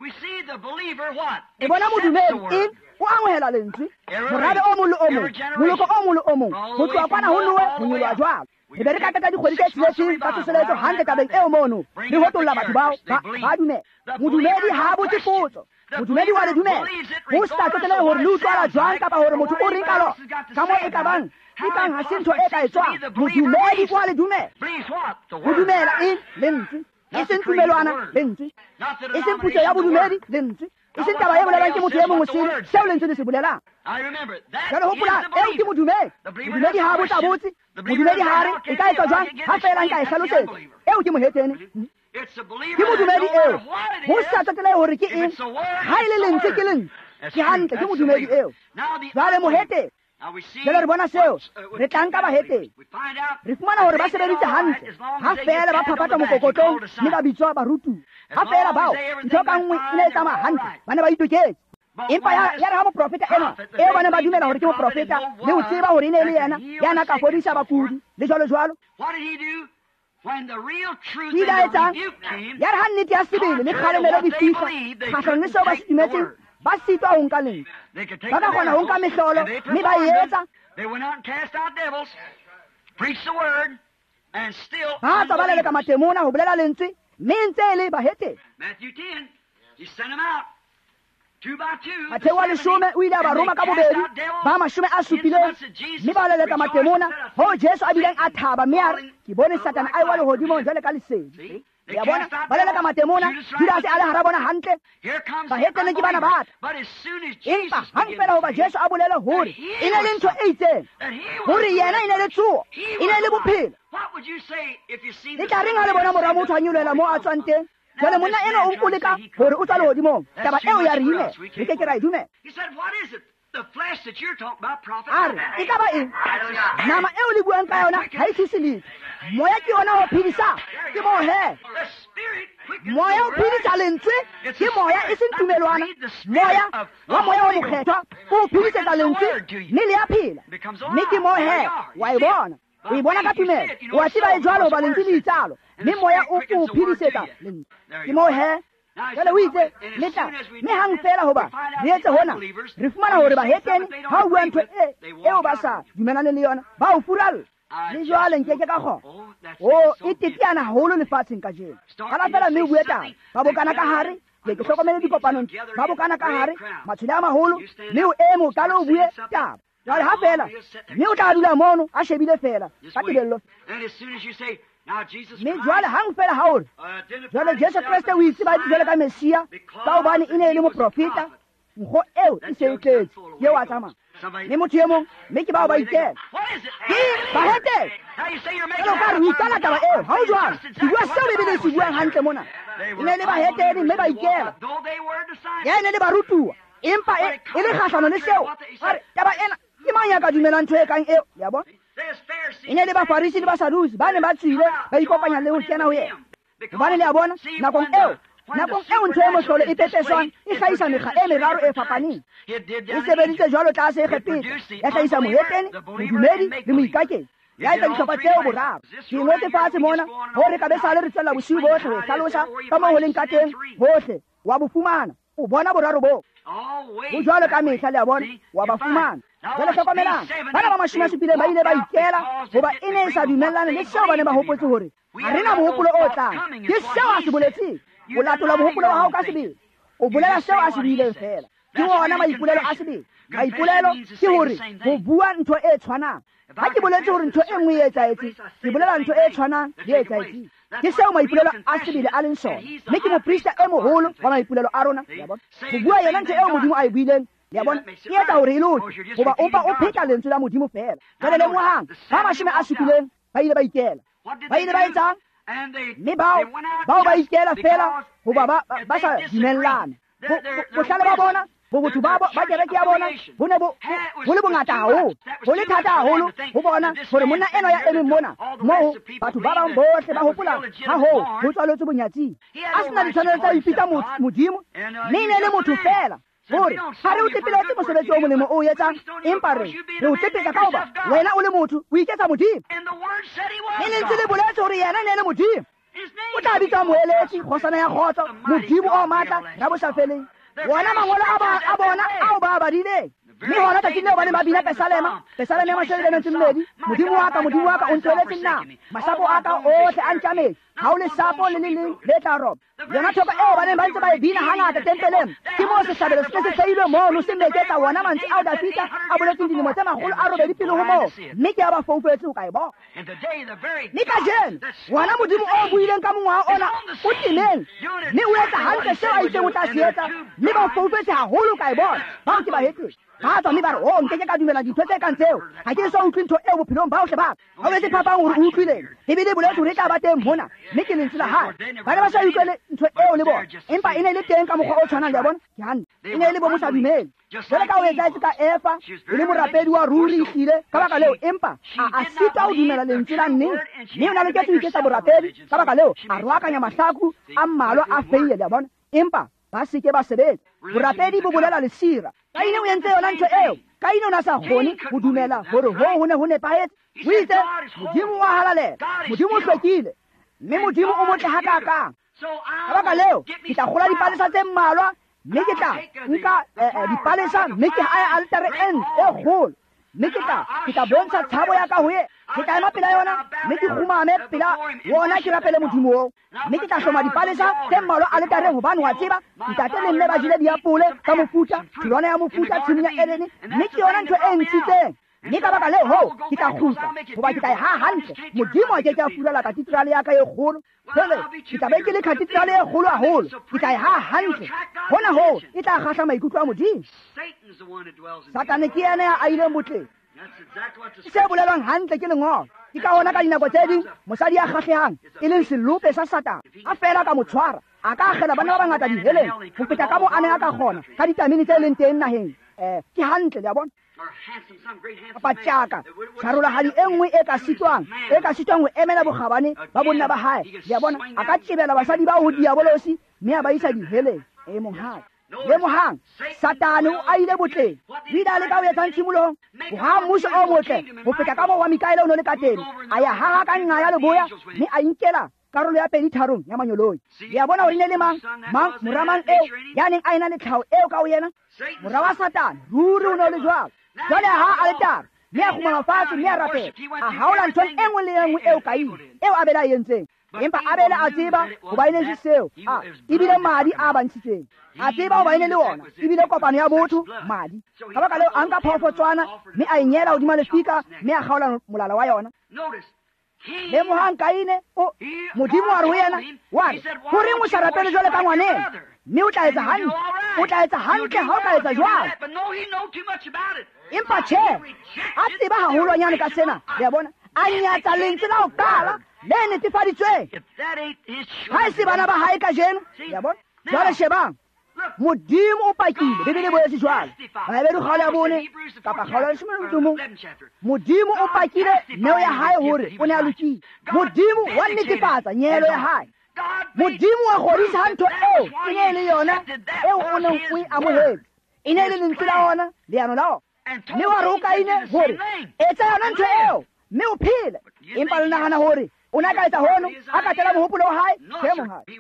Re bona modumedi eng? O amohela lentswe. Morabe o mong le o mong, moloko o mong le o mong, ho tloha kwana ho Noe ho nyoloha jwalo. Re be re ka qeta dikgwedi tse tsheletseng tsa tsoseletso hantle tabeng eo mono, re hotolla batho bao ba dumela. Modumedi ha a botse potso. Modumedi wa le dumela. Ho sa tsotelehe hore le utlwala jwang kapa hore motho o reng ka lona, ka moo e ka bang, e kang ha se ntho e ka etswang. Modumedi o a le dumela. Ho dumela eng? Lentswe. E seng tumelwana, lentswe. E seng putso ya bodumedi, lentswe. E seng taba e bolelwang ke motho e mong o sele, seo lentswe le se bolelang. Jwale hopola, eo ke modumedi. Modumedi ha a botsa botse. Modumedi ha a re, e ka etswa jwang, ha feela nka e hlalosetsa. Eo ke mohetene. Ke modumedi eo. Ho sa tsotelehe hore ke eng, ha e le lentswe ke lentswe. Ke hantle, ke modumedi eo. Jwale mohetene. Jwale re bona seo, re tla nka bahetene. Re fumana hore ba sebeditse hantle, ha feela ba phaphatha mokokotlong mme ba bitswa barutuwa. Ha feela bao, ntho ka nngwe e ne e tsamaya hantle, ba ne ba itoketse. Empa ya re ha moprofeta enwa, eo ba neng ba dumela hore ke moprofeta, le ho tseba hore e ne e le yena ya na ka fodisa bakudi, le jwalo jwalo. O ile a etsang? Ya re ha nnete ya sebele le kgalemelo di fihla kgahlanong le seo ba se dumetseng, ba sitwa ho nka lentswe. Ba ka kgona ho nka mehlolo mme ba e etsa. Ba tswa ba leleka matemona ho bolela lentswe, mme e ntse e le bahetene. Matheu wa 10 o ile a ba roma ka bobedi ba 70, mme ba leleka matemona, hoo Jesu a bileng a thaba mme a re, ke bone Satane a ewa lehodimong jwale ka lesedi. Ya bona, ba leleka matemona, Judase a le hara bona hantle. Bahetene ke bana ba tla. Empa hang fela hoba Jesu a bolele hore e ne le ntho e itseng, hore yena e ne le tsoho, e ne le bophelo. Le tla reng ha le bona mora motho a nyolohela moo a tswang teng? Jwale monna enwa o o leka hore o tswa lehodimong. Taba eo ya re imela, re ke ke ra e dumela. A re, e ka ba eng? Nama eo le buang ka yona ha e thuse letho. Moya ke yona o phedisang. Ke moo he. Moya o phedisa lentswe, ke moya e seng tumelwana. Moya wa moya o mokgethwa o phedisetsa lentswe, mme le a phela. Mme ke moo he, wa e bona. O e bona ka tumelo. O a tseba e jwalo hoba lentswe le itsalo, mme moya o o phedisetsa lentswe. Ke moo he. Jwale o itse, le tla, mme hang fela hoba re etse hona, re fumana hore bahetene ha o bua ntho eo ba sa dumelane le yona, ba o furalla. Le jwale nke ke ka kgona. O e teteana haholo lefatsheng kajeno. Qala feela mme o bue taba. Ba bokana ka hare, ke hlokomele dikopanong, ba bokana ka hare, matshwele a maholo, mme o eme o qale o bue taba. Jwale ha feela, mme o tla dula mono a shebile feela ka tebello. Mme jwale hang feela ha o re, jwale Jesu Kreste o itse ba jwale ka Messia, ka hobane e ne e le moprofeta, nkgo eo e se e tletse, ke eo a tsamaya. Mme motho e mong, mme ke bao ba ikela. Ke bahetene. Jwale o ka re o ikala taba eo, ha o jwalo. Ke bua seo Bibele e se buang hantle mona. E ne e le bahetene mme ba ikela. Ya e ne le barutuwa, empa e le kgahlano le seo. Ba re, taba ena, ke mang ya ka dumelang ntho e kang eo? Le a bona? E ne le Bafarisi le Basadusi ba ne ba tswile ba ikopanya le ho kena ho yena. Hobane le a bona, nakong eo ntho e mohlolo e pepeswang e hlahisa mekga e meraro e fapaneng. E sebeditse jwalo tlase Egepeta, ya hlahisa mohetene, modumedi le moikaketsi. Ya etsa dihlopha tseo boraro. Ke ngotse fatshe mona hore ka be sale re tswella bosiu bohle ho e hlalosa ka moo ho leng ka teng hohle. Wa bo fumana, o bona boraro boo. Ho jwalo ka mehla, le a bona, wa ba fumana. Jwale hlokomelang, bana ba 70 ba ile ba ikela hoba e ne e sa dumellane le seo ba ne ba hopotse hore ha re na mohopolo o tlang. Ke seo a se boletseng. O latola mohopolo wa hao ka sebele. O bolela seo a se buileng feela. Ke wona maipolelo a sebele. Maipolelo ke hore ho bua ntho e tshwanang. Ha ke boletse hore ntho e nngwe e etsahetse, ke bolela ntho e tshwanang le e etsahetseng. Ke seo maipolelo a sebele a leng sona. Mme ke moprista e moholo wa maipolelo a rona. Le a bona? Ho bua yona ntho eo Modimo a e buileng. Le a bona? E etsa hore e loke, hoba o mpa o pheta lentswe la Modimo feela. Jwale lemohang, ba 70 ba ile ba ikela. Ba ile ba etsang? Mme bao ba ikela feela hoba ba sa dumellana. Bohlale ba bona, bobotho ba kereke ya bona bo ne bo le bongata haholo, ho le thata haholo ho bona hore monna enwa ya emeng mona moo batho ba bang bohle ba hopola ha hoo ho tswaletswe bonyatsing. A sena ditshwanelo tsa ho ipitsa Modimo, mme e ne le motho feela. Hore ha re o tlepeletse mosebetsi o molemo o etsang, empa re o tlepetsa ka hoba wena o le motho o iketsa Modimo. Mme lentswe le boletse hore yena e ne le Modimo. O tla bitswa moeletsi, kgosana ya kgotso, Modimo o matla, rabosafeleng. Wona mangolo a bona ao ba a badileng. Mme hona tsatsing leo ba ne ba bina Pesalema, Pesalema ya 22, Modimo wa ka, Modimo wa ka, o ntlohelletse nna. Masapo a ka ohle a ntjametse, ha o lesapo le le leng le tla roba. Yona thoko eo ba neng ba ntse ba e bina hangata tempeleng, ke moo sehlabelo se se hlahilwe mono se meketsa wona mantswe ao Dafita a boletseng dilemo tse 800 pele ho moo, mme ke a ba foufetse ho ka e bona. Mme kajeno, wona Modimo o buileng ka mongwaha ona o temeng, mme o etsa hantle seo a itseng o tla se etsa, mme ba foufetse haholo ho ka e bona. Bao ke bahetene. Ba tswa mme ba re, oh, nke ke ka dumela dintho tse kang tseo. Ha ke so utlwe ntho eo bophelong ba bohle ba ka. Ha o etse phapang hore o utlwileng. Bibele e boletse hore e tla ba teng mona, mme ke lentswe la hae. Ba ne ba sa utlwele ntho eo le bona, empa e ne e le teng ka mokgwa o tshwanang, le a bona? Ke hantle. E ne e le bo mosadumele. Jwale ka ho etsahetse ka Eva, e le morapedi wa ruri ehlile, ka baka leo, empa a sitwa ho dumela lentswe la nnete. Mme o ne a loketse ho iketsa borapedi, ka baka leo, a roakanya mahlaku a mmalwa a feie, le a bona? Empa ba se ke ba sebetsa. Borapedi bo bolela lesira. Kaine o entse yona ntho eo. Kaine o ne a sa kgone ho dumela hore hoo ho ne ho nepahetse. O itse, Modimo wa halalela, Modimo o hlwekile, mme Modimo o motle hakakang. Ka baka leo, ke tla kgola dipalesa tse mmalwa, mme ke tla nka dipalesa, mme ke hae altare e kgolo, mme ke tla bontsha tshabo ya ka ho ye. Ke tla ema pela yona, mme ke kgumame pela wona, ke rapele Modimo oo. Mme ke tla hloma dipalesa tse mmalwa aletareng, hobane wa tseba, ntate le mme ba jele diapole ka mofuta, tholwana ya mofuta tshimong ya Edene, mme ke yona ntho e ntshitseng. Mme ka baka leo hoo, ke tla kgutla, hoba ke tla e haha hantle. Modimo a ke ke a furala katedrale ya ka e kgolo. Jwale, ke tla be ke le katedrale e kgolo haholo. Ke tla e haha hantle. Hona hoo, e tla kgahla maikutlo a Modimo. Satane ke yena ya ahileng botleng. Se bolelwang hantle ke lengolo. Ke ka hona ka dinako tse ding mosadi ya kgahlehang e leng selope sa Satane, a fela ka mo tshwara, a ka akgela bana ba bangata diheleng ho feta ka moo a ne a ka kgona ka ditamene tse leng teng naheng. Ke hantle, le a bona? Kapa tjaka, tjharolahadi e nngwe e ka sitwang ho emela bokgabane ba bonna ba hae. Le a bona? A ka tjebela basadi bao ho diabolosi mme a ba isa diheleng. E monghadi. Lemohang, Satane o ahile botleng. O ile a leka ho etsang tshimolohong? Ho haha mmuso o motle ho feta ka moo wa Mikaele o ne o le ka teng. A ya haha ka nqa ya leboya, mme a inkela karolo ya 2/3 ya manyoloi. Le a bona hore ne le mang, mora mang eo ya neng a ena le tlhaho eo ka ho yena? Mora wa Satane, ruri o ne o le jwalo. Jwale a haha aletare, Mme a kgumama fatshe mme a rapela. A haola ntho e nngwe le e nngwe eo Kaine, eo Abele a entseng. Empa Abele a tseba hoba e ne se seo, a ebile madi a ba ntshitseng. A tseba hoba e ne le ona, ebile kopano ya botho, madi. Ka baka leo a nka phoofotswana mme a e nyela hodima lefika mme a kgaola molala wa yona. Lemohang Kaine, o Modimo wa re ho yena, wa re, horeng o sa rapele jwale ka ngwaneno? Mme o tla etsa hantle, o tla etsa hantle ha o ka etsa jwalo. Empa tjhe, a tseba haholwanyane ka sena, le a bona, a nyatsa lentswe la ho qala le netefaditsweng. Ha e se bana ba hae kajeno, le a bona. Jwale shebang, Modimo o pakile, Bibele e boletse jwalo. Baheberu kgaolo ya 4 kapa kgaolo ya 11. Modimo o pakile neo ya hae hore o ne a lokile. Modimo wa netefatsa nyehelo ya hae. Modimo wa kgodisa ha ntho eo e ne e le yona eo o neng o e amohetse. E ne e le lentswe la ona, leano la ona. Mme wa re ho Kaine hore etsa yona ntho eo mme o phele. Empa le nahana hore o ne a ka etsa hono, a ka tela mohopolo wa hae, tjhe monghadi.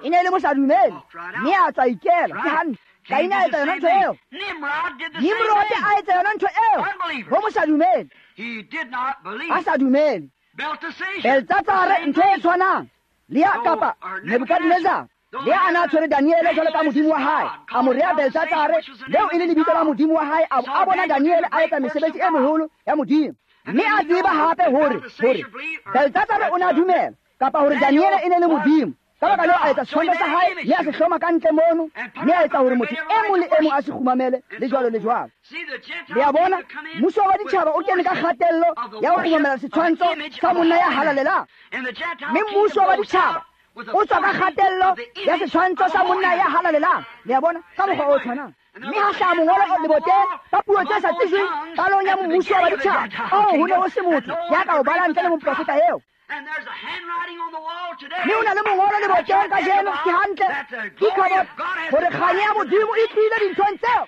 E ne e le mosadumele, mme a tswa ikela, ke hantle. Kaine a etsa yona ntho eo. Nimrod a etsa yona ntho eo, ho mosadumele. A sa dumele. Beltsatsare ntho e tshwanang, le ya kapa Nebukadnezar, le a na tshwere Daniele jwalo ka modimo wa hae, a mo rea Beltsatsare, leo e le lebitso la modimo wa hae, a bona Daniele a etsa mesebetsi e meholo ya modimo. Mme a tseba hape hore Beltsatsare o ne a dumela, kapa hore Daniele e ne le modimo. Ka baka leo a etsa setshwantsho sa hae, mme a se hloma ka ntle mono, mme a etsa hore motho e mong le e mong a se kgumamele, le jwalo le jwalo. Le a bona, mmuso wa ditjhaba o kene ka kgatello ya ho kgumamela setshwantsho sa monna ya halalelang. Mme mmuso wa ditjhaba o tswa ka kgatello ya setshwantsho sa monna ya halalelang. Le a bona, ka mokgwa o tshwanang. Mme ha hlaha mongolo leboteng ka puo tse sa tsejweng qalong ya mmuso wa ditjhaba, oo ho ne ho se motho ya ka o balang ntle le moprofeta eo. Mme o na le mongolo leboteng kajeno, ke hantle, ke Ikhabot, hore kganya ya Modimo e tlile dinthong tseo.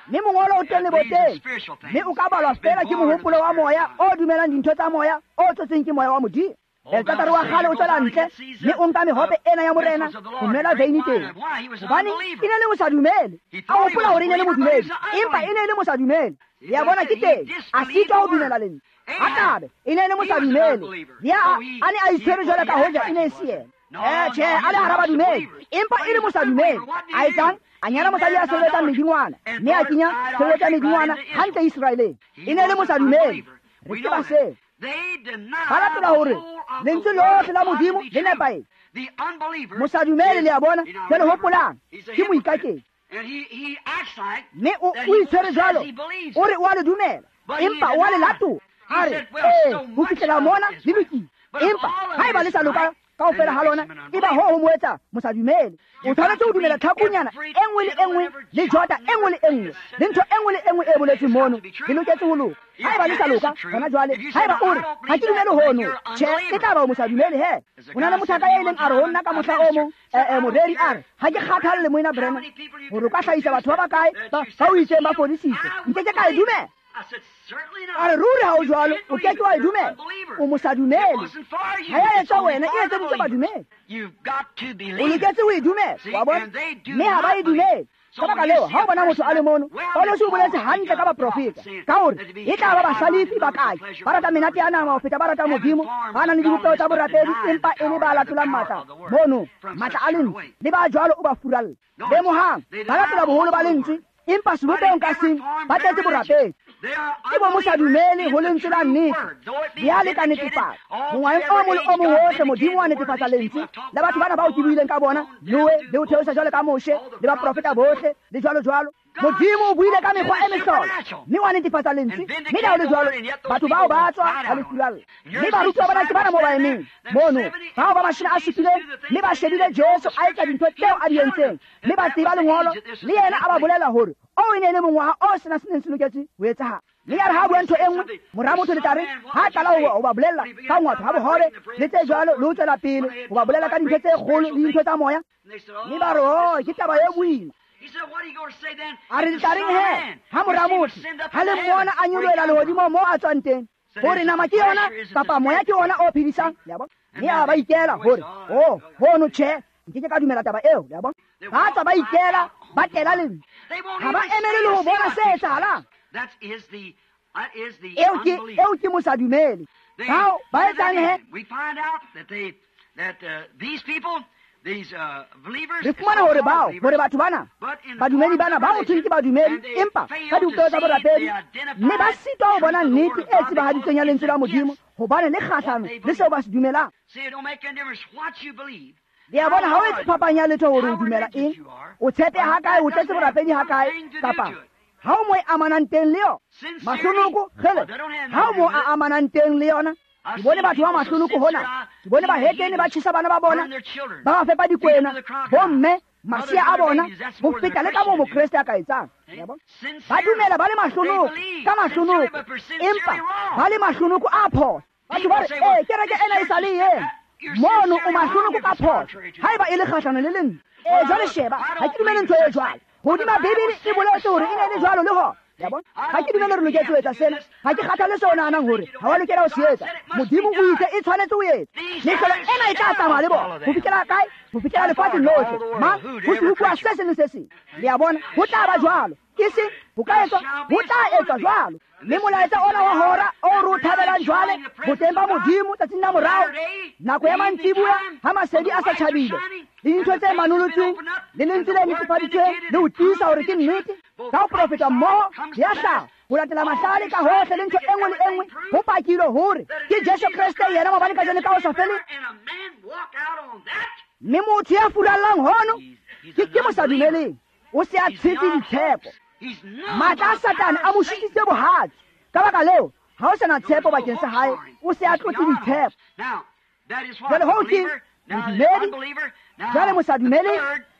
Mme mongolo o teng leboteng, mme o ka balwa fela ke mohopolo wa moya o dumelang dintho tsa moya o tsotseng ke moya wa Modimo. Beltsatsare wa kgale o tswela ntle, mme o nka mehope ena ya morena ho nwela veine teng. Hobane e ne le mosadumele, a hopola hore e ne le modumedi, empa e ne le mosadumele. Le a bona ke teng, a sitwa ho dumela lentswe. Akabe e ne le mosadumele, le a ne a itshwere jwalo ka hoja e ne e se yena. Tjhe, a le hara badumedi, empa e le mosadumele. A etsang? A nyala mosadi ya sebetsang medingwana, mme a kenya sebetsa medingwana hantle Iseraeleng. E ne le mosadumele. Re tseba seo. Ba latola hore lentswe lohle la Modimo le nepahetse. Mosadumele, le a bona, jwale hopolang, ke moikaketsi. Mme o itshwere jwalo, o re o a le dumela, empa o a le latola. A re, ee, ho fihlela mona le lokile, empa haeba le sa loka kaofela ha lona, eba ho ho mo etsa mosadumele. O tshwanetse ho dumela tlhakunyana e nngwe le e nngwe, le jota e nngwe le e nngwe, le ntho e nngwe le e nngwe e boletsweng mono, le loketse ho loka. Haeba le sa loka hona jwale, haeba o re ha ke dumele hono, tjhe, e tla ba o mosadumele he. Ho na le mothaka ya ileng a re ho nna ka mohla o mong, moreri a re, ha ke kgathalle moena Branham hore o ka hlahisa batho ba bakae ba o itseng ba fodisitswe, nke ke ka e dumela. A re ruri ha o jwalo, o ke ke wa e dumela. O mosadumele. Ha ya etswa wena, e etseditswe badumedi. O loketse ho e dumela, wa bona? Mme ha ba e dumele. Ka baka leo, ha o bona motho a le mono, Paulosi o boletse hantle ka baprofeta, ka hore e tla ba bahlalefi ba kae, ba rata menate ya nama ho feta ba rata Modimo, ba nang le dibopeho tsa borapedi, empa e le ba latolang matla mono, matla a lentswe, le ba jwalo o ba furalla. Lemohang, ba latola boholo ba lentswe, empa sebopehong ka seng ba tletse borapedi. Ke bo mosadumele ho lentswe la nnete, le a le ka netefatsa. Mongwaheng o mong le o mong hohle Modimo wa netefatsa lentswe la batho bana bao ke buileng ka bona, Noe le ho theosa jwalo ka Moshe le baprofeta bohle le jwalo jwalo. Modimo o buile ka mekgwa e mehlolo, mme wa netefatsa lentswe, mme le ha ho le jwalo, batho bao ba tswa ba le furalla. Mme barutuwa bana ke bana moo ba emeng mono, bao ba 70, mme ba shebile Jesu a etsa dintho tseo a di entseng, mme ba tseba lengolo, le yena a ba bolela hore oo e ne e le mongwaha o sena se neng se loketse ho etsahala. Mme ya re ha bua ntho e nngwe, mora motho le tla re ha qala ho ba bolella ka ngwatho ha bohobe le tse jwalo, le ho tswela pele ho ba bolella ka dintho tse kgolo le dintho tsa moya. Mme ba re, oh, ke taba e boima. A re le tla reng he ha mora motho ha le mmona a nyolohela lehodimo moo a tswang teng, hore nama ke yona kapa moya ke ona o phedisang? Le a bona? Mme a ba ikela hore, oh, hono tjhe, nke ke ka dumela taba eo. Le a bona? Ba tswa ba ikela, Ba tela lentswe. Ha ba emele le ho bona se etsahalang. Eo ke mosadumele. Bao ba etsang he? Re fumana hore bao, hore batho bana, badumedi bana, ba ho thweng ke badumedi, empa ka dibopeho tsa borapedi, mme ba sitwa ho bona nnete e tsebahaditsweng ya lentswe la Modimo, hobane le kgahlano le seo ba se dumelang. Le a bona, ha o etse phapang ya letho hore o dumela eng, o tshepe ha kae, o tletse borapedi ha kae, kapa ha o mo e amanang teng le yona. Mahlonoko, kgele, ha o mo a amanang teng le yona. Ke bone batho ba mahlonoko hona, ke bone bahetene ba tjhesa bana ba bona, ba ba fepa dikwena, bomme, masea a bona, ho feta le ka moo Mokreste a ka etsang. Ba dumela ba le mahlonoko, ka mahlonoko, empa ba le mahlonoko a phoso. Batho ba re, ee, kereke ena e sa le ena. Mono o mahlonoko ka phoso, haeba e le kgahlano le lentswe. Ee, jwale sheba, ha ke dumele ntho e jwalo. Hodima Bibele e boletse hore e ne e le jwalo le hona. Ha ke dumele re loketse ho etsa sena. Ha ke kgathale seo o nahanang hore ha wa lokela ho se etsa. Modimo o itse e tshwanetse ho etsa. Mehlolo ena e tla tsamaya le bona. Ho fihlela kae? Ho fihlela lefatsheng lohle. Mang? Ho se utlwa se seng le se seng. Le a bona? Ho tla ba jwalo. Ke seng ho ka etswa, ho tla etswa jwalo. Mme molaetsa ona wa hora o re o thabelang jwale, boteng ba Modimo tsatsing la morao, nako ya mantsiboya ha masedi a sa tjhabile, le dintho tse manolotsweng, le lentswe le netefaditsweng le ho tiisa hore ke nnete, ka ho profeta mmoho ya hlaha, ho latela mahlale ka hohle le ntho e nngwe le e nngwe, ho pakilwe hore ke Jesu Kreste yena maobane, kajeno, ka ho sa feleng. Mme motho ya furallang hono ke mosadumeleng, o se a tshetse ditshepo. Matla a Satane a mo sutitse bohatsi. Ka baka leo, ha o sa na tshepo bakeng sa hae, o se a tlotse ditshepo. Jwale hoo ke modumedi, jwale mosadumele,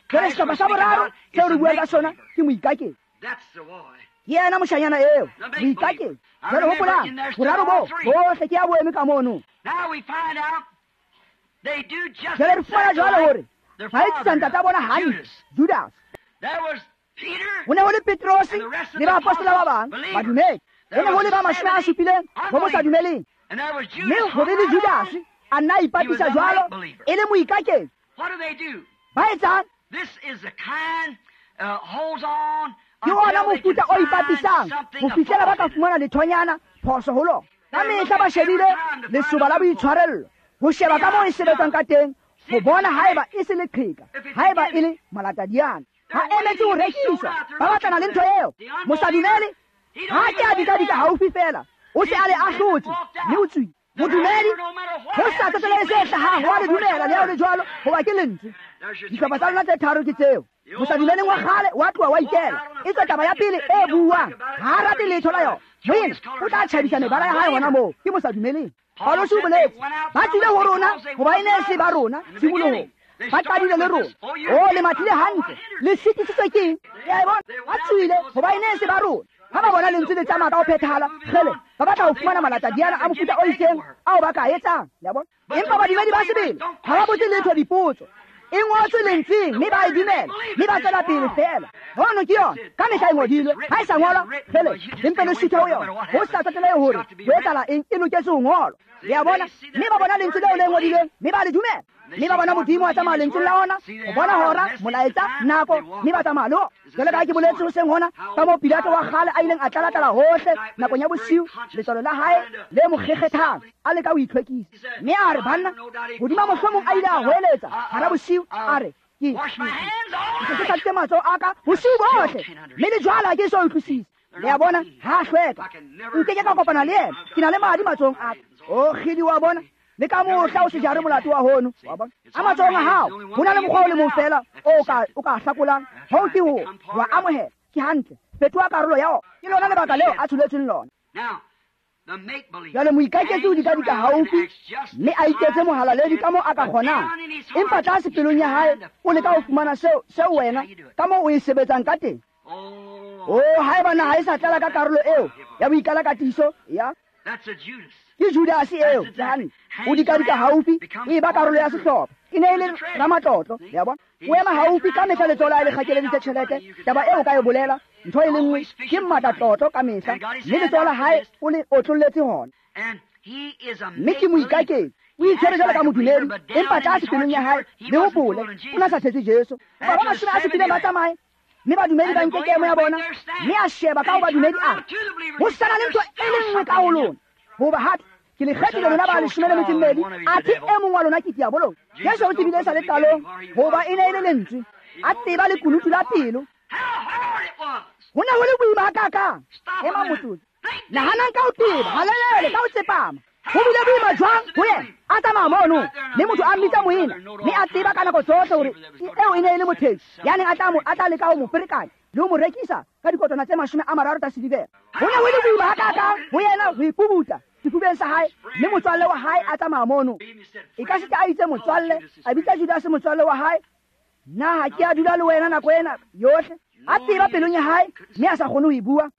jwale sehlopha sa boraro seo re buang ka sona ke moikaketsi. Ke yena moshanyana eo, moikaketsi. Jwale hopolang, boraro bo bohle ke ya boeme ka mono. Jwale re fumana jwale hore ba etsisa ntata bona hantle, Judas. Ho ne ho le Petrose le baapostola ba bang, badumedi. Ho ne ho le ba 70 bo mosadumeleng. Mme ho be le Judas a nna a ipapisa jwalo e le moikaketsi. Ba etsang? Ke ona mofuta o ipapisang ho fihlela ba ka fumana lethonyana phoso ho lona. Ka mehla ba shebile lesoba la boitshwarello, ho sheba ka moo e sebetsang ka teng, ho bona haeba e se leqheka, haeba e le malatadiana. Ha emetse ho rekiswa, ba batlana le ntho eo. Mosadumele ha ke a dikadika haufi feela, o se a le ahlotse mme o tswile. Modumedi ho sa tsotellehe se hlahang, wa le dumela le ha ho le jwalo, hoba ke lentswe. Dihlopha tsa lona tse tharo ke tseo. Mosadumeleng wa kgale wa tloha wa ikela. E tswe taba ya pele e buang, ha a rate letho la yona. Moena o tla tjhabisa mebala ya hae hona moo, ke mosadumeleng. Paulus o boletse, ba tswile ho rona hoba e ne e se ba rona tshimolohong. Ba qadile le rona. O le mathile hantle, le sitisitswe ke eng? Le a e bona? Ba tswile hoba e ne e se ba rona. Ha ba bona lentswe le tsamaya ka ho phethahala, kgele, ba batla ho fumana malatadiana a mofuta o itseng ao ba ka etsang. Le a bona? Empa badumedi ba sebele ha ba botse letho dipotso. E ngotswe lentsweng, mme ba e dumela, mme ba tswela pele feela. Hono ke yona, ka mehla e ngodilwe. Ha e sa ngolwa, kgele, le mpe le suthe ho yona. Ho sa tsotelehe hore ho etsahala eng, e loketse ho ngolwa. Le a bona? Mme ba bona lentswe leo le ngodilweng, mme ba le dumela. Mme ba bona Modimo a tsamaya lentsweng la ona, ho bona hora, molaetsa, nako, mme ba tsamaya le ona. Jwale ka ha ke boletse hoseng hona, ka moo Pilato wa kgale a ileng a tlalatlala hohle nakong ya bosiu, letswalo la hae le mo kgekgethang, a leka ho itlhwekisa. Mme a re, banna, hodima mohlomong a ile a hoeletsa hara bosiu, a re, ke se ke tlatsitse matsoho a ka bosiu bohle, mme le jwale ha ke so utlwisise. Le a bona, ha a hlweka. Nke ke ka kopana le yena, ke na le madi matsohong a ka. O kgidi wa bona, le ka mohla o se jare molato wa hono. Wa bona? A matsohong a hao, ho na le mokgwa o le mong feela o ka hlakolang, hoo ke ho wa amohela. Ke hantle, fetoha karolo ya ona. Ke lona lebaka leo a tsholetsweng lona. Jwale moikaketsi o dikadika haufi, mme a iketse mohalaledi ka moo a ka kgonang, empa tlase pelong ya hae o leka ho fumana seo wena ka moo o e sebetsang ka teng. O haeba naha e sa tlala ka karolo eo ya boikalakatiso ya ke Judas eo, ke hantle. O dikadika haufi, o e ba karolo ya sehlopha. E ne e le ramatlotlo, le a bona. O ema haufi ka mehla, letsoho la hae le kgakeleditse tjhelete. Taba eo ka e bolela, ntho e le nngwe, ke mmatlatlotlo ka mehla, mme letsoho la hae o le otlolletse hona. Mme ke moikaketsi, o itshwere jwalo ka modumedi, empa tlase pelong ya hae, le hopole, o na sa thetse Jesu. Ba 70 ba tsamaye, Mme badumedi ba nke kemo ya bona, mme a sheba ka ho badumedi a re, ho sana le ntho e le nngwe ka ho lona. Hoba hape ke le kgethile lona ba 12, athe e mong wa lona ke diabolo. Jesu o tsebile sa le qalong hoba e ne e le lentswe, a tseba lekunutu la pelo. Ho ne ho le boima hakakang. Ema motsotso, nahanang ka ho teba, halelele ka ho tsepama. Ho bile boima jwang ho yena a tsamaya mono, mme motho a mmitsa moena, mme a tseba ka nako tsohle hore eo e ne e le mothehi ya neng a tla leka ho mo ferekanya le ho mo rekisa ka dikotwana tse 30 tsa silivera. Ho ne ho le boima hakakang ho yena ho ipubuta sefubeng sa hae, mme motswalle wa hae a tsamaya mono. E ka sita a itse motswalle, a bitsa Judase motswalle wa hae, na ha ke a dula le wena nako ena yohle? A tseba pelong ya hae, mme a sa kgone ho e bua.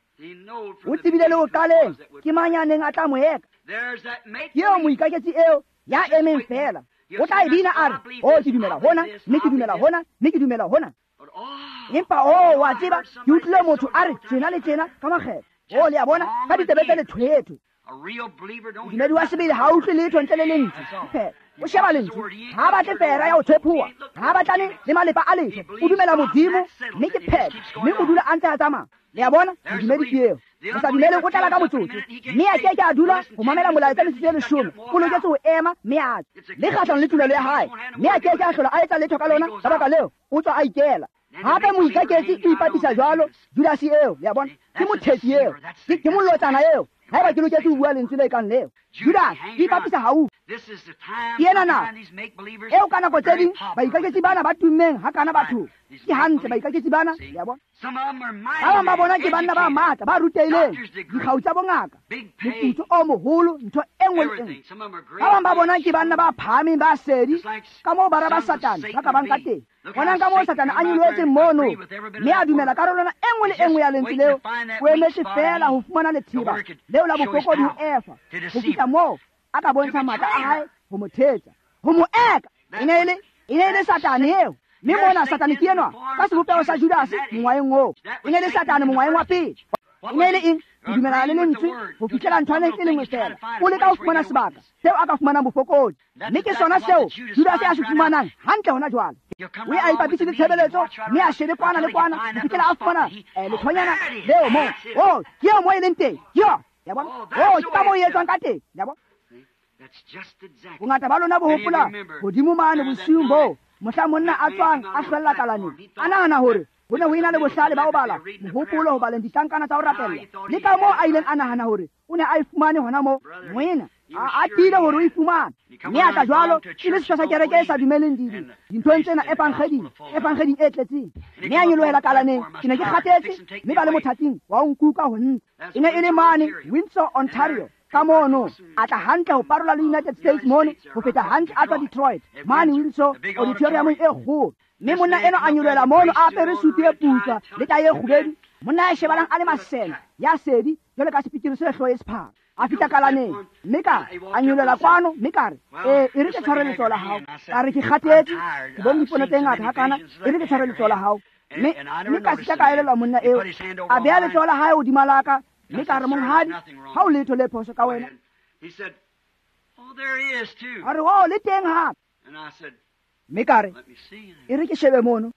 O tsebile le ho qaleng ke mang ya neng a tla mo eka. Ke eo moikaketsi eo ya emeng fela. O tla e bina a re, o ke dumela hona, mme ke dumela hona, mme ke dumela hona. Empa o wa tseba, ke utlwile motho a re tjena le tjena ka makgetlo. O le a bona ka ditsebe tse lethwetho. Modumedi wa sebele ha utlwe letho ntle le lentswe. Phela o sheba lentswe, ha batle fera ya ho tshephuwa, ha batlane le malepa a letho. O dumela Modimo, mme ke phetho, mme o dula a ntse a tsamaya. Le a bona, modumedi ke eo. O sa dumeleng o tlala ka motsotso, mme a ke ke a dula ho mamela molaetsa metsotso e 10. O loketse ho ema mme a tswe le kgahlano le tumelo ya hae, mme a ke ke a hlola a etsa letho ka lona. Ka baka leo o tswa a ikela. Hape moikaketsi o ipapisa jwalo Judase eo, le a bona, ke mothetsi eo, ke molotsana eo. Haeba ke loketse ho bua lentswe le kang leo, Judas o ipapisa haufi. Ke ena nako eo ka nako tse ding baikaketsi bana ba tummeng hakana bathong. Ke hantle baikaketsi bana, le a bona. Ba bang ba bona ke banna ba matla, ba rutehileng, dikgau tsa bongaka, moputso o moholo, ntho e nngwe le e nngwe. Ba bang ba bona ke banna ba phahameng, ba sedi, ka moo bara ba Satane ba ka bang ka teng. Bonang ka moo Satane a nyolohetseng mono, mme a dumela karolwana e nngwe le e nngwe ya lentswe leo. O emetse feela ho fumana letheba leo la bofokodi ho Efa, ho fihla moo a ka bontsha matla a hae ho mo thetsa, ho mo eka. E ne e le Satane eo. Mme mona Satane ke enwa ka sebopeho sa Judase mongwaheng oo. E ne e le Satane mongwaheng wa pele. E ne e le eng? Ho dumelana le lentswe ho fihlela nthwaneng e le nngwe fela. O leka ho fumana sebaka seo a ka fumanang bofokodi, mme ke sona seo Judase a se fumanang hantle hona jwale. O ye a ipapise le tshebeletso, mme a shebe kwana le kwana ho fihlela a fumana lethonyana leo moo. Oh, ke eo moo e leng teng. Ke yona. Ya bona? Oh, ke ka moo e etswang ka teng. Ya bona? Bongata ba lona bo hopola hodimo mane bosiung boo mohla monna a tswang a hlwella kalaneng, a nahana hore ho ne ho ena le bohlale ba ho bala mohopolo ho baleng ditlankana tsa ho rapella, le ka moo a ileng a nahana hore o ne a e fumane hona moo. Moena a tiile hore o e fumane, mme a tla jwalo e le setho sa kereke e sa dumeleng dinthong tsena evangeding e tletseng, mme a nyolohela kalaneng. Ke ne ke kgathetse, mme ba le mothating wa ho nkuka ho nna. E ne e le mane Windsor, Ontario, ka mono. A tla hantle ho parola le United States mono, ho feta hantle a tswa Detroit mane Windsor auditoriumong e kgolo. Mme monna enwa a nyolohela mono a apere sutu e putswa le tae e kgubedu, monna ya shebalang a le masene ya sedi jwalo ka sepikiri se hlooho e sephara. A fihla kalaneng, mme ka a nyolohela kwano, mme ka re, e re ke tshware letsoho la hao. Ka re, ke kgathetse, ke bone dipono tse ngata hakana, e re ke tshware letsoho la hao. Mme ka sita ka elellwa monna eo. A beha letsoho la hae hodima la ka, mme ka re, monghadi, ha o letho le phoso ka wena. A re, oh, le teng hape. Mme ka re, e re ke shebe mono.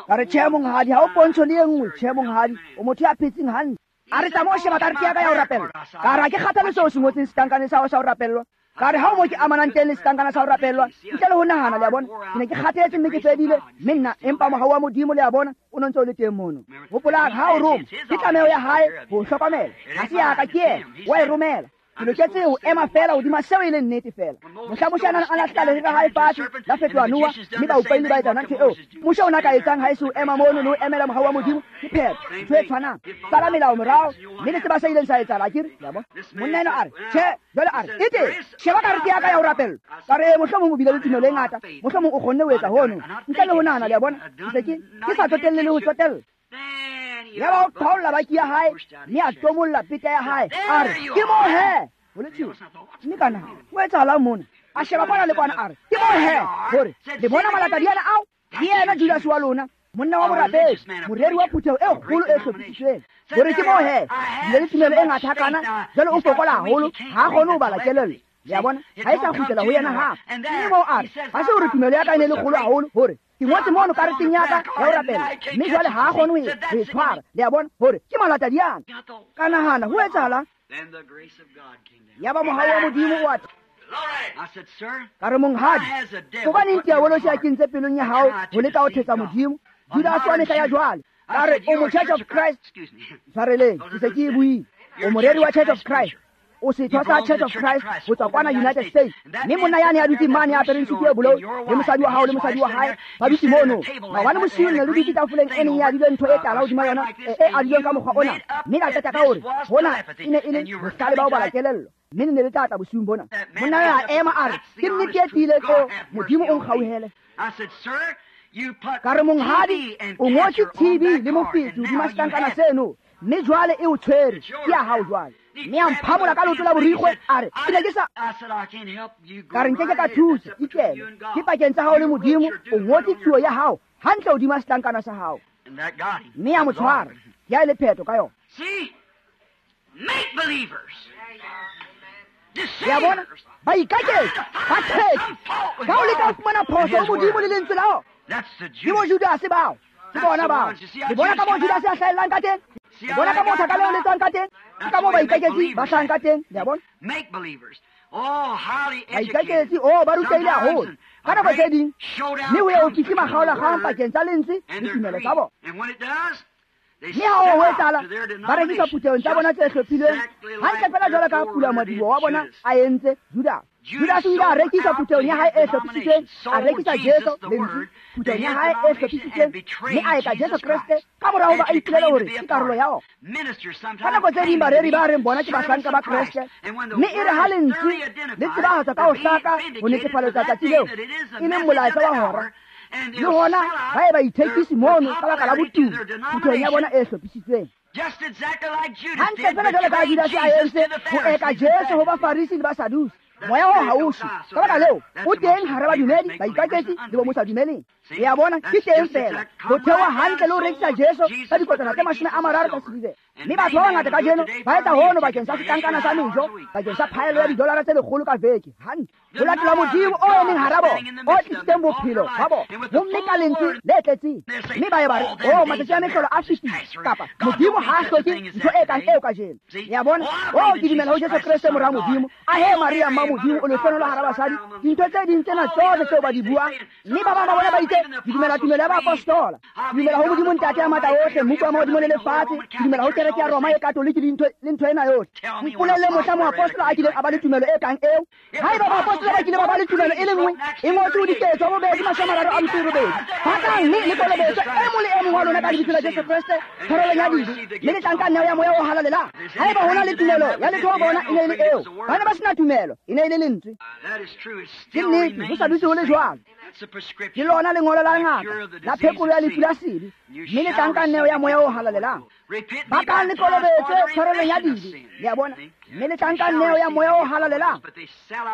Ka re, tjhe monghadi, ha o pontsho le e nngwe. Tjhe monghadi, o motho ya phetseng hantle. A re, tsamaya o sheba karete ya ka ya ho rapellwa. Ka re, ha ke kgathale seo se ngotseng setlankaneng sa hao sa ho rapellwa. Ka re, ha o mo ke amanang teng le setlankana sa ho rapellwa, ntle le ho nahana, le a bona. Ke ne ke kgathetse mme ke fedile, mme nna, empa mohau wa Modimo, le a bona, o no ntse o le teng mono. Hopolang, ha o roma, ke tlameho ya hae ho hlokomela. Ha se ya ka, ke yena, wa e romela. Ke loketse ho ema feela hodima seo e leng nnete feela. Mohla Moshe a nang a lahlela lere la hae fatshe, la fetoha noha, mme baupaile ba etsa ntho eo. Moshe o na ka etsang ha e se ho ema mono le ho emela mohau wa Modimo? Ke phetho, ntho e tshwanang. Sala melao morao, mme le tseba se ileng sa etsahala, akere? Le a bona? Monna enwa a re, tjhe, jwale a re, e teng, sheba karete ya ka ya ho rapellwa. Ka re, mohlomong o bile le tumelo e ngata, mohlomong o kgonne ho etsa hono. Ntle le ho nahana, le a bona? Ke se ke sa tsotelle le ho tsotella. Yaba o qhaolla baki ya hae, mme a tomolla peta ya hae. A re, ke moo he, ho le tjena. Mme ka nahana, ho etsahalang mona? A sheba kwana le kwana, a re, ke moo he, hore le bona malatadiana ao? Ke yena Judas wa lona, monna wa borapedi, moreri wa phutheho e kgolo e hlophisitsweng. Hore ke moo he, bile le tumelo e ngata hakana, jwale o fokola haholo, ha a kgone ho bala kelello. Le a bona, ha e sa kgutlela ho yena hape. Mme moo a re, ha se hore tumelo ya ka e ne le kgolo haholo hore ke ngotse mono kareteng ya ka ya ho rapela, mme jwale ha a kgone ho e tshwara. Le a bona, hore ke malatadiana. Ka nahana, ho etsahalang? Yaba mohau wa Modimo o a ka re, monghadi, hobaneng diabolosi a kentse pelong ya hao ho leka ho thetsa Modimo? Judase wa mehla ya jwale. Ka re, o mo Church of Christ. Tshwareleng, ke se ke e buile. O moreri wa Church of Christ. O setho sa Church of Christ ho tswa kwana United States. Mme monna yane ya dutseng mane ya apereng sutu e bolou, le mosadi wa hao le mosadi wa hae ba dutse mono. Maobane bosiu ne le dutse tafoleng e neng e adilwe ntho e tala hodima yona, e adilweng ka mokgwa ona. Mme la qeta ka hore hona e ne e le bohlale ba ho bala kelello, mme le ne le tla tla bosiung bona. Monna ya ema a re, ke nnete e tiileng eo, Modimo o nkgauhele. Ka re, monghadi, o ngotse TB le mofetshe hodima setlankana seno, mme jwale e o tshwere, ke ya hao jwale. Mme a mphamola ka leoto la borikgwe, a re, ke ne ke sa. Ka re, nkeke ka thusa, ikele. Ke pakeng tsa hao le Modimo, o ngotse tsuo ya hao hantle hodima setlankana sa hao. Mme a mo tshwara, ke ya e le phetho ka yona. Le a bona, ba ikaketsa, ba thetsa, ka ho leka ho fumana phoso ho Modimo le lentswe la ona. Ke bo Judase bao, ke bona bao. Le bona ka moo Judase a hlahellang ka teng? Le bona ka moo thaka leo le tswang ka teng? Ke ka moo baikaketsi ba hlahang ka teng. Le a bona? Baikaketsi, oh, ba rutehile haholo ka nako tse ding, mme ho ye ho fihle makgaolakgang pakeng tsa lentswe le tumelo tsa bona. Mme ha ho etsahala, ba rekisa phuthehong tsa bona tse hlophilweng hantle fela jwalo ka pulamadiboho wa bona a entse Judase. Judase o ile a rekisa phuthehong ya hae e hlophisitsweng, a rekisa Jesu lentswe phuthehong ya hae e hlophisitsweng, mme a eka Jesu Kreste ka mora hoba a ipolele hore ke karolo ya ona. Ka nako tse ding bareri ba reng bona ke bahlanka ba Kreste, mme e re ha lentswe le tsebahatswa ka ho hlaka ho netefaletsa tsatsi leo e leng molaetsa wa hora, le hona ba e ba ithekisi mono ka baka la botumo phuthehong ya bona e hlophisitsweng. Hantle fela jwalo ka Judase a entse ho eka Jesu ho Bafarisi le Basadusi. Moya oo ha o shwe. Ka baka leo, o teng hara badumedi, baikaketsi le bo mo sa dumeleng. Le a bona, ke teng fela ho theoha hantle le ho rekisa Jesu ka dikotwana tse 30 tsa silivera. Mme batho ba bangata kajeno ba etsa hono bakeng sa setlankana sa mejo, bakeng sa phaello ya didolara tse 100 ka veke. Hantle. Ho latela Modimo o emeng hara bona, o tlisitseng bophelo ba bona, homme ka lentswe le tletseng. Mme ba ye ba re, oh, matsatsi a mehlolo a fetile, kapa Modimo ha a hloke ntho e kang eo kajeno. Le a bona? Oh, ke dumela ho Jesu Kreste mora Modimo. Ahe Maria mma Modimo, o lehlohonolo hara basadi. Dintho tse ding tsena tsohle tseo ba di buang, mme ba bang ba bona ba itse, ke dumela tumelo ya baapostola, ke dumela ho Modimo Ntate ya matla ohle, Mmupi wa mahodimo le lefatshe, ke dumela ho kereke ya Roma e Katoliki le ntho ena yohle. Mpolelle mohla moapostola a kileng a ba le tumelo e kang eo. Haeba baapostola ba kile ba ba le tumelo e le nngwe, e ngotswe ho Diketso 2:38. Bakang mme le kolobetswe e mong le e mong wa lona ka lebitso la Jesu Kreste tshwarelong ya dibe, mme le tla nka neo ya Moya o Halalelang. Haeba ho na le tumelo ya letho ho bona, e ne e le eo. Ba ne ba sena tumelo, e ne e le lentswe. Ke nnete, ho sa dutse ho le jwalo. Ke lona lengolo la ngaka la phekolo ya lefu la sebe, mme le tla nka neo ya Moya o Halalelang. Bakang le kolobetswe tshwarelong ya dibe, le a bona, mme le tla nka neo ya Moya o Halalelang.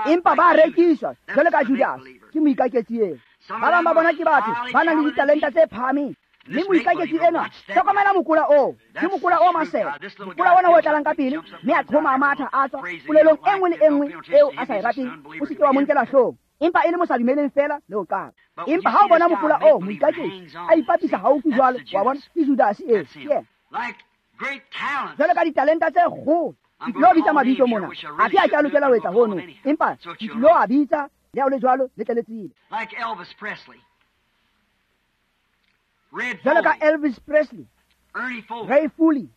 Empa ba rekiswa jwalo ka Judase, ke moikaketsi eo. Ba bang ba bona ke batho ba nang le ditalenta tse phahameng, mme moikaketsi enwa, hlokomela mokola oo, ke mokola o masela, mokola ona o tlalang ka pele, mme a qhoma a matha a tswa polelong e nngwe le e nngwe eo a sa e rateng, o se ke wa mo nkela hloohong, empa e le mo sa dumeleng fela le ho qala. Empa ha o bona mokola oo, moikaketsi a ipapisa haufi jwalo, wa bona, ke Judase eo, ke yena. Jwalo ka ditalenta tse kgolo, ke tlilo bitsa mabitso mona, athe ha ke a lokela ho etsa hono, empa ke tlilo a bitsa, le ha o le jwalo, le tle le tsebe. Jwalo ka Elvis Presley, Ray Foley,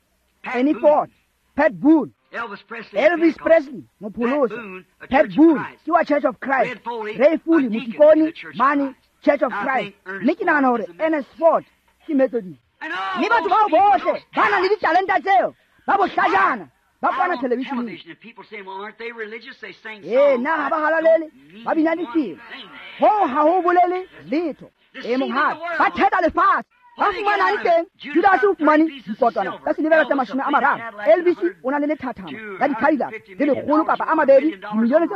Ernie Ford, Pat Boone. Elvis Presley, mopholoso. Pat Boone ke wa Church of Christ. Ray Foley, motikoni mane Church of Christ. Mme ke nahana hore Ernest Ford ke Methodist. Mme batho bao bohle ba nang le ditalenta tseo, ba bohlajana, ba kwana televisheneng. Ee, na ha ba halalele, ba bina difela. Hoo ha ho bolele letho. E monghadi, ba thetsa lefatshe. Ba fumanang teng, Judase o fumane dikotwana tsa silivera tse 30. Elvis o na le lethathama la di-Cadillac le 100 kapa a mabedi, dimilione tse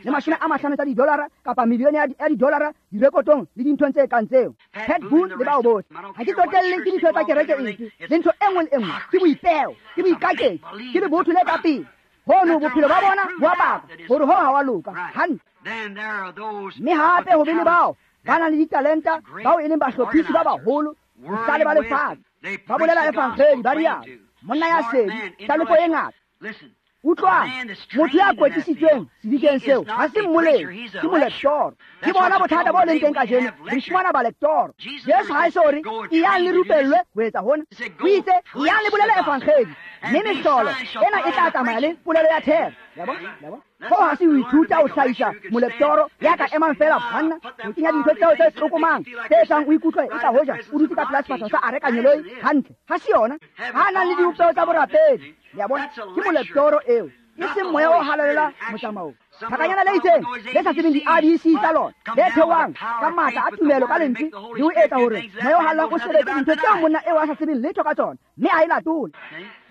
150 tsa didolara kapa milione ya didolara direkotong le dinthong tse kang tseo. Pat Boone le bao bohle. Ha ke tsotelle ke ditho tsa kereke efe, le ntho e nngwe le e nngwe, ke boipeo, ke boikaketsi, ke lebotho le ka pele. Hono bophelo ba bona bo a baka hore ho ha wa loka hantle. Mme hape ho be le bao ba nang le ditalenta, bao e leng bahlophisi ba baholo, bohlale ba lefatshe, ba bolela evangeli, ba rialo. Monna ya sedi, hlalefo e ngata. Utlwang, motho ya kwetlisitsweng sedikeng seo ha se mmoledi, ke molektoro. Ke bona bothata bo leng teng kajeno, re fumana balektoro. Jesu ha e so re eyang le rupellwe ho etsa hona. O itse eyang le bolele evangeli, mme mehlolo ena e tla tsamaya le polelo ya thero. Ya bona? Hoo ha se ho ithuta ho hlahisa molektoro ya ka emang feela banna ho kenya dintho tseo tse tlokomang tse etsang o ikutlwe e ka hoja o dutse ka pela sefahleho sa areka nyeloi hantle. Ha se yona. Ha nang le dibopeho tsa borapedi. Le bona? Ke molektoro eo, e seng moya o halalelang motsamaong. Thakanyana le itseng le sa tsebeng di-ABC tsa lona, le theohang ka matla a tumelo ka lentswe le ho etsa hore moya o halalelang o sebetse dintho tseo monna eo a sa tsebeng letho ka tsona, mme a e latole.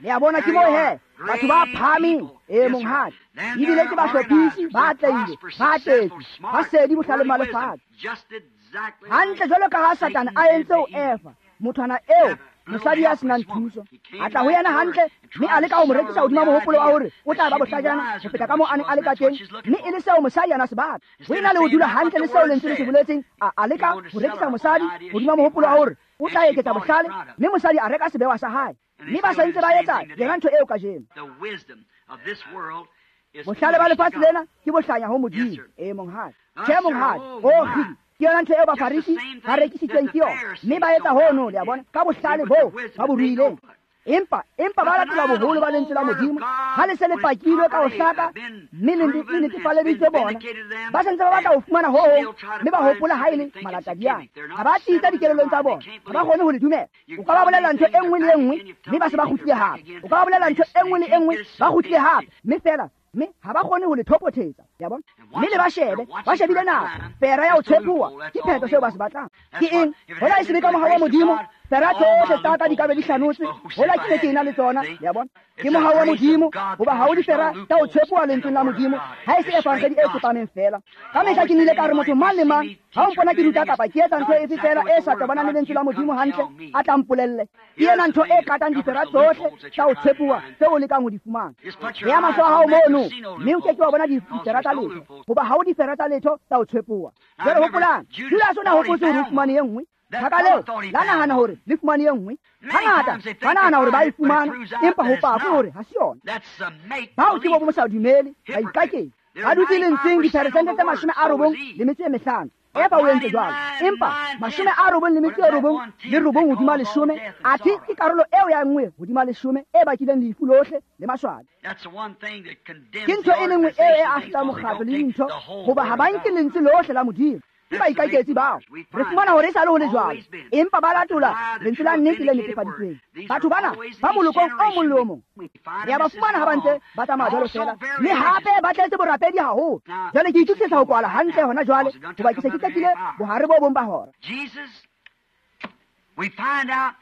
Le a bona, ke moo he batho ba phahameng. E, monghadi, ebile ke bahlophisi, ba atlehile, ba tletse, ba sedi bohlaleng ba lefatshe. Hantle jwalo ka ha Satane a entse ho Eva, mothwana eo, mosadi ya senang thuso, a tla ho yena hantle mme a leka ho mo rekisa hodima mohopolo wa hore o tla ba bohlajana ho feta ka moo a neng a le ka teng, mme e le seo mosadi ana se batla. Ho ena le ho dula hantle le seo lentswe le se boletseng, a leka ho rekisa mosadi hodima mohopolo wa hore o tla eketsa bohlale, mme mosadi a reka sebewa sa hae. Mme ba sa ntse ba etsa yona ntho eo kajeno. Bohlale ba lefatshe lena ke bohlanya ho Modimo. E, monghadi. Tjhe, monghadi. O kgidi, ke yona ntho eo Bafarisi ba rekisitsweng ke yona, mme ba etsa hono, le a bona, ka bohlale boo ba bo ruileng. Empa ba latela boholo ba lentswe la Modimo ha le se le pakilwe ka ho hlaka mme le netefaleditswe bona, ba santse ba batla ho fumana ho hong, mme ba hopola ha e le malatadiana. Ha ba tsitsa dikelellong tsa bona, ha ba kgone ho le dumela. O ka ba bolella ntho e nngwe le e nngwe, mme ba se ba kgutlile hape. O ka ba bolella ntho e nngwe le e nngwe, ba kgutlile hape, mme fela mme ha ba kgone ho le thopothetsa. Ya bona? Mme le ba shebe, ba shebile nako fera ya ho tshepuwa, ke phetho seo ba se batlang ke eng. Hola e se be ka mohau wa Modimo, fera tsohle tsa ka di ka be di hlanotswe hola ke ne ke ena le tsona. Ya bona? Ke mohau wa Modimo, hoba ha o difera tsa ho tshepuwa lentsweng la Modimo ha e se evangedi e tsepameng fela. Ka mehla ke nile ka re motho mang le mang ha o mpona ke ruta kapa ke etsa ntho efe fela e sa tobanang le lentswe la Modimo hantle, a tla mpolelle. Ke ena ntho e katang difera tsohle tsa ho tshepuwa tseo o lekang ho di fumana. Beya mahlo a hao mono, mme o ke ke wa bona difera tsa letho, hoba ha o difera tsa letho tsa ho tshepuwa. Jwale hopolang, Judas o na hopotse hore o fumane e nngwe. Thaka leo la nahana hore le fumane e nngwe. Hangata ba nahana hore ba e fumana, empa ho pakwe hore ha se yona. Bao ke bo sa dumele, baikaketsi, ba dutse lentsweng diperesente tse 95. Eva o entse jwalo, empa 99.99 hodima 10, athe ke karolo eo ya 1 hodima 10 e bakileng lefu lohle le maswabi. Ke ntho e le nngwe eo e ahlolang mokgatlo le dintho, hoba ha ba nke lentswe lohle la Modimo. Ke baikaketsi bao. Re fumana hore e sa le ho le jwalo, empa ba latola lentswe la nnete le netefaditsweng. Batho bana ba molokong o mong le o mong re ya ba fumana ha ba ntse ba tsamaya jwalo fela, mme hape ba tletse borapedi haholo. Jwale ke itokisetsa ho kwala hantle hona jwale, hoba ke se ke qetile bohare bo bong ba hora. We find out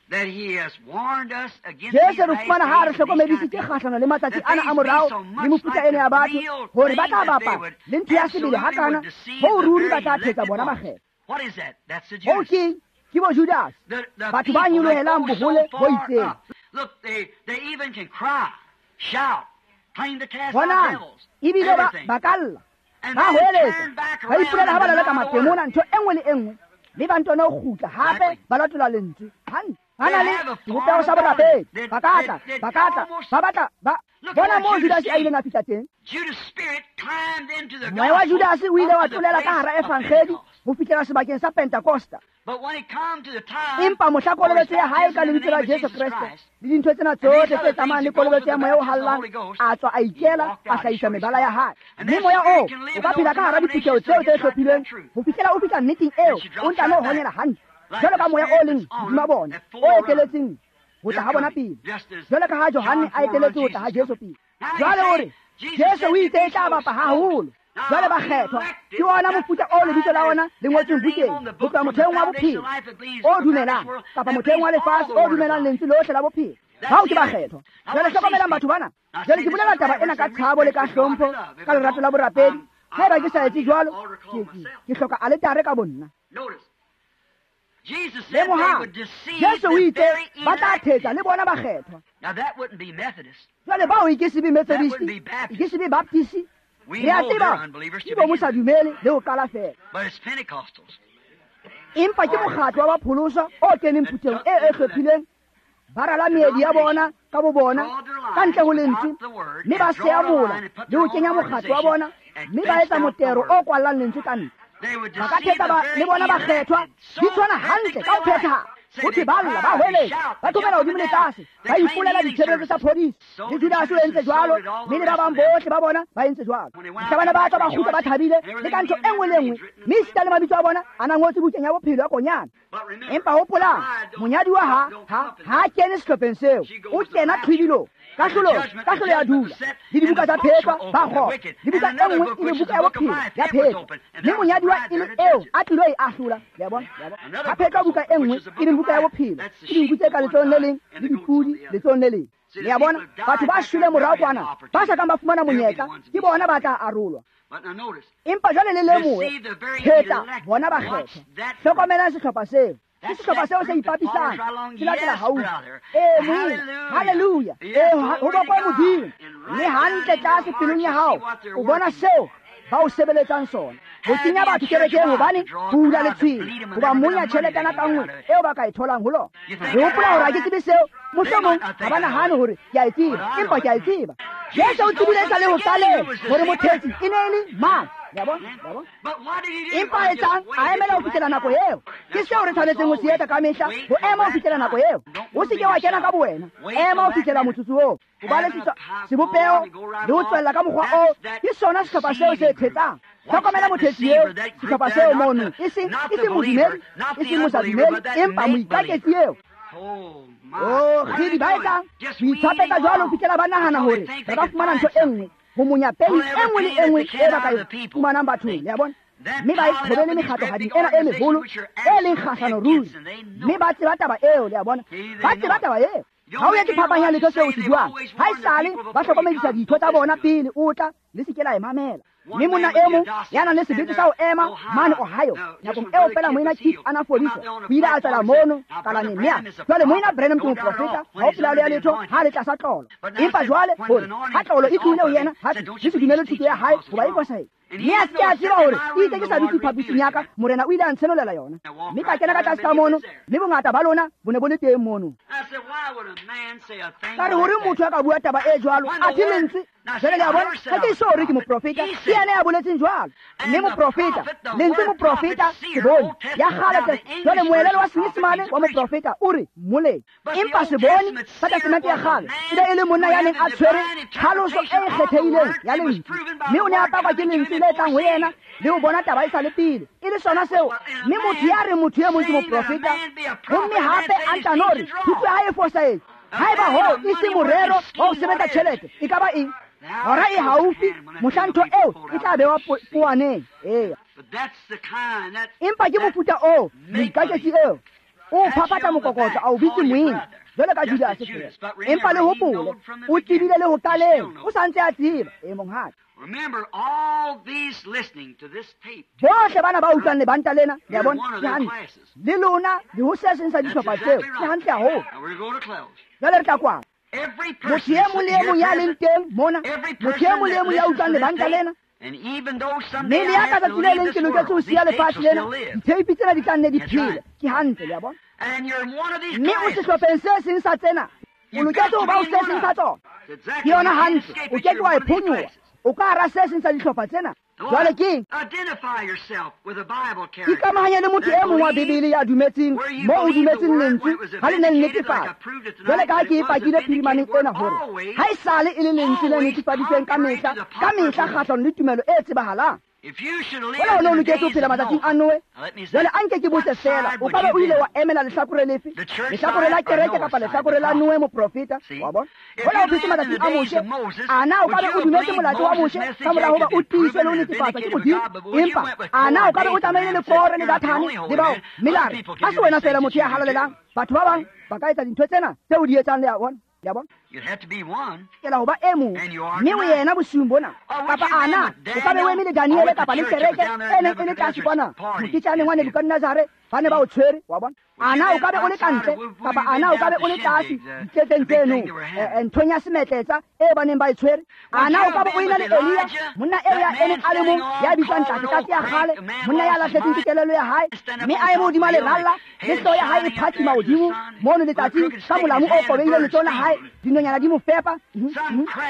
that he has warned us against Jesu re fumana ha re hlokomedisitse kgahlano le matsatsi ana a morao le mofuta ena ya batho, hore ba tla bapa le ntho ya sebele hakana hoo ruri ba tla thetsa bona makgetho. What is that? That's the Hoo Judas. ke ke bo Judas, The batho ba people that nyolohelang go so bohole bo far itseng. up. Look, they even can cry, shout, claim to cast out Bonang, devils, ebile ba everything. ba ka lla, And ba then hoeletsa, turn back ba around ipolela ha and ba laleka deny the matemona, word. ntho e nngwe le e nngwe, mme ba ntone ho kgutla hape ba latola lentswe hantle. Ba na le sebopeho sa borapedi, ba ka tla, ba ka tla, ba batla ba bona moo Judas a ileng a fihla teng. Judas' spirit climbed into the Moya wa gospel Judas o ile wa up to the tlolela ka place hara of evangedi Pentecost. ho fihlela sebakeng sa Pentecosta. But when it come to the time Empa mohla for his kolobetso ya hae ka baptism in the lebitso la name of Jesu Jesus Kreste Christ, le dintho tsena tsohle tse tsamayang le kolobetso ya moya o hallang, a tswa a ikela, a hlahisa mebala ya hae. Mme moya oo o ka phela ka hara diphutheho tseo tse hlophilweng ho fihlela o fihla nneteng eo, o ntano honyela hantle jwalo ka moya o leng hodima bona o eteletseng ho tla ha bona pele, jwalo ka ha Johanne a eteletse ho tla ha Jesu pele. Jwale o re Jesu o itse e tla bapa haholo. Jwale bakgethwa ke ona mofuta o lebitso la ona le ngotsweng bukeng ho tloha motheong wa bophelo o dumelang, kapa motheong wa lefatshe o dumelang lentswe lohle la bophelo. Bao ke bakgethwa. Jwale hlokomelang batho bana. Jwale ke bolela taba ena ka tshabo le ka hlompho, ka lerato la borapedi. Haeba ke sa etse jwalo, ke hloka aletare ka bonna. Notice, Lemohang, Jesu o itse ba tla thetsa le bona bakgethwa. Jwale bao e ke se be Methodist, e ke se be Baptist, re a tseba ke bo mo sa dumele le ho qala fela. Empa ke mokgatlo wa bapholoswa o keneng phuthehong e hlophileng, ba rala meedi ya bona ka bo bona ka ntle ho lentswe, mme ba seya mola le ho kenya mokgatlo wa bona, mme ba etsa motero o kwallang lentswe ka ntle. Ba ka thetsa le bona bakgethwa, di tshwana hantle ka ho phethahala. Ho thwe ba lla, ba hweletsa, ba thomela hodimo le tlase, ba ipolela ditshebeletso tsa phodiso. Le Judase o entse jwalo, mme le ba bang bohle ba bona ba entse jwalo. Mohla bana ba tswa ba kgutla ba thabile le ka ntho e nngwe le nngwe, mme esita le mabitso a bona a na ngotswe bukeng ya bophelo ya Konyana. Empa hopolang, monyadiwa ha kene sehlopheng seo, o kena tlhwibilong. Kahlolo ya dula, le dibuka tsa phetwa ba kgopo, le buka e nngwe e le buka ya bophelo ya phetwa, mme monyadiwa e le eo a tlilo e ahlola. Le a bona? Ha phetwa buka e nngwe e leng buka ya bophelo, ke dinku tse ka letsohong le leng le dipudi letsohong le leng. Le a bona? Batho ba shweleng morao kwana, ba sa kang ba fumana monyetla, ke bona ba tla arolwa. Empa jwale le lemohe, phetla bona bakgethwa. Hlokomelang sehlopha seo. Ke sehlopha seo se ipapisang, se latela haufi. Ee, moena, halleluja. Ee, ho bokwe Modimo. Mme hantle tlase pelong ya hao, o bona seo ba o sebeletsang sona. Ho kenya batho kerekeng hobane ho hula letshwele, hoba monya tjheletana ka nngwe eo ba ka e tholang ho lona. Re hopola hore ha ke tsebe seo, mohlomong ha ba nahane hore ke a e tseba, empa ke a e tseba. Jesu o tsebile e sa le ho qaleng hore mothetsi e ne e le mang. Le a bona? Le a bona? Empa etsang a emela ho fihlela nako eo. Ke seo re tshwanetseng ho se etsa kamehla, ho ema ho fihlela nako eo. O se ke wa kena ka bowena, ema ho fihlela motsotso oo. O ba le sebopeho le ho tswella ka mokgwa oo, ke sona sehlopha seo se thetsang. Hlokomela mothetsi eo, sehlopha seo mono, e seng modumedi, e seng mosadumedi, empa moikaketsi eo. Oh, kgidi, ba etsang ho itshapetsa jwalo ho fihlela ba nahana hore ba ka fumana ntho e nngwe, ho monya peni e nngwe le e nngwe e ba ka e fumanang bathong. Le a bona? Mme ba e qhobele mekgatlohading ena e meholo e leng kgahlano ruri, mme ba tseba taba eo. Le a bona? Ba tseba taba eo. Ha o etse phapang ya letho seo o se buang. Ha esale ba hlokomedisa ditho tsa bona pele o tla, le se ke la e mamela. Mme monna e mong ya nang le sebete sa ho ema mane Ohio, nakong eo fela moena Keith a na fodiswa, o ile a tswela mono kalaneng, mme a jwale moena Branham ke moprofeta, ha ho pelaelo ya letho, ha le tlasa tlolo. Empa jwale hore ha tlolo e tlohile ho yena, ha le se dumele thuto ya hae hoba e fosahetse. Mme a se ke a tseba hore e itse ke sa dutse phaposing ya ka, Morena o ile a ntshenolela yona. Mme ka kena ka tlase ka mono, mme bongata ba lona bo ne bo le teng mono. Ka re, hore motho a ka bua taba e jwalo, athe lentswe. Jwale le a bona, ha ke so hore ke moprofeta, ke yena ya boletseng jwalo. Mme moprofeta, lentswe moprofeta, seboni ya kgale. Jwale moelelo wa Senyesemane wa moprofeta o re mmoledi. Empa seboni sa Testamente ya kgale e be e le monna ya neng a tshwere tlhaloso e kgethehileng ya lentswe, mme o ne a pakwa ke lentswe le tlang ho yena le ho bona taba e sa le pele. E le sona seo. Mme motho ya reng motho e mong ke moprofeta, homme hape a ntano re thuto ya hae e fosahetse, haeba hoo e se morero wa ho sebetsa tjhelete, e ka ba eng? Hora e haufi mohla ntho eo e tla bewa poaneng. Eya. Empa ke mofuta oo, moikaketsi eo o phaphatha mokokotlo a o bitse moena jwalo ka Judase fela. Empa le hopole, o tsebile le ho qaleng, o sa ntse a tseba. E, monghadi. Bohle bana ba utlwang lebanta lena, le a bona, ke hantle. Le lona le ho se seng sa dihlopha tseo, ke hantle haholo. Jwale re tla kwala. Motho e mong le e mong ya leng teng mona, motho e mong le e mong ya utlwang lebanta lena, mme le ya ka tsatsi le leng ke loketse ho siya lefatshe lena, ditheipi tsena di tla nne di phele. Ke hantle, le a bona. Mme o sehlopheng se seng sa tsena, o loketse ho ba o se seng sa tsona. Ke yona hantle, o ke ke wa e phonyoha. O ka hara se seng sa dihlopha tsena. Jwale ke ikamahanye le motho e mong wa Bibele ya dumetseng moo o dumetseng lentswe ha le ne le netefatsa. Jwale ka ha ke e pakile phirimaneng ena hore ha esale e le lentswe le netefaditsweng ka mehla, ka mehla kgahlanong le tumelo e tsebahalang. Hola o ne o loketse ho phela matsatsing a Noe. Jwale a nke ke botse fela, o ka ba o ile wa emela lehlakore lefe? Lehlakore la kereke kapa lehlakore la Noe moprofeta? Wa bona? Hola o phetse matsatsing a Moshe, ana o ka be o dumetse molato wa Moshe ka mora hoba o tiiswe le ho netefatswa ke Modimo? Empa ana o ka be o tsamaile le Kore le Dathane le bao? Mme la re, ha se wena fela motho ya halalelang, batho ba bang ba ka etsa dintho tsena tseo o di etsang. Le a bona? Le a bona? Kela ho ba e mong, mme o yena bosiung bona. Kapa ana o ka be o eme le Daniele kapa le kereke e neng e le tlase kwana moketjaneng wa Nebukadnezare, ba ne ba o tshwere, wa bona. Ana o ka be o le kantle, kapa ana o ka be o le tlase diketseng tseno, nthong ya semetletsa e ba neng ba e tshwere. Ana o ka be o ena le Elia, monna eo ya emeng a le mong, ya bitswang tlase tlase ya kgale, monna ya lahletsweng ke kelello ya hae, mme a eme hodima leralla, le hlooho ya hae e phatsima hodimo mono letsatsing, ka molamu o kobeileng letsohong la hae, dinonyana di mo fepa.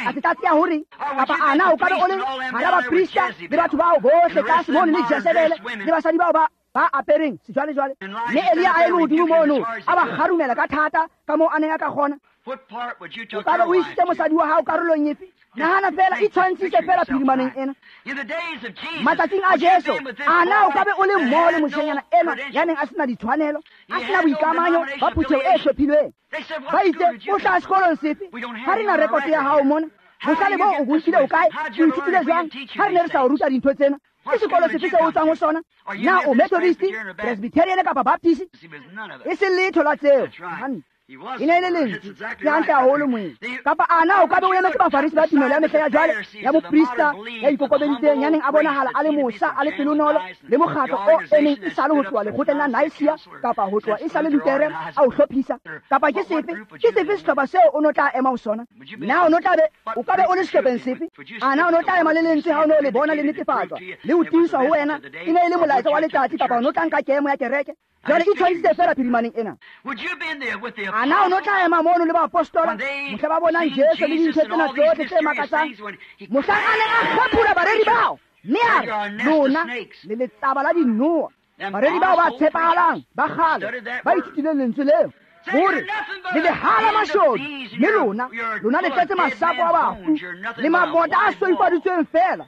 A se tlatse ya hore, kapa ana o ka be o le hara baprista le batho bao bohle tlase mono le Jezebele le basadi bao ba apereng sejwalejwale. Mme Elia a eme hodimo mono, a ba kgarumela ka thata ka moo a neng a ka kgona. O ka be o isitse mosadi wa hao karolong efe? Nahana fela, itshwantshise fela phirimaneng ena. Matsatsing a Jesu, ana o ka be o le mmoho le moshanyana enwa ya neng a sena ditshwanelo, a sena boikamanyo ba phutheho e hlophilweng. Ba itse, o hlaha sekolong sefe? Ha re na rekoto ya hao mona. Bohlale boo o bo nkile o kae? O ithutile jwang? Ha re ne re sa o ruta dintho tsena. Ke sekolo sefe seo o tswang ho sona? Na o Methodist, Presbyterian kapa Baptist? E se letho la tseo. E ne e le lentswe, ke hantle haholo moeng. Kapa ana o ka be o emetse bafarisi ba tumelo ya mehla ya jwale, ya moprista ya ikokobeditseng, ya neng a bonahala a le mosa, a le pelonolo, le mokgatlo o emeng e sale ho tloha lekgotleng la Nicaea kapa ho tloha e sale Lutere a o hlophisa. Kapa ke sefe? Ke sefe sehlopha seo o no tla ema ho sona? Na o no tla be o ka be o le sehlopheng sefe? Ana o no tla ema le lentswe ha o no le bona le netefatswa le ho tiiswa ho wena e ne e le molaetsa wa letsatsi, kapa o no tla nka kemo ya kereke? Jwale itshwantshitse fela phirimaneng ena. Ana o no tla ema mono le baapostola mohla ba bonang Jesu le dintho tsena tsohle tse makatsang, mohlang a neng a kgaphula bareri bao, mme a re, lona le letsaba la dinoha. Bareri bao ba tshepahalang ba kgale ba ithutileng lentswe leo, hore le lehala mashodu, mme lona lona le tletse masapo a bafu le mabota a soifaditsweng fela.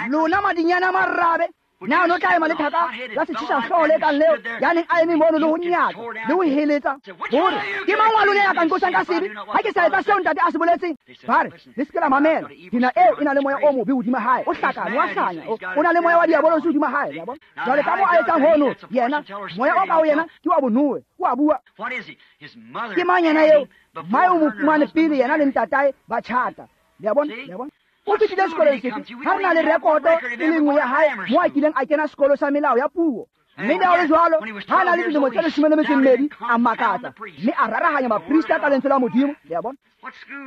Lona madinyana a marabe. Na o no tla ema le thaka la setjhisa hlooho le kang leo, ya neng a eme mono le ho nyatsa le ho heletsa, hore ke mang wa lona ya ka nqosang ka sebe ha ke sa etsa seo ntate a se boletseng? Ba re, le se ke la mamela, dina eo e na le moya o mobe hodima hae, o hlakane, wa hlanya, o na le moya wa diabolosi hodima hae. Ya bona? Jwale ka moo a etsang hono, yena moya o ka ho yena ke wa bonowe, o a bua. Ke mang yena eo? Mmae o mo fumane pele yena le ntatae ba tjhata. Le a bona? Le a bona? O fetile sekolong sefe? Ha re na le rekoto e le nngwe ya hae moo a kileng a kena sekolo sa melao ya puo. Mme le ha ho le jwalo, ha a na le dilemo tse 12, a makatsa mme a rarahanya baprista ka lentswe la Modimo. Le a bona?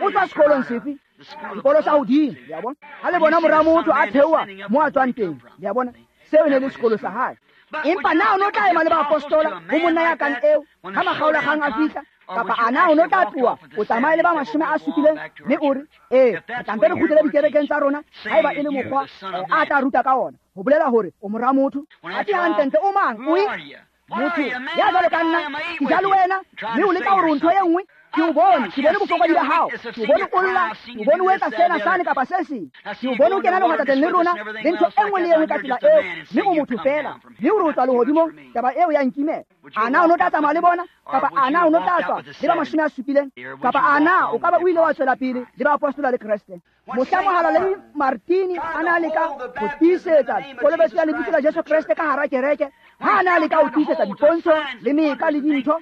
O tswa sekolong sefe? Sekolo sa hodimo. Le a bona? Ha le bona mora motho a theoha moo a tswang teng. Le a bona? Seo e ne le sekolo sa hae. Empa na o no tla ema le baapostola ho monna ya kang eo ha makgaolakgang a fihla? Kapa ana o no tla tloha o tsamaye le ba 70, mme o re, ee, re tla mpe re kgutlele dikerekeng tsa rona, haeba e le mokgwa a tla ruta ka ona, ho bolela hore o mora motho. Athe hantlentle o mang? O eng? Motho ya jwalo ka nna, ke ja le wena, mme o leka hore o ntho e nngwe. Ke o bone, ke bone bofokodi ba hao, ke o bone o lla, ke o bone o etsa sena sane kapa se seng, ke o bone o kena lehwatateng le rona le ntho e nngwe le e nngwe ka tsela eo, mme o motho fela, mme o re o tswa lehodimong, taba eo ya nkimela. Ana o no tla tsamaya le bona? Kapa ana o no tla tswa le ba 70? Kapa ana o ka ba o ile wa tswela pele le baapostola le Kreste? Mohla mohalaledi Martini a na leka ho tiisetsa kolobetso ya lebitso la Jesu Kreste ka hara kereke, ha a na leka ho tiisetsa dipontsho le meka le dintho,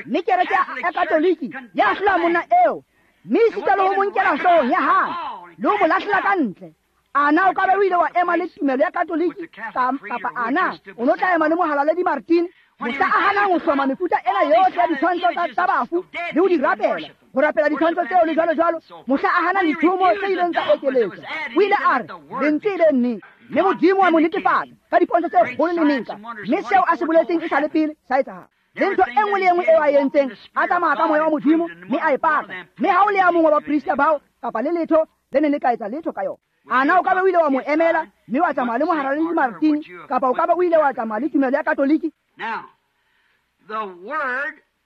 mme kereke ya Katoliki ya hlola monna eo, mme esita le ho mo nkela hloohong ya hae le ho mo lahlela ka ntle. Ana o ka be o ile wa ema le tumelo ya Katoliki, kapa ana o no tla ema le mohalaledi Martini mohla a hanang ho hloma mefuta ena yohle ya ditshwantsho tsa bafu le ho di rapela, ho rapela ditshwantsho tseo le jwalo jwalo, mohla a hana dithomo tse ileng tsa ekeletswa, o ile a re lentswe e le nnete, mme Modimo wa mo netefatsa ka dipontsho tse kgolo le meka, mme seo a se boletseng e sa le pele sa etsahala. Le ntho e nngwe le e nngwe eo a entseng, a tsamaya ka moya wa Modimo mme a e paka. Mme ha o le ya mongwe wa baprista bao kapa le letho le neng le ka etsa letho ka yona, ana o ka be o ile wa mo emela mme wa tsamaya le mohalaledi Martini, kapa o ka be o ile wa tsamaya le tumelo ya Katoliki?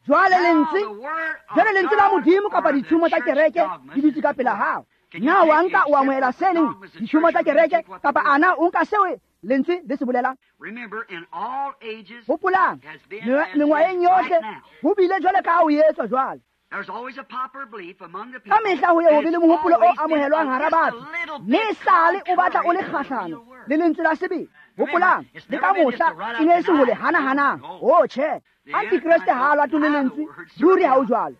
Jwale lentswe la Modimo kapa ditshumo tsa kereke di dutse ka pela hao. Na wa nka o amohela se leng ditshumo tsa kereke, kapa ana o nka seo lentswe le se bolelang? Hopolang, mengwaheng yohle ho bile jwale ka ha o etswa jwale. Ka mehla ho ye ho be le mohopolo o amohelwang hara batho, mme esale o batla o le kgahlano le lentswe la sebele. Hopolang, le ka mohla e ne e se ho le hana-hanang. Oh, tjhe, antikreste ha a latole lentswe, ruri ha o jwalo.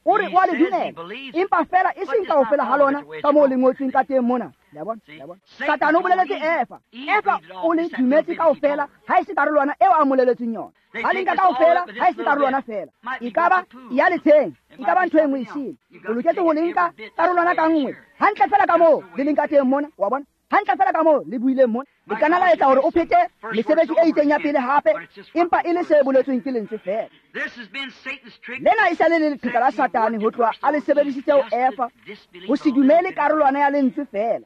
O re o a le dumela, empa feela e seng kaofela ha lona ka moo le ngotsweng ka teng mona. Le a bona? Le a bona? Satane o boleletse Eva. Eva o le dumetse kaofela ha e se karolwana eo a moleletseng yona. Ba le nka kaofela ha e se karolwana feela. E ka ba ya letsheng, e ka ba ntho e nngwe e sele. O loketse ho le nka karolwana ka nngwe hantle feela ka moo le leng ka teng mona. Wa bona? Hantle feela ka moo le buileng mona. Le kana la etsa hore o phete mesebetsi e itseng ya pele hape, empa e le se boletsweng ke lentswe feela. Lena e sa le le leqheka la Satane ho tloha a le sebedisitse ho Eva, ho se dumele karolwana ya lentswe feela.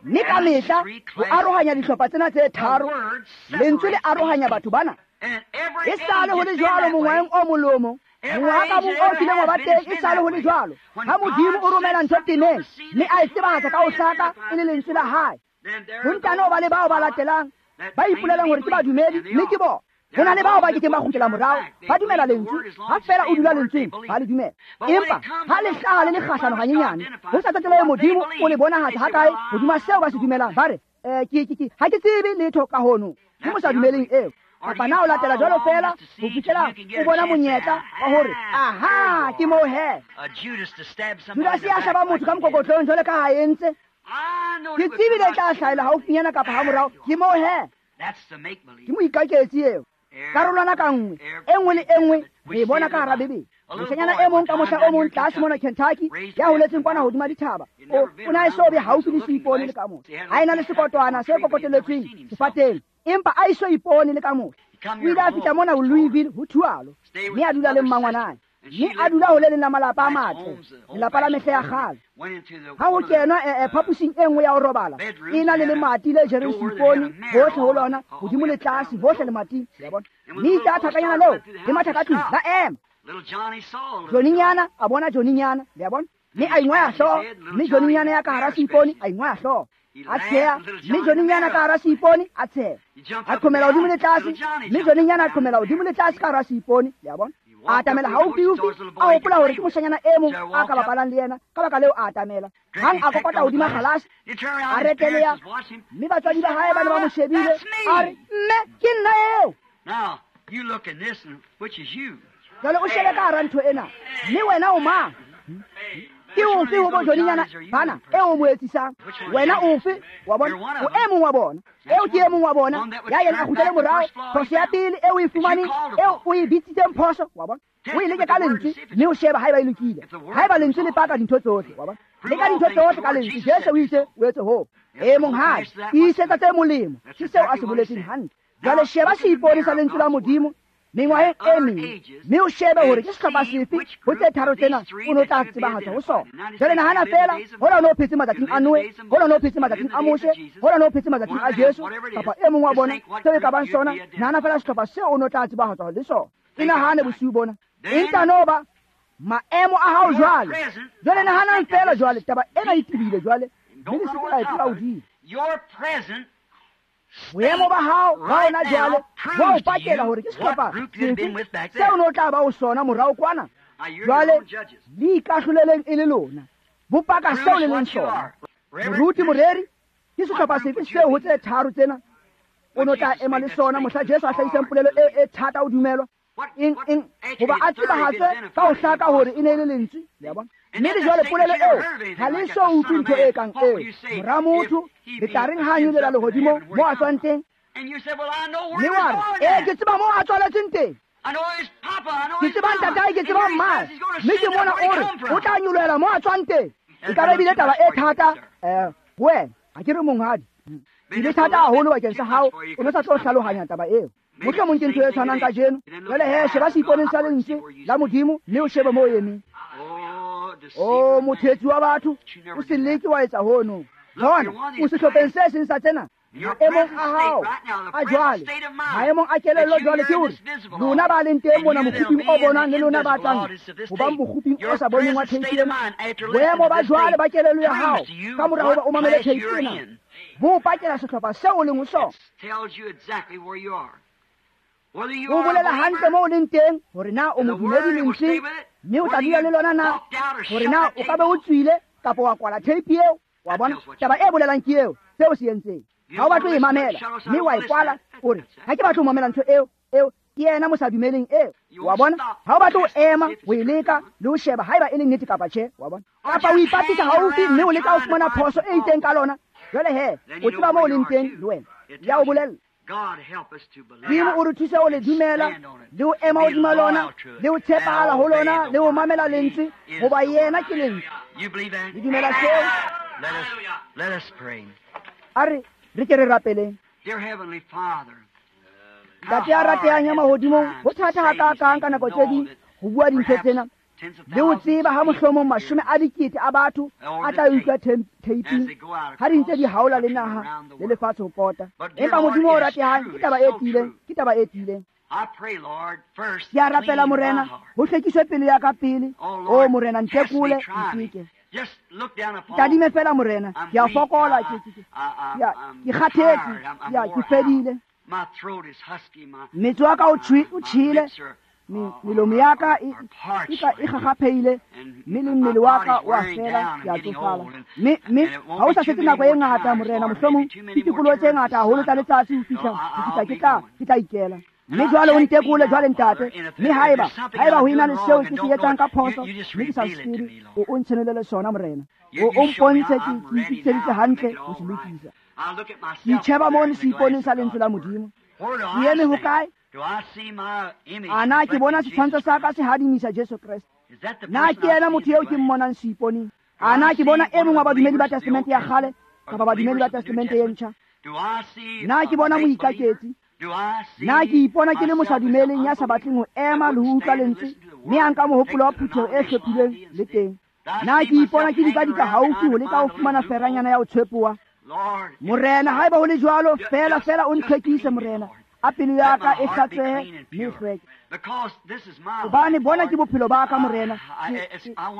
Mme ka mehla ho arohanya dihlopha tsena tse tharo, lentswe le arohanya batho bana. E sale ho le jwalo mongwaheng o mong le o mong. Mongwaha ka mong o kileng wa ba teng e sale ho le jwalo. Ha Modimo o romela ntho temeng, mme a e tsebahatsa ka ho hlaka e le lentswe la hae. Ho ntano ba le bao ba latelang, ba ipolelang hore ke badumedi, mme ke bona. Ho na le bao ba kekeng ba kgutlela morao, ba dumela lentswe. Ha feela o dula lentsweng, ba le dumela. Empa ha le hlaha le le kgahlano hanyenyane, ho sa tsotelehe Modimo o le bonahatsa hakae hodima seo ba se dumelang, ba re, ke ha ke tsebe letho ka hono. Ke mo sa dumeleng eo. Kapa na o latela jwalo feela ho fihlela o bona monyetla wa hore aha ke moo he. Judase ya hlaba motho ka mokokotlong jwalo ka ha entse. Ke tsebile e tla hlahela haufinyana kapa hamorao, ke moo he. Ke moikaketsi eo. Karolwana ka nngwe, e nngwe le e nngwe re e bona ka hara Bibele. Moshanyana e mong ka mohla o mong tlase mona Kentucky, ya holetseng kwana hodima dithaba, o na e so be haufi le seipone le ka mohla. Ha ena le sekotwana se kokoteletsweng sefateng, empa a iso ipone le ka mohla. O ile a fihla mona ho Louisville ho Thualo, mme a dula le mmangwanae. Mme a dula ho le leng la malapa a matle, lelapa la mehla ya kgale. Ha ho kenwa phaposing e nngwe ya ho robala, e na le lemati le jereng seipone hohle ho lona, hodimo le tlase, hohle lemating. Le a bona? Mme itse a thakanyana leo le matha ka tlung, la ema. Johnnynyana a bona Johnnynyana, le a bona? Mme a ingwaya hlooho, mme Johnnynyana ya ka hara seipone a ingwaya hlooho. A tsheha, mme Johnnynyana ka hara seipone a tsheha. A qhomela hodimo le tlase, mme Johnnynyana a qhomela hodimo le tlase ka hara seipone, le a bona? A atamela haufiufi, a hopola hore ke moshanyana e mong a ka bapalang le yena, ka baka leo a atamela. Hang a kokota hodima kgalase, a reteleha, mme batswadi ba hae ba ne ba mo shebile. A re, mme ke nna eo. Jwale o shebe ka hara ntho ena, mme wena o mang? Ke ofe ho bo Johnnynyana bana eo o mo etsisang? Wena ofe? Wa bona? O e mong wa bona. Eo ke e mong wa bona. Ya yena a kgutlele morao, phoso ya pele eo o e fumaneng, eo o e bitsitseng phoso, wa bona? O e leke ka lentswe, mme o shebe haeba e lokile. Haeba lentswe le paka dintho tsohle, wa bona? Leka dintho tsohle ka lentswe. Jesu o itse o etse hoo. E monghadi, tiisetsa tse molemo. Ke seo a se boletseng hantle. Jwale sheba seipone sa lentswe la Modimo mengwaheng e meng, mme o shebe hore ke sehlopha sefe ho tse tharo tsena o no tla tsebahatsa ho sona. Jwale nahana feela, hola o no phetse matsatsing a Noe, hola o no phetse matsatsing a Moshe, hola o no phetse matsatsing a Jesu, kapa e mong wa bona, seo e ka bang sona, nahana feela sehlopha seo o no tla tsebahatsa le sona. E nahane bosiu bona. Empa no ba maemo a hao jwale. Jwale nahanang feela jwale, taba ena e tebile jwale, mme le se ke la e tlola hodimo. Boemo ba hao ba ona jwale bo o pakela hore ke sehlopha sefe seo no tla ba ho sona morao kwana. Jwale le ikahloleleng e le lona, bo paka seo le leng sona. Moruti, moreri, ke sehlopha sefe seo ho tse tharo tsena o no tla ema le sona mohla Jesu a hlahisang polelo e thata ho dumelwa? Eng hoba a tsebahatswe ka ho hlaka hore e ne e le lentswe, le a bona? Mme le jwale polelo eo ha le so utlwe ntho e kang eo. Mora motho, le tla reng ha a nyolela lehodimo moo a tswang teng? Mme wa re, ee, ke tseba moo a tswaletsweng teng. Ke tseba ntatae, ke tseba mmae. Mme ke mona o re o tla nyolohela moo a tswang teng. E ka ba ebile taba e thata ho wena. Ha ke re monghadi. E le thata haholo bakeng sa hao, o ne sa tlo hlalohanya taba eo. Mohlomong ke ntho e tshwanang kajeno. Jwale he, sheba seiponeng sa lentswe la Modimo, mme o shebe moo o emeng. O mothetsi wa batho, o se leke wa etsa hono. Bona, o sehlopheng se seng sa tsena. Maemong a hao a jwale, maemong a kelello jwale, ke hore lona ba leng teng mona mokguping o bonwang le lona ba tlang ho bang mokguping o sa boneng wa tape ena. Boemo ba jwale ba kelello ya hao ka mora hoba o mamele tape ena bo pakela sehlopha seo o leng ho sona. O bolela hantle moo o leng teng hore na o modumedi lentsweng, mme o tla dula le lona na, hore na o ka be o tswile kapa wa kwala tape eo. Wa bona, taba e bolelang ke eo, seo se entseng. Ha o batle ho e mamela, mme wa e kwala, o re, ha ke batle ho mamela ntho eo, eo, Ke yena mo sa dumeleng eo. Wa bona? Ha o batle ho ema ho e leka le ho sheba haeba e le nnete kapa tjhe, wa bona? Kapa o ipatisa haufi mme o leka ho fumana phoso e itseng ka lona. Jwale he, o tseba moo o leng teng le wena. Ya o bolella. Modimo o re thuse ho le dumela le ho ema hodima lona le ho tshepahala ho lona le ho mamela lentswe, hoba yena ke lentswe. Le dumela seo? A re re ke re rapeleng. Ntate ya ratehang ya mahodimong, ho thata hakakang ka nako tse ding ho bua dintho tsena le ho tseba ha mohlomong 10 000 a batho a tla utlwa theiping ha di ntse di haola le naha le lefatshe ho pota. Empa Modimo o ratehang, ke taba e tiileng, ke taba e tiileng. Ke a rapela Morena, ho hlwekiswe pelo ya ka pele. O Morena, ntekole, nteke. Tadime fela Morena, ke a fokola, ke kgathetse, ke fedile. Metso ya ka o tjhele, melomo ya ka e gagapheile, mme le mmele wa ka o a fela, ke a tsofala. Mme ha o sa setse nako e ngata Morena, mohlomong ke tikoloho tse ngata haholo tsa letsatsi ho fihla ke tla ikela. Mme jwale o ntekole jwale ntate, mme haeba ho ena le seo ke se etsang ka phoso, mme ke sa se tsebe, o ntshenolele sona Morena. O mpontshe ke itokiseditse hantle ho se lokisa. Ke itjheba mono seiponeng sa lentswe la Modimo. Ke eme hokae? A na ke bona setshwantsho sa ka se hadimisa Jesu Kreste? Na ke yena motho eo ke mmonang seiponeng? A na ke bona e mong wa badumedi ba Testamente ya kgale kapa badumedi ba Testamente e ntjha? Na ke bona moikaketsi? Na ke ipona ke le mosadumeleng ya sa batleng ho ema le ho utlwa lentswe, mme a nka mohopolo wa phutheho e hlophilweng le teng? Na ke ipona ke dikadika haufi ho leka ho fumana feranyana ya ho tshwepoa? Morena, haeba ho le jwalo, fela fela o ntlhwekise Morena. A pelo ya ka e hlatswehe mme e hlweke. Hobane bona ke bophelo ba ka Morena,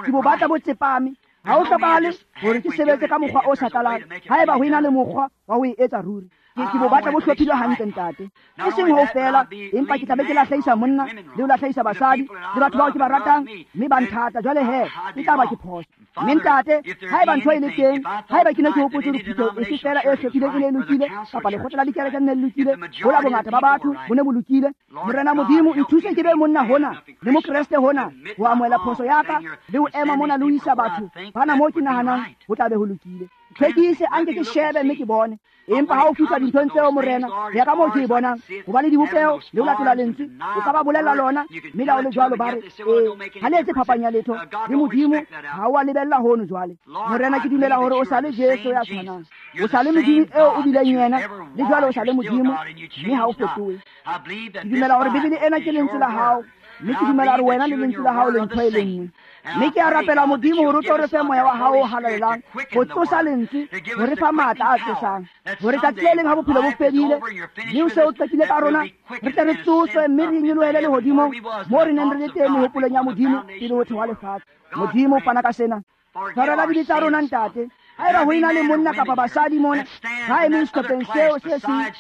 ke bo batla bo tsepame. Ha ho hlokahale hore ke sebetse ka mokgwa o sa tlalang, haeba ho ena le mokgwa wa ho e etsa ruri. Ke bo batla bo hlophilwe hantle ntate. E seng ho fela, empa ke tla be ke lahlehisa monna le ho lahlehisa basadi le batho bao ke ba ratang, mme ba nthata. Jwale he, e tla ba ke phoso. Mme ntate, haeba ntho e le teng, haeba ke ne ke hopotse hore phutheho efe fela e hlophileng e ne e lokile, kapa lekgotla la dikereke le ne le lokile, hola bongata ba batho bo ne bo lokile, Morena Modimo, nthuse ke be monna hona le mokreste hona ho amohela phoso ya ka le ho ema mona le ho isa batho bana moo ke nahanang ho tla be ho lokile. Tlhwekise, a nke ke shebe mme ke bone. Empa ha o fihla dinthong tseo Morena, ho ya ka moo ke e bonang, hobane dibopeho le ho latola lentswe, o ka ba bolella lona, mme la o le jwalo ba re, ee, ha le etse phapang ya letho le Modimo, ha o a lebella hono jwale. Morena, ke dumela hore o sa le Jesu ya tshwanang, o sa le Modimo eo o bileng yena, le jwale o sa le Modimo, mme ha o fetohe. Ke dumela hore Bibele ena ke lentswe la hao, mme ke dumela hore wena le lentswe la hao le ntho e le nngwe. Mme ke a rapela Modimo hore o tlo re fe moya wa hao o halalelang ho tsosa lentswe, ho re fa matla a tsosang, hore tsatsi le leng ha bophelo bo fedile mme o se o qetile ka rona, re tle re tsoswe mme re nyolohele lehodimong moo re neng re le teng mehopolong ya Modimo pele ho thewa lefatshe. Modimo, fana ka sena. Tshwarela dibe tsa rona ntate. Haeba ho ena le monna kapa basadi mona ba emeng sehlopheng seo se seng,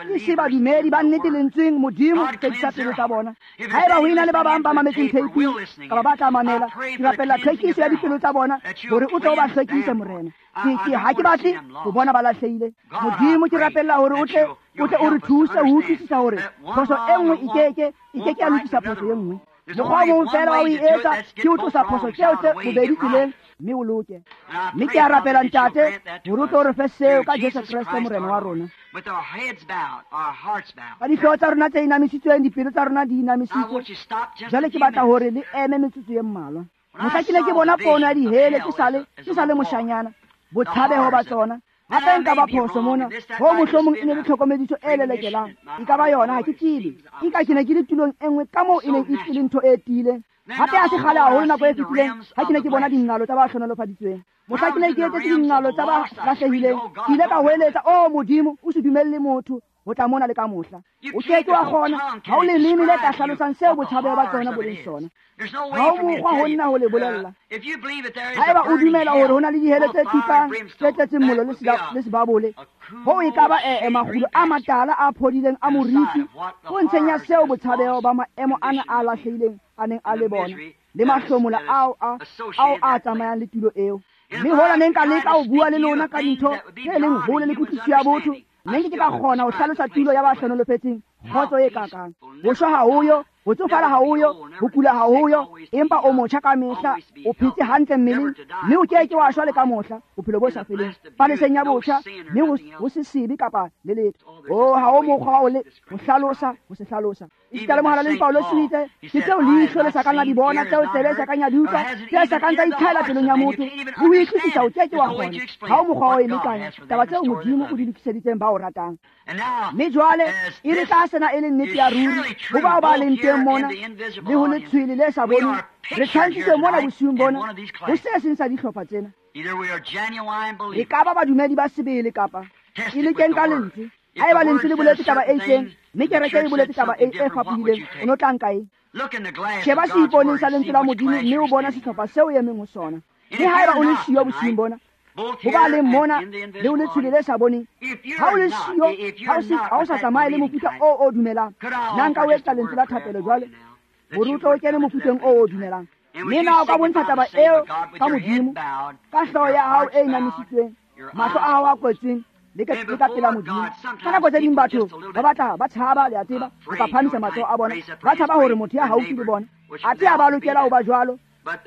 ke se badumedi ba nnete lentsweng, Modimo hlwekisa pelo tsa bona. Haeba ho ena le ba bang ba mametseng theiping kapa ba tla mamela, ke rapella tlhwekiso ya dipelo tsa bona hore o tle o ba hlwekise Morena. Ke ha ke batle ho bona ba lahlehile. Modimo, ke rapella hore o tle o re thuse ho utlwisisa hore phoso e nngwe e ke ke ya lokisa phoso e nngwe. Mokgwa o mong fela wa ho e etsa ke ho tlosa phoso tseo tse bobedi tseleng mme o loke. Mme ke a rapela ntate hore o tlo re fe seo ka Jesu Kreste Morena wa rona. Ka dihlooho tsa rona tse inamisitsweng, dipelo tsa rona di inamisitswe, jwale ke batla hore le eme metsotso e mmalwa. Mohla ke ne ke bona pono ya dihele ke sa le moshanyana, botshabeho ba tsona. Hape nka ba phoso mona, ho mohlomong e ne le tlhokomediso e lelekelang. E ka ba yona, ha ke tsebe. Nka ke ne ke le tulong e nngwe ka moo e neng e le ntho e tiileng. Hape ha se kgale haholo nako e fetileng ha ke ne ke bona dingalo tsa ba hlohonolofaditsweng. Mohla ke ne ke etetse dingalo tsa ba lahlehileng, ke ile ka hoeletsa, o Modimo, o se dumelle motho ho tla mona le ka mohla. O ke ke wa kgona, ha o leleme le ka hlalosang seo botshabeho ba tsona bo leng sona. Ha o mokgwa ho nna ho le bolella. Haeba o dumela hore ho na le dihele tse tukang, tse tletseng mollo le sebabole, hoo e ka ba makgulo a matala a phodileng a moriti ho ntsheng ya seo botshabeho ba maemo ana a lahlehileng a neng a le bona, le mahlomola ao a tsamayang le tulo eo. Mme hola ne nka leka ho bua le lona ka dintho tse leng hole le kutlwisiso ya botho, mme nke ke ka kgona ho hlalosa tulo ya ba hlohonolofetseng Kgotso e kakang. Ho shwa ha ho yo, ho tsofala ha ho yo, ho kula ha ho yo, empa o motjha ka mehla, o phetse hantle mmeleng, mme o ke ke wa shwa le ka mohla, bophelo bo sa feleng. Paleseng ya botjha, mme ho se sebe kapa le letho. Oh, ha o mokgwa o le ho hlalosa, ho se hlalosa. Esita le mohalaledi Paulo o itse, ke tseo leihlo le sa kang la di bona, tseo tsebe e sa kang ya di utlwa, tse sa kang tsa itlhahela pelong ya motho, le ho utlwisisa o ke ke wa kgona. Ha o mokgwa o e lekanya, taba tseo Modimo o di lokiseditseng ba o ratang. Mme jwale e re tla sena e le nnete ya ruri ho bao ba leng teng mona le ho letshwele le sa boneng, re tshwantshitswe mona bosiung bona ho se seng sa dihlopha tsena. E ka ba badumedi ba sebele kapa e lekeng ka lentswe. Haeba lentswe le boletse taba e itseng, mme kereke e boletse taba e fapohileng, o no tla nka eng? Sheba seiponeng sa lentswe la Modimo mme o bona sehlopha seo o emeng ho sona. Mme haeba o le siyo bosiung bona, ho ba leng mona le ho letshwele le sa boneng, ha o le siyo, ha o sa tsamaye le mofuta o o dumelang, nna nka o etsa lentswe la thapelo jwale hore o tlo o kene mofuteng o o dumelang. Mme na o ka bontsha taba eo ka Modimo, ka hlooho ya hao e inamisitsweng, mahlo a hao a kwetsweng, le ka pela Modimo. Ka nako tse ding batho ba batla ba tshaba, le a tseba, ho ka phahamisa matsoho a bona, ba tshaba hore motho ya haufi le bona athe ha ba lokela ho ba jwalo,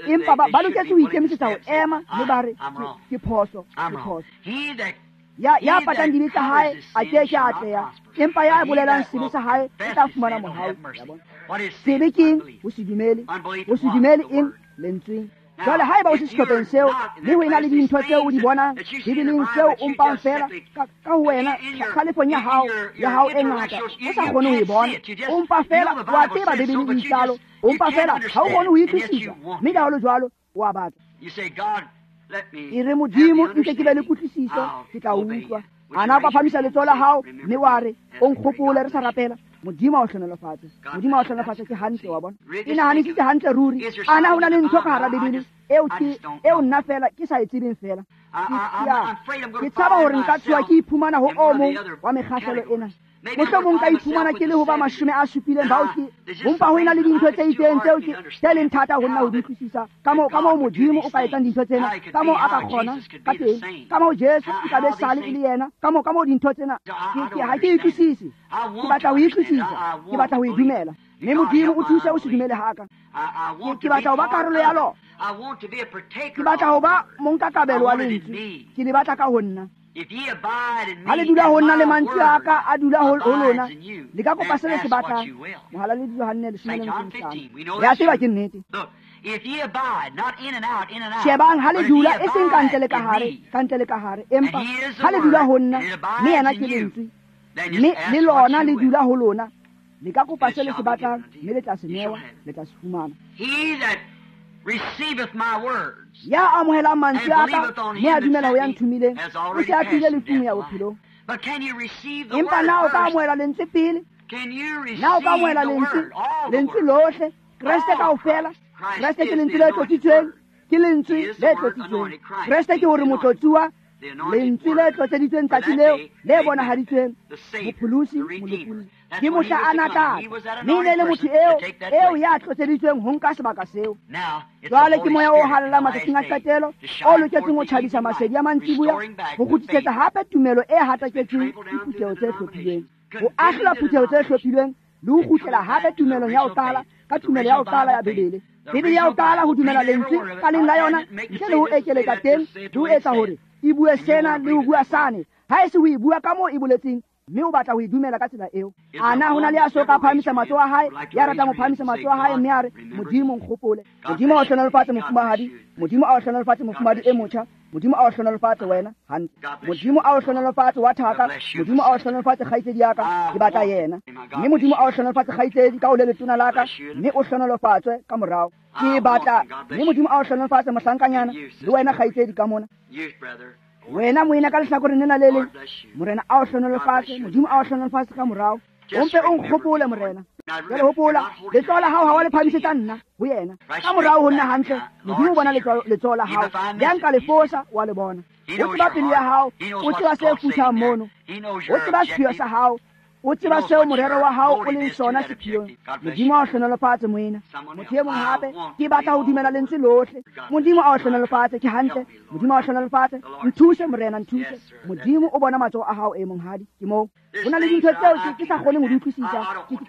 empa ba loketse ho ikemisetsa ho ema mme ba re ke phoso, ke phoso. Ya patang dibe tsa hae a ke ke a atleha, empa ya bolelang sebe sa hae o tla fumana mohau. Sebe ke eng? Ho se dumele. Ho se dumele eng? Lentsweng. Jwale haeba o se sehlopheng seo, mme ho ena le dintho tseo o di bonang Bibeleng tseo o mpang feela ka ho wena kgalefong ya hao e ngata, o sa kgone ho e bona, o mpa feela wa tseba Bibele e itsalo, o mpa feela ha o kgone ho utlwisisa, mme ka holo jwalo o a batla. E re Modimo, nke ke be le kutlwisiso, ke tla utlwa. Ana o ka phamisa letsoho la hao mme wa re o nkgopole re sa rapela. Modimo a o hlohonolofatse. Modimo a o hlohonolofatse, ke hantle, wa bona. E nahanisitse hantle ruri. Ana ho na le ntho ka hara Bibele eo ke eo nna fela ke sa e tsebeng fela. Ke tshaba hore nka tshoha ke iphumana ho o mong wa mekgahlelo ena. Mohlomong ka iphumana ke le ho ba 70 bao ke hompa ho ena le dintho tse itseng tseo ke tse leng thata ho nna ho di utlwisisa. Ka moo Modimo o ka etsang dintho tsena, ka moo a ka kgona ka teng, ka moo Jesu o ka be sale e le yena, ka moo dintho tsena ke ha ke utlwisise. Ke batla ho utlwisisa, ke batla ho e dumela. Mme Modimo o thuse o se dumele haka. Ke batla ho ba karolo ya lona. Ke batla ho ba monkakabelo wa lentswe. Ke le batla ka ho nna. Ha le dula ho nna le mantswe a ka a dula ho lona, le ka kopa se le se batlang. Mohalaledi Johanne 15. Re a tseba ke nnete. Shebang ha le dula e seng ka ntle le ka hare, ka ntle le ka hare, empa ha le dula ho nna, mme yena ke lentswe, mme le lona le dula ho lona, le ka kopa se le se batlang, mme le tla se newa, le tla se fumana. Ya amohelang mantswe a ka mme a dumela ho ya nthomileng, o se a tlile lefung ya bophelong. Empa na o ka amohela lentswe pele? Na o ka amohela lentswe, lentswe lohle, Kreste kaofela? Kreste ke lentswe le tlotsitsweng, ke lentswe le tlotsitsweng. Kreste ke hore motlotsuwa, lentswe le tlotseditsweng tsatsi leo le bonahaditsweng, mopholosi, molopolli. Ke mohla a na tla, mme e ne le motho eo ya tlotseditsweng ho nka sebaka seo. Jwale ke moya o halalelang matsatsing a qetelo, o loketseng ho tjhabisa masedi a mantsiboya, ho kgutlisetsa hape tumelo e hataketsweng ke phutheho tse hlophilweng, ho ahlola phutheho tse hlophilweng le ho kgutlela hape tumelong ya ho qala, ka tumelo ya ho qala ya Bibele. Bibele ya ho qala ho dumela lentswe ka leng la yona, ntle le ho ekeletsa teng, le ho etsa hore e bue sena le ho bua sane, ha e se ho e bua ka moo e boletseng, mme o batla ho e dumela ka tsela eo. Ana ho na le ya so ka phahamisa matsoho a hae, ya ratang ho phahamisa matsoho a hae mme a re, Modimo nkgopole. Modimo a o hlohonolofatse mofumahadi, Modimo a o hlohonolofatse mofumahadi e motjha, Modimo a o hlohonolofatse wena hantle. Modimo a o hlohonolofatse wa thaka, Modimo a o hlohonolofatse kgaitsedi ya ka, ke batla yena. Mme Modimo a o hlohonolofatse kgaitsedi ka o le letona la ka, mme o hlohonolofatswe ka morao. Ke batla, mme Modimo a o hlohonolofatse mohlankanyana, le wena kgaitsedi ka mona. Wena moena ka lehlakoreng lena le leng, Morena a o hlohonolofatse, Modimo a o hlohonolofatse ka morao. O mpe o nkgopole Morena. Jwale hopola, letsoho la hao ha wa le phahamisetsa nna ho yena. Ka morao ho nna hantle, Modimo o bona letsoho la hao. Ya nka le fosa, wa le bona. O tseba pelo ya hao, o tseba se futhang mono. O tseba sepheo sa hao, O tseba seo morero wa hao o leng sona sephiong. Modimo a o hlohonolofatse moena. Motho e mong hape, ke batla ho dumela lentswe lohle. Modimo a o hlohonolofatse, ke hantle. Modimo a o hlohonolofatse. Nthuse Morena, nthuse. Modimo o bona matsoho a hao e monghadi. Ke moo. Ho na le dintho tseo ke sa kgoneng ho di utlwisisa.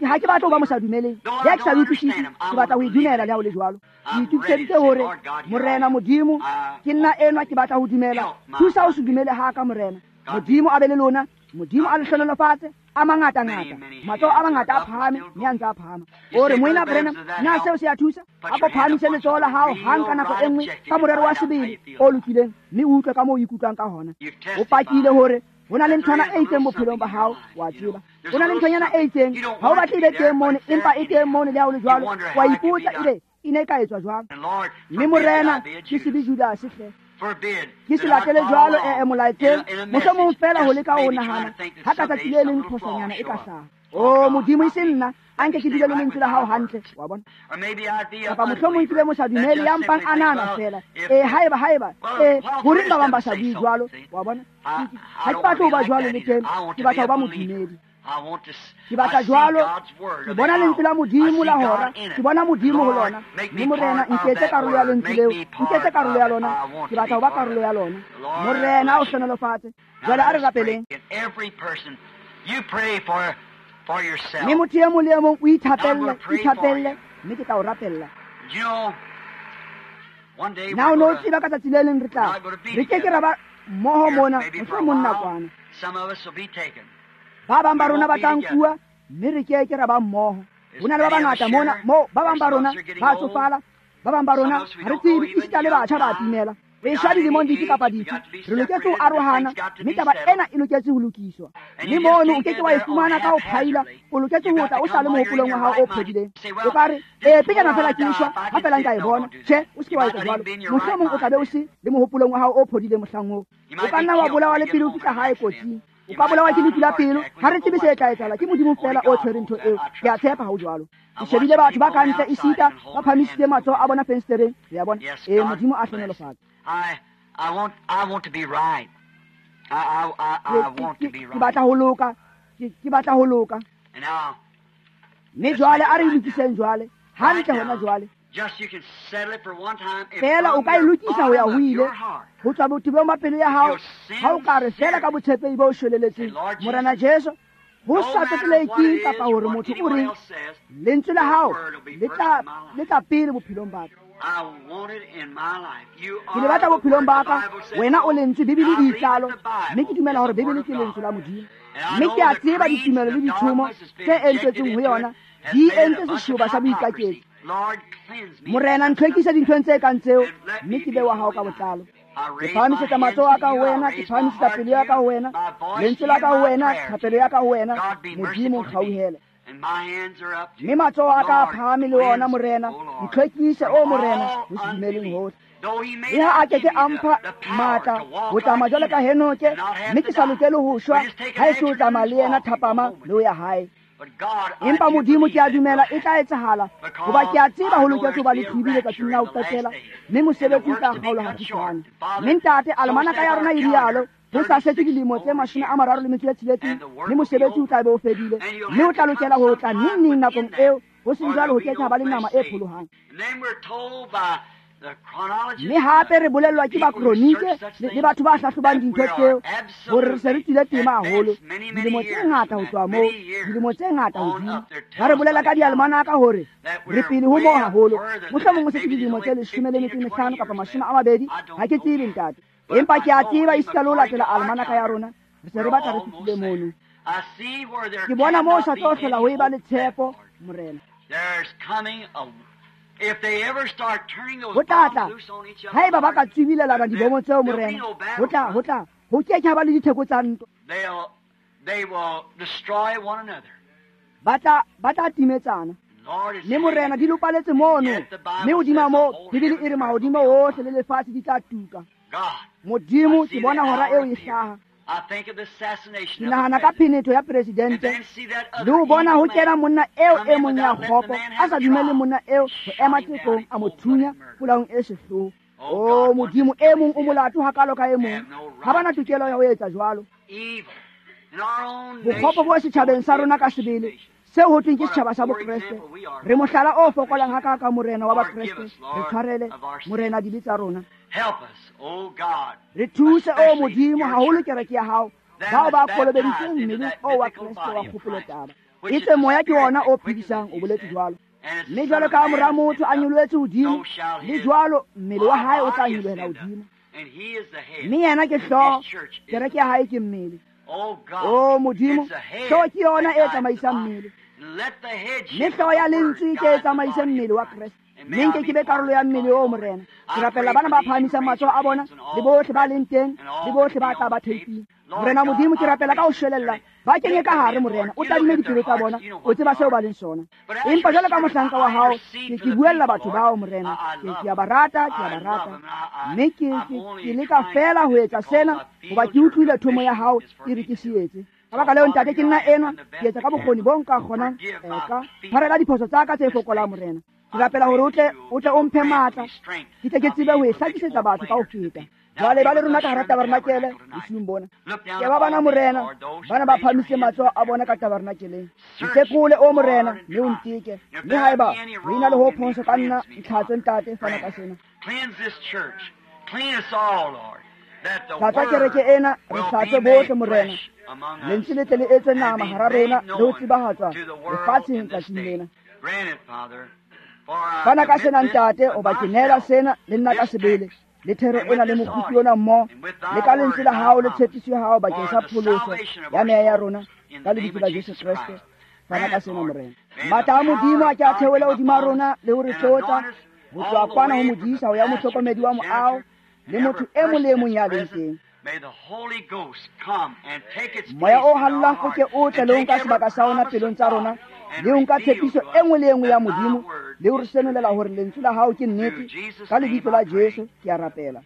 Ha ke batla ho ba mosadumeleng. Le ha ke sa di utlwisise, ke batla ho e dumela le ha ho le jwalo. Ke itokiseditse hore Morena Modimo, ke nna enwa ke batla ho dumela. Thusa o se dumele ha ka Morena. Modimo a be le lona. Modimo a le hlohonolofatse. A mangata-ngata, matsoho a mangata a phahame, mme a ntse a phahama. O re, Moena Branham, na seo se a thusa? A ko phahamise letsoho la hao hang ka nako e nngwe ka morero wa sebele o lokileng, mme o utlwe ka moo o ikutlwang ka hona. O pakile hore ho na le nthwana e itseng bophelong ba hao, wa tseba. Ho na le nthonyana e itseng, ha o batle e be teng mono, empa e teng mono le ha ho le jwalo. Wa ipotsa ebe e ne e ka etswa jwang. Mme Morena, ke se be Judase hle. Ke se latele jwalo e molaetseng, mohlomong fela ho leka ho nahana ha ka tsatsi le leng phosonyana e ka hlaha. O Modimo, e se nna, a nke ke dule le lentswe la hao hantle, wa bona. Kapa mohlomong ke be mosadumele ya mpang a nahana fela. Haeba, horeng ba bang ba sa bue jwalo, wa bona. Ha ke batle ho ba jwalo le teng, ke batla ho ba modumedi. Ke batla jwalo, ke bona lentswe la Modimo la hora, ke bona Modimo ho lona. Mme Morena, nketse karolo ya lentswe leo, nketse karolo ya lona, ke batla ho ba karolo ya lona. Morena o hlohonolofatse. Jwale a re rapeleng. Mme motho e mong le e mong o ithapelle, ithapelle, mme ke tla o rapella. Na o ne o tseba ka tsatsi le leng re tla, re ke ke ra ba mmoho mona, mohlomong nakwana. Ba bang ba rona ba tla nkuwa, mme re ke ke ra ba mmoho. Ho na le ba bangata mona, moo ba bang ba rona ba tsofala, ba bang ba rona ha re tsebe, esita le batjha ba timela. Re shwa dilemong dife kapa dife, re loketse ho arohana, mme taba ena e loketse ho lokiswa. Mme mono o ke ke wa e fumana ka ho phaila, o loketse ho tla o sa le mohopolong wa hao o phodileng. O ka re, ee, pejana fela ke shwa, ha fela nka e bona. Tjhe, o se ke wa etsa jwalo. Mohlomong o tla be o se le mohopolong wa hao o phodileng mohlang oo. O ka nna wa bolawa le pele o fihla hae kotsing. O ka bolawa ke lefu la pelo, ha re tsebe se tla etsahala, ke Modimo fela o tshwereng ntho eo. Ke a tshepa ha ho jwalo. Ke shebile batho ba ka ntle esita ba phamisitse matsoho a bona fensetereng. Re a bona. Ee, Modimo a hlohonolofatse. Ke batla ho loka. Ke batla ho loka. Mme jwale a re lokiseng jwale. Hantle hona jwale. Fela o ka e lokisa ho ya ho ile, ho tswa botebong ba pelo ya hao, ha o ka re fela ka botshepehi bo shweleletseng, Morena Jesu, ho sa tsotelehe keng kapa hore motho o reng, lentswe la hao le tla pele bophelong ba ka. Ke le batla bophelong ba ka, wena o lentswe, Bibele e itsalo, mme ke dumela hore Bibele ke lentswe la Modimo. Mme ke a tseba ditumelo le ditshomo tse entswetseng ho yona, di entse seshoba sa boikaketsi. Morena, ntlhwekise dinthong tse kang tseo, mme ke be wa hao ka botlalo. Ke phahamisetsa matsoho a ka ho wena, ke phahamisetsa pelo ya ka ho wena, lentswe la ka ho wena, thapelo ya ka ho wena. Modimo, nkgauhele. Mme matsoho a ka a phahame le ona, Morena, ntlhwekise, o Morena, ho se dumeleng hohle. Le ha a ke ke a mpha matla ho tsamaya jwalo ka Henoke, mme ke sa lokele ho shwa ha e se ho tsamaya le yena thapama le ho ya hae. Empa Modimo, ke a dumela e tla etsahala, hoba ke a tseba ho loketse ho ba le qhibi letsatsing la ho qetela, mme mosebetsi o tla kgaolwa hafutshwane. Mme ntate, almanaka ya rona e rialo, ho sa setse dilemo tse 36, mme mosebetsi o tla be o fedile, mme o tla lokela ho tla neng neng nakong eo, ho seng jwalo ho ke ke ha ba le nama e pholohang. Mme hape re bolellwa ke bakronike le batho ba hlahlobang dintho tseo hore re se re tswile tema haholo, dilemo tse ngata ho tloha moo, dilemo tse ngata hodimo. Ba re bolela ka dialmanaka hore re pele ho moo haholo, mohlomong o setse dilemo tse 15 kapa 20, ha ke tsebe ntate. Empa ke a tseba esita le ho latela almanaka ya rona, re se re batla re fihlile mono. Ke bona moo sa tlo hlola ho eba le tshepo, Morena. Ho tla tla, haeba ba ka tswibilelana dibomo tseo, Morena, ho tla, ho tla, ho ke ke ha ba le ditheko tsa ntwa. Ba tla timetsana. Mme Morena, di lopaletse mono, mme hodima moo, Bibele e re mahodimo ohle le lefatshe di tla tuka. Modimo, ke bona hora eo e hlaha. Ke nahana ka phenetho ya presidente, le ho bona ho kena monna eo e mong ya kgopo, a sa dumele monna eo ho ema tsekong, a mo thunya polaong e sehloho. O Modimo, e mong o molato hakalo ka e mong, ha bana tokelo ya ho etsa jwalo. Bokgopo bo setjhabeng sa rona ka sebele, seo ho thweng ke setjhaba sa Bokreste. Re mohlala o fokolang hakaka, Morena wa Bakreste. Re tshwarele, Morena, dibe tsa rona. Re thuse, o Modimo, haholo kereke ya hao, bao ba kolobeditsweng mmeleng o wa Kreste wa kgopolotaba. Etswe moya ke wona o phedisang, o boletse jwalo. Mme jwalo ka mora motho a nyolohetse hodimo, le jwalo mmele wa hae o tla nyolohela hodimo. Mme yena ke hlooho, kereke ya hae ke mmele. O Modimo, hlooho ke yona e tsamaisang mmele. Mme hlooho ya lentswe ke e tsamaise mmele wa Kreste. Mme nke ke be karolo ya mmele o, Morena. Ke rapella bana ba phahamisang matsoho a bona, le bohle ba leng teng, le bohle ba tla ba theiping. Morena Modimo, ke rapela ka ho shwelella, ba kenye ka hare, Morena. O tadime dipelo tsa bona, o tseba seo ba leng sona. Empa jwalo ka mohlanka wa hao, ke buella batho bao, Morena. Ke a ba rata, ke a ba rata. Mme ke leka fela ho etsa sena, hoba ke utlwile thomo ya hao e re ke se etse. Ka baka leo, Ntate, ke nna enwa, ke etsa ka bokgoni bo nka kgonang. Ka tshwarela diphoso tsa ka tse fokolang, Morena. Ke rapela hore o tle o mphe matla, ke tle ke tsebe ho e hlakisetsa batho ka ho feta. Jwale ba le rona ka hara tabernakeleng bosiung bona. Ke ba bana, Morena, bana ba phahamisitse matsoho a bona ka tabernakeleng. Ntekole, o Morena, mme o nteke. Mme haeba ho ena le ho phoso ka nna, ntlhatswe, Ntate, fana ka sena. Hlatsa kereke ena, re hlatse bohle, Morena. Lentswe le tle le etswe nama hara rona le ho tsebahatswa lefatsheng tsatsing lena. Fana ka sena, Ntate, hoba ke neela sena le nna ka sebele, le thero ena le mokgupi ona mmoho, le ka lentswe la hao le tshepiso ya hao bakeng sa pholoso ya meya ya rona, ka lebitso la Jesu Kreste. Fana ka sena, Morena. Matla a Modimo a ke a theohele hodima rona le ho re tlotsa, ho tloha kwana ho modisa ho ya mohlokomedi wa moaho, le motho e mong le e mong ya leng teng. Moya o hallang o ke o tle le ho nka sebaka sa ona pelong tsa rona, le ho nka tshepiso e nngwe le e nngwe ya Modimo, le ho re senolela hore lentswe la hao ke nnete. Ka lebitso la Jesu ke a rapela.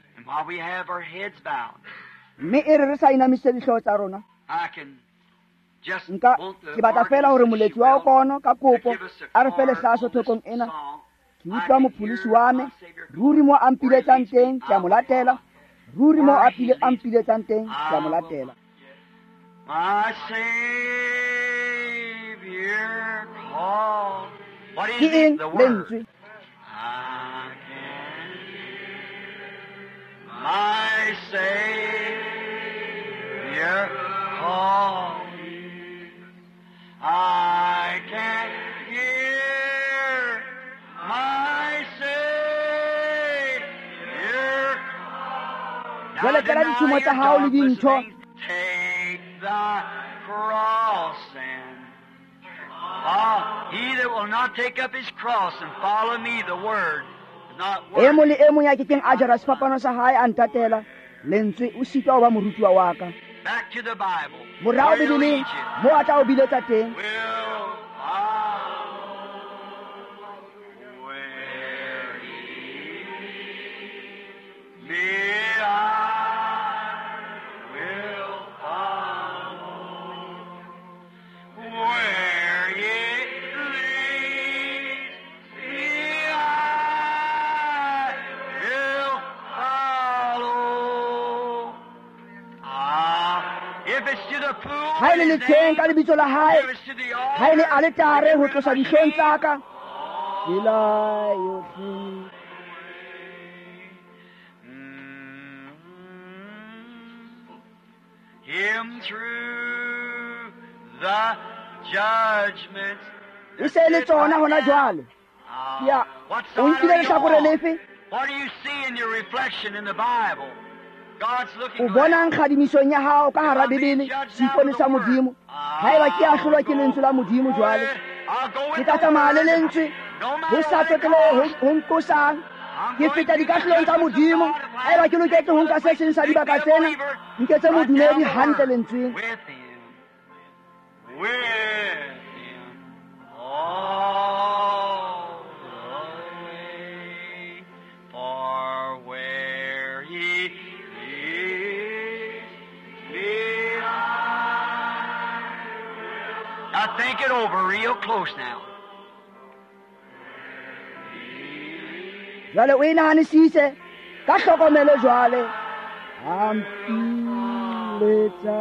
Mme e re re sa inamisitse dihlooho tsa rona, nka ke batla fela hore moletsi wa okono ka kopo a re fe lehlaso thokong ena. Ke utlwa mopholosi wa me, ruri mo a mpiletsang teng ke a mo latela, ruri mo a mpiletsang teng ke a mo latela. My Savior called. What is Ke eng it? The Word. lentswe? I can hear my Savior call me. I can hear my Savior call. Now Jwale tlela deny dithumo tsa your hao le darkness dintho. things. Take thy cross and he that will not take up his cross and follow me, the word, is not E mong worthy. le e mong ya kekeng a jara sefapano sa hae a ntatela, lentswe, o sitwa ho ba morutuwa wa ka. Back to the Bible. Morao Where he'll Bibeleng, lead you. mo a tla o biletsa teng. Will follow where he leads me, I will follow. Where he leads me, I will follow. Ah, if it's to the pool, Ha e le letsheng ka lebitso la hae, if it's to the ha e le altar, aletare ho tlosa dihlong tsa ka, tsela yohle. Him through the judgments. E se e le tsona hona jwale. Ke a- What o side nkile are you lehlakore on? lefe? What do you see in your reflection in the Bible? God's looking O bonang kgadimisong ya hao ka hara Bibele, seipone sa Modimo? Haeba ke ahlolwa ke lentswe la Modimo jwale, ke tla tsamaya le lentswe, ho sa tsotelehe ho nqosang. Ke feta dikahlolong tsa Modimo. Haeba ke loketse ho nka se seng sa dibaka tsena, nketse modumedi hantle lentsweng. With him, with him, all the way, for where he leads me, I will. Now think it over real close now. Jwale o e nahanisise ka hlokomelo jwale. A mpiletsa.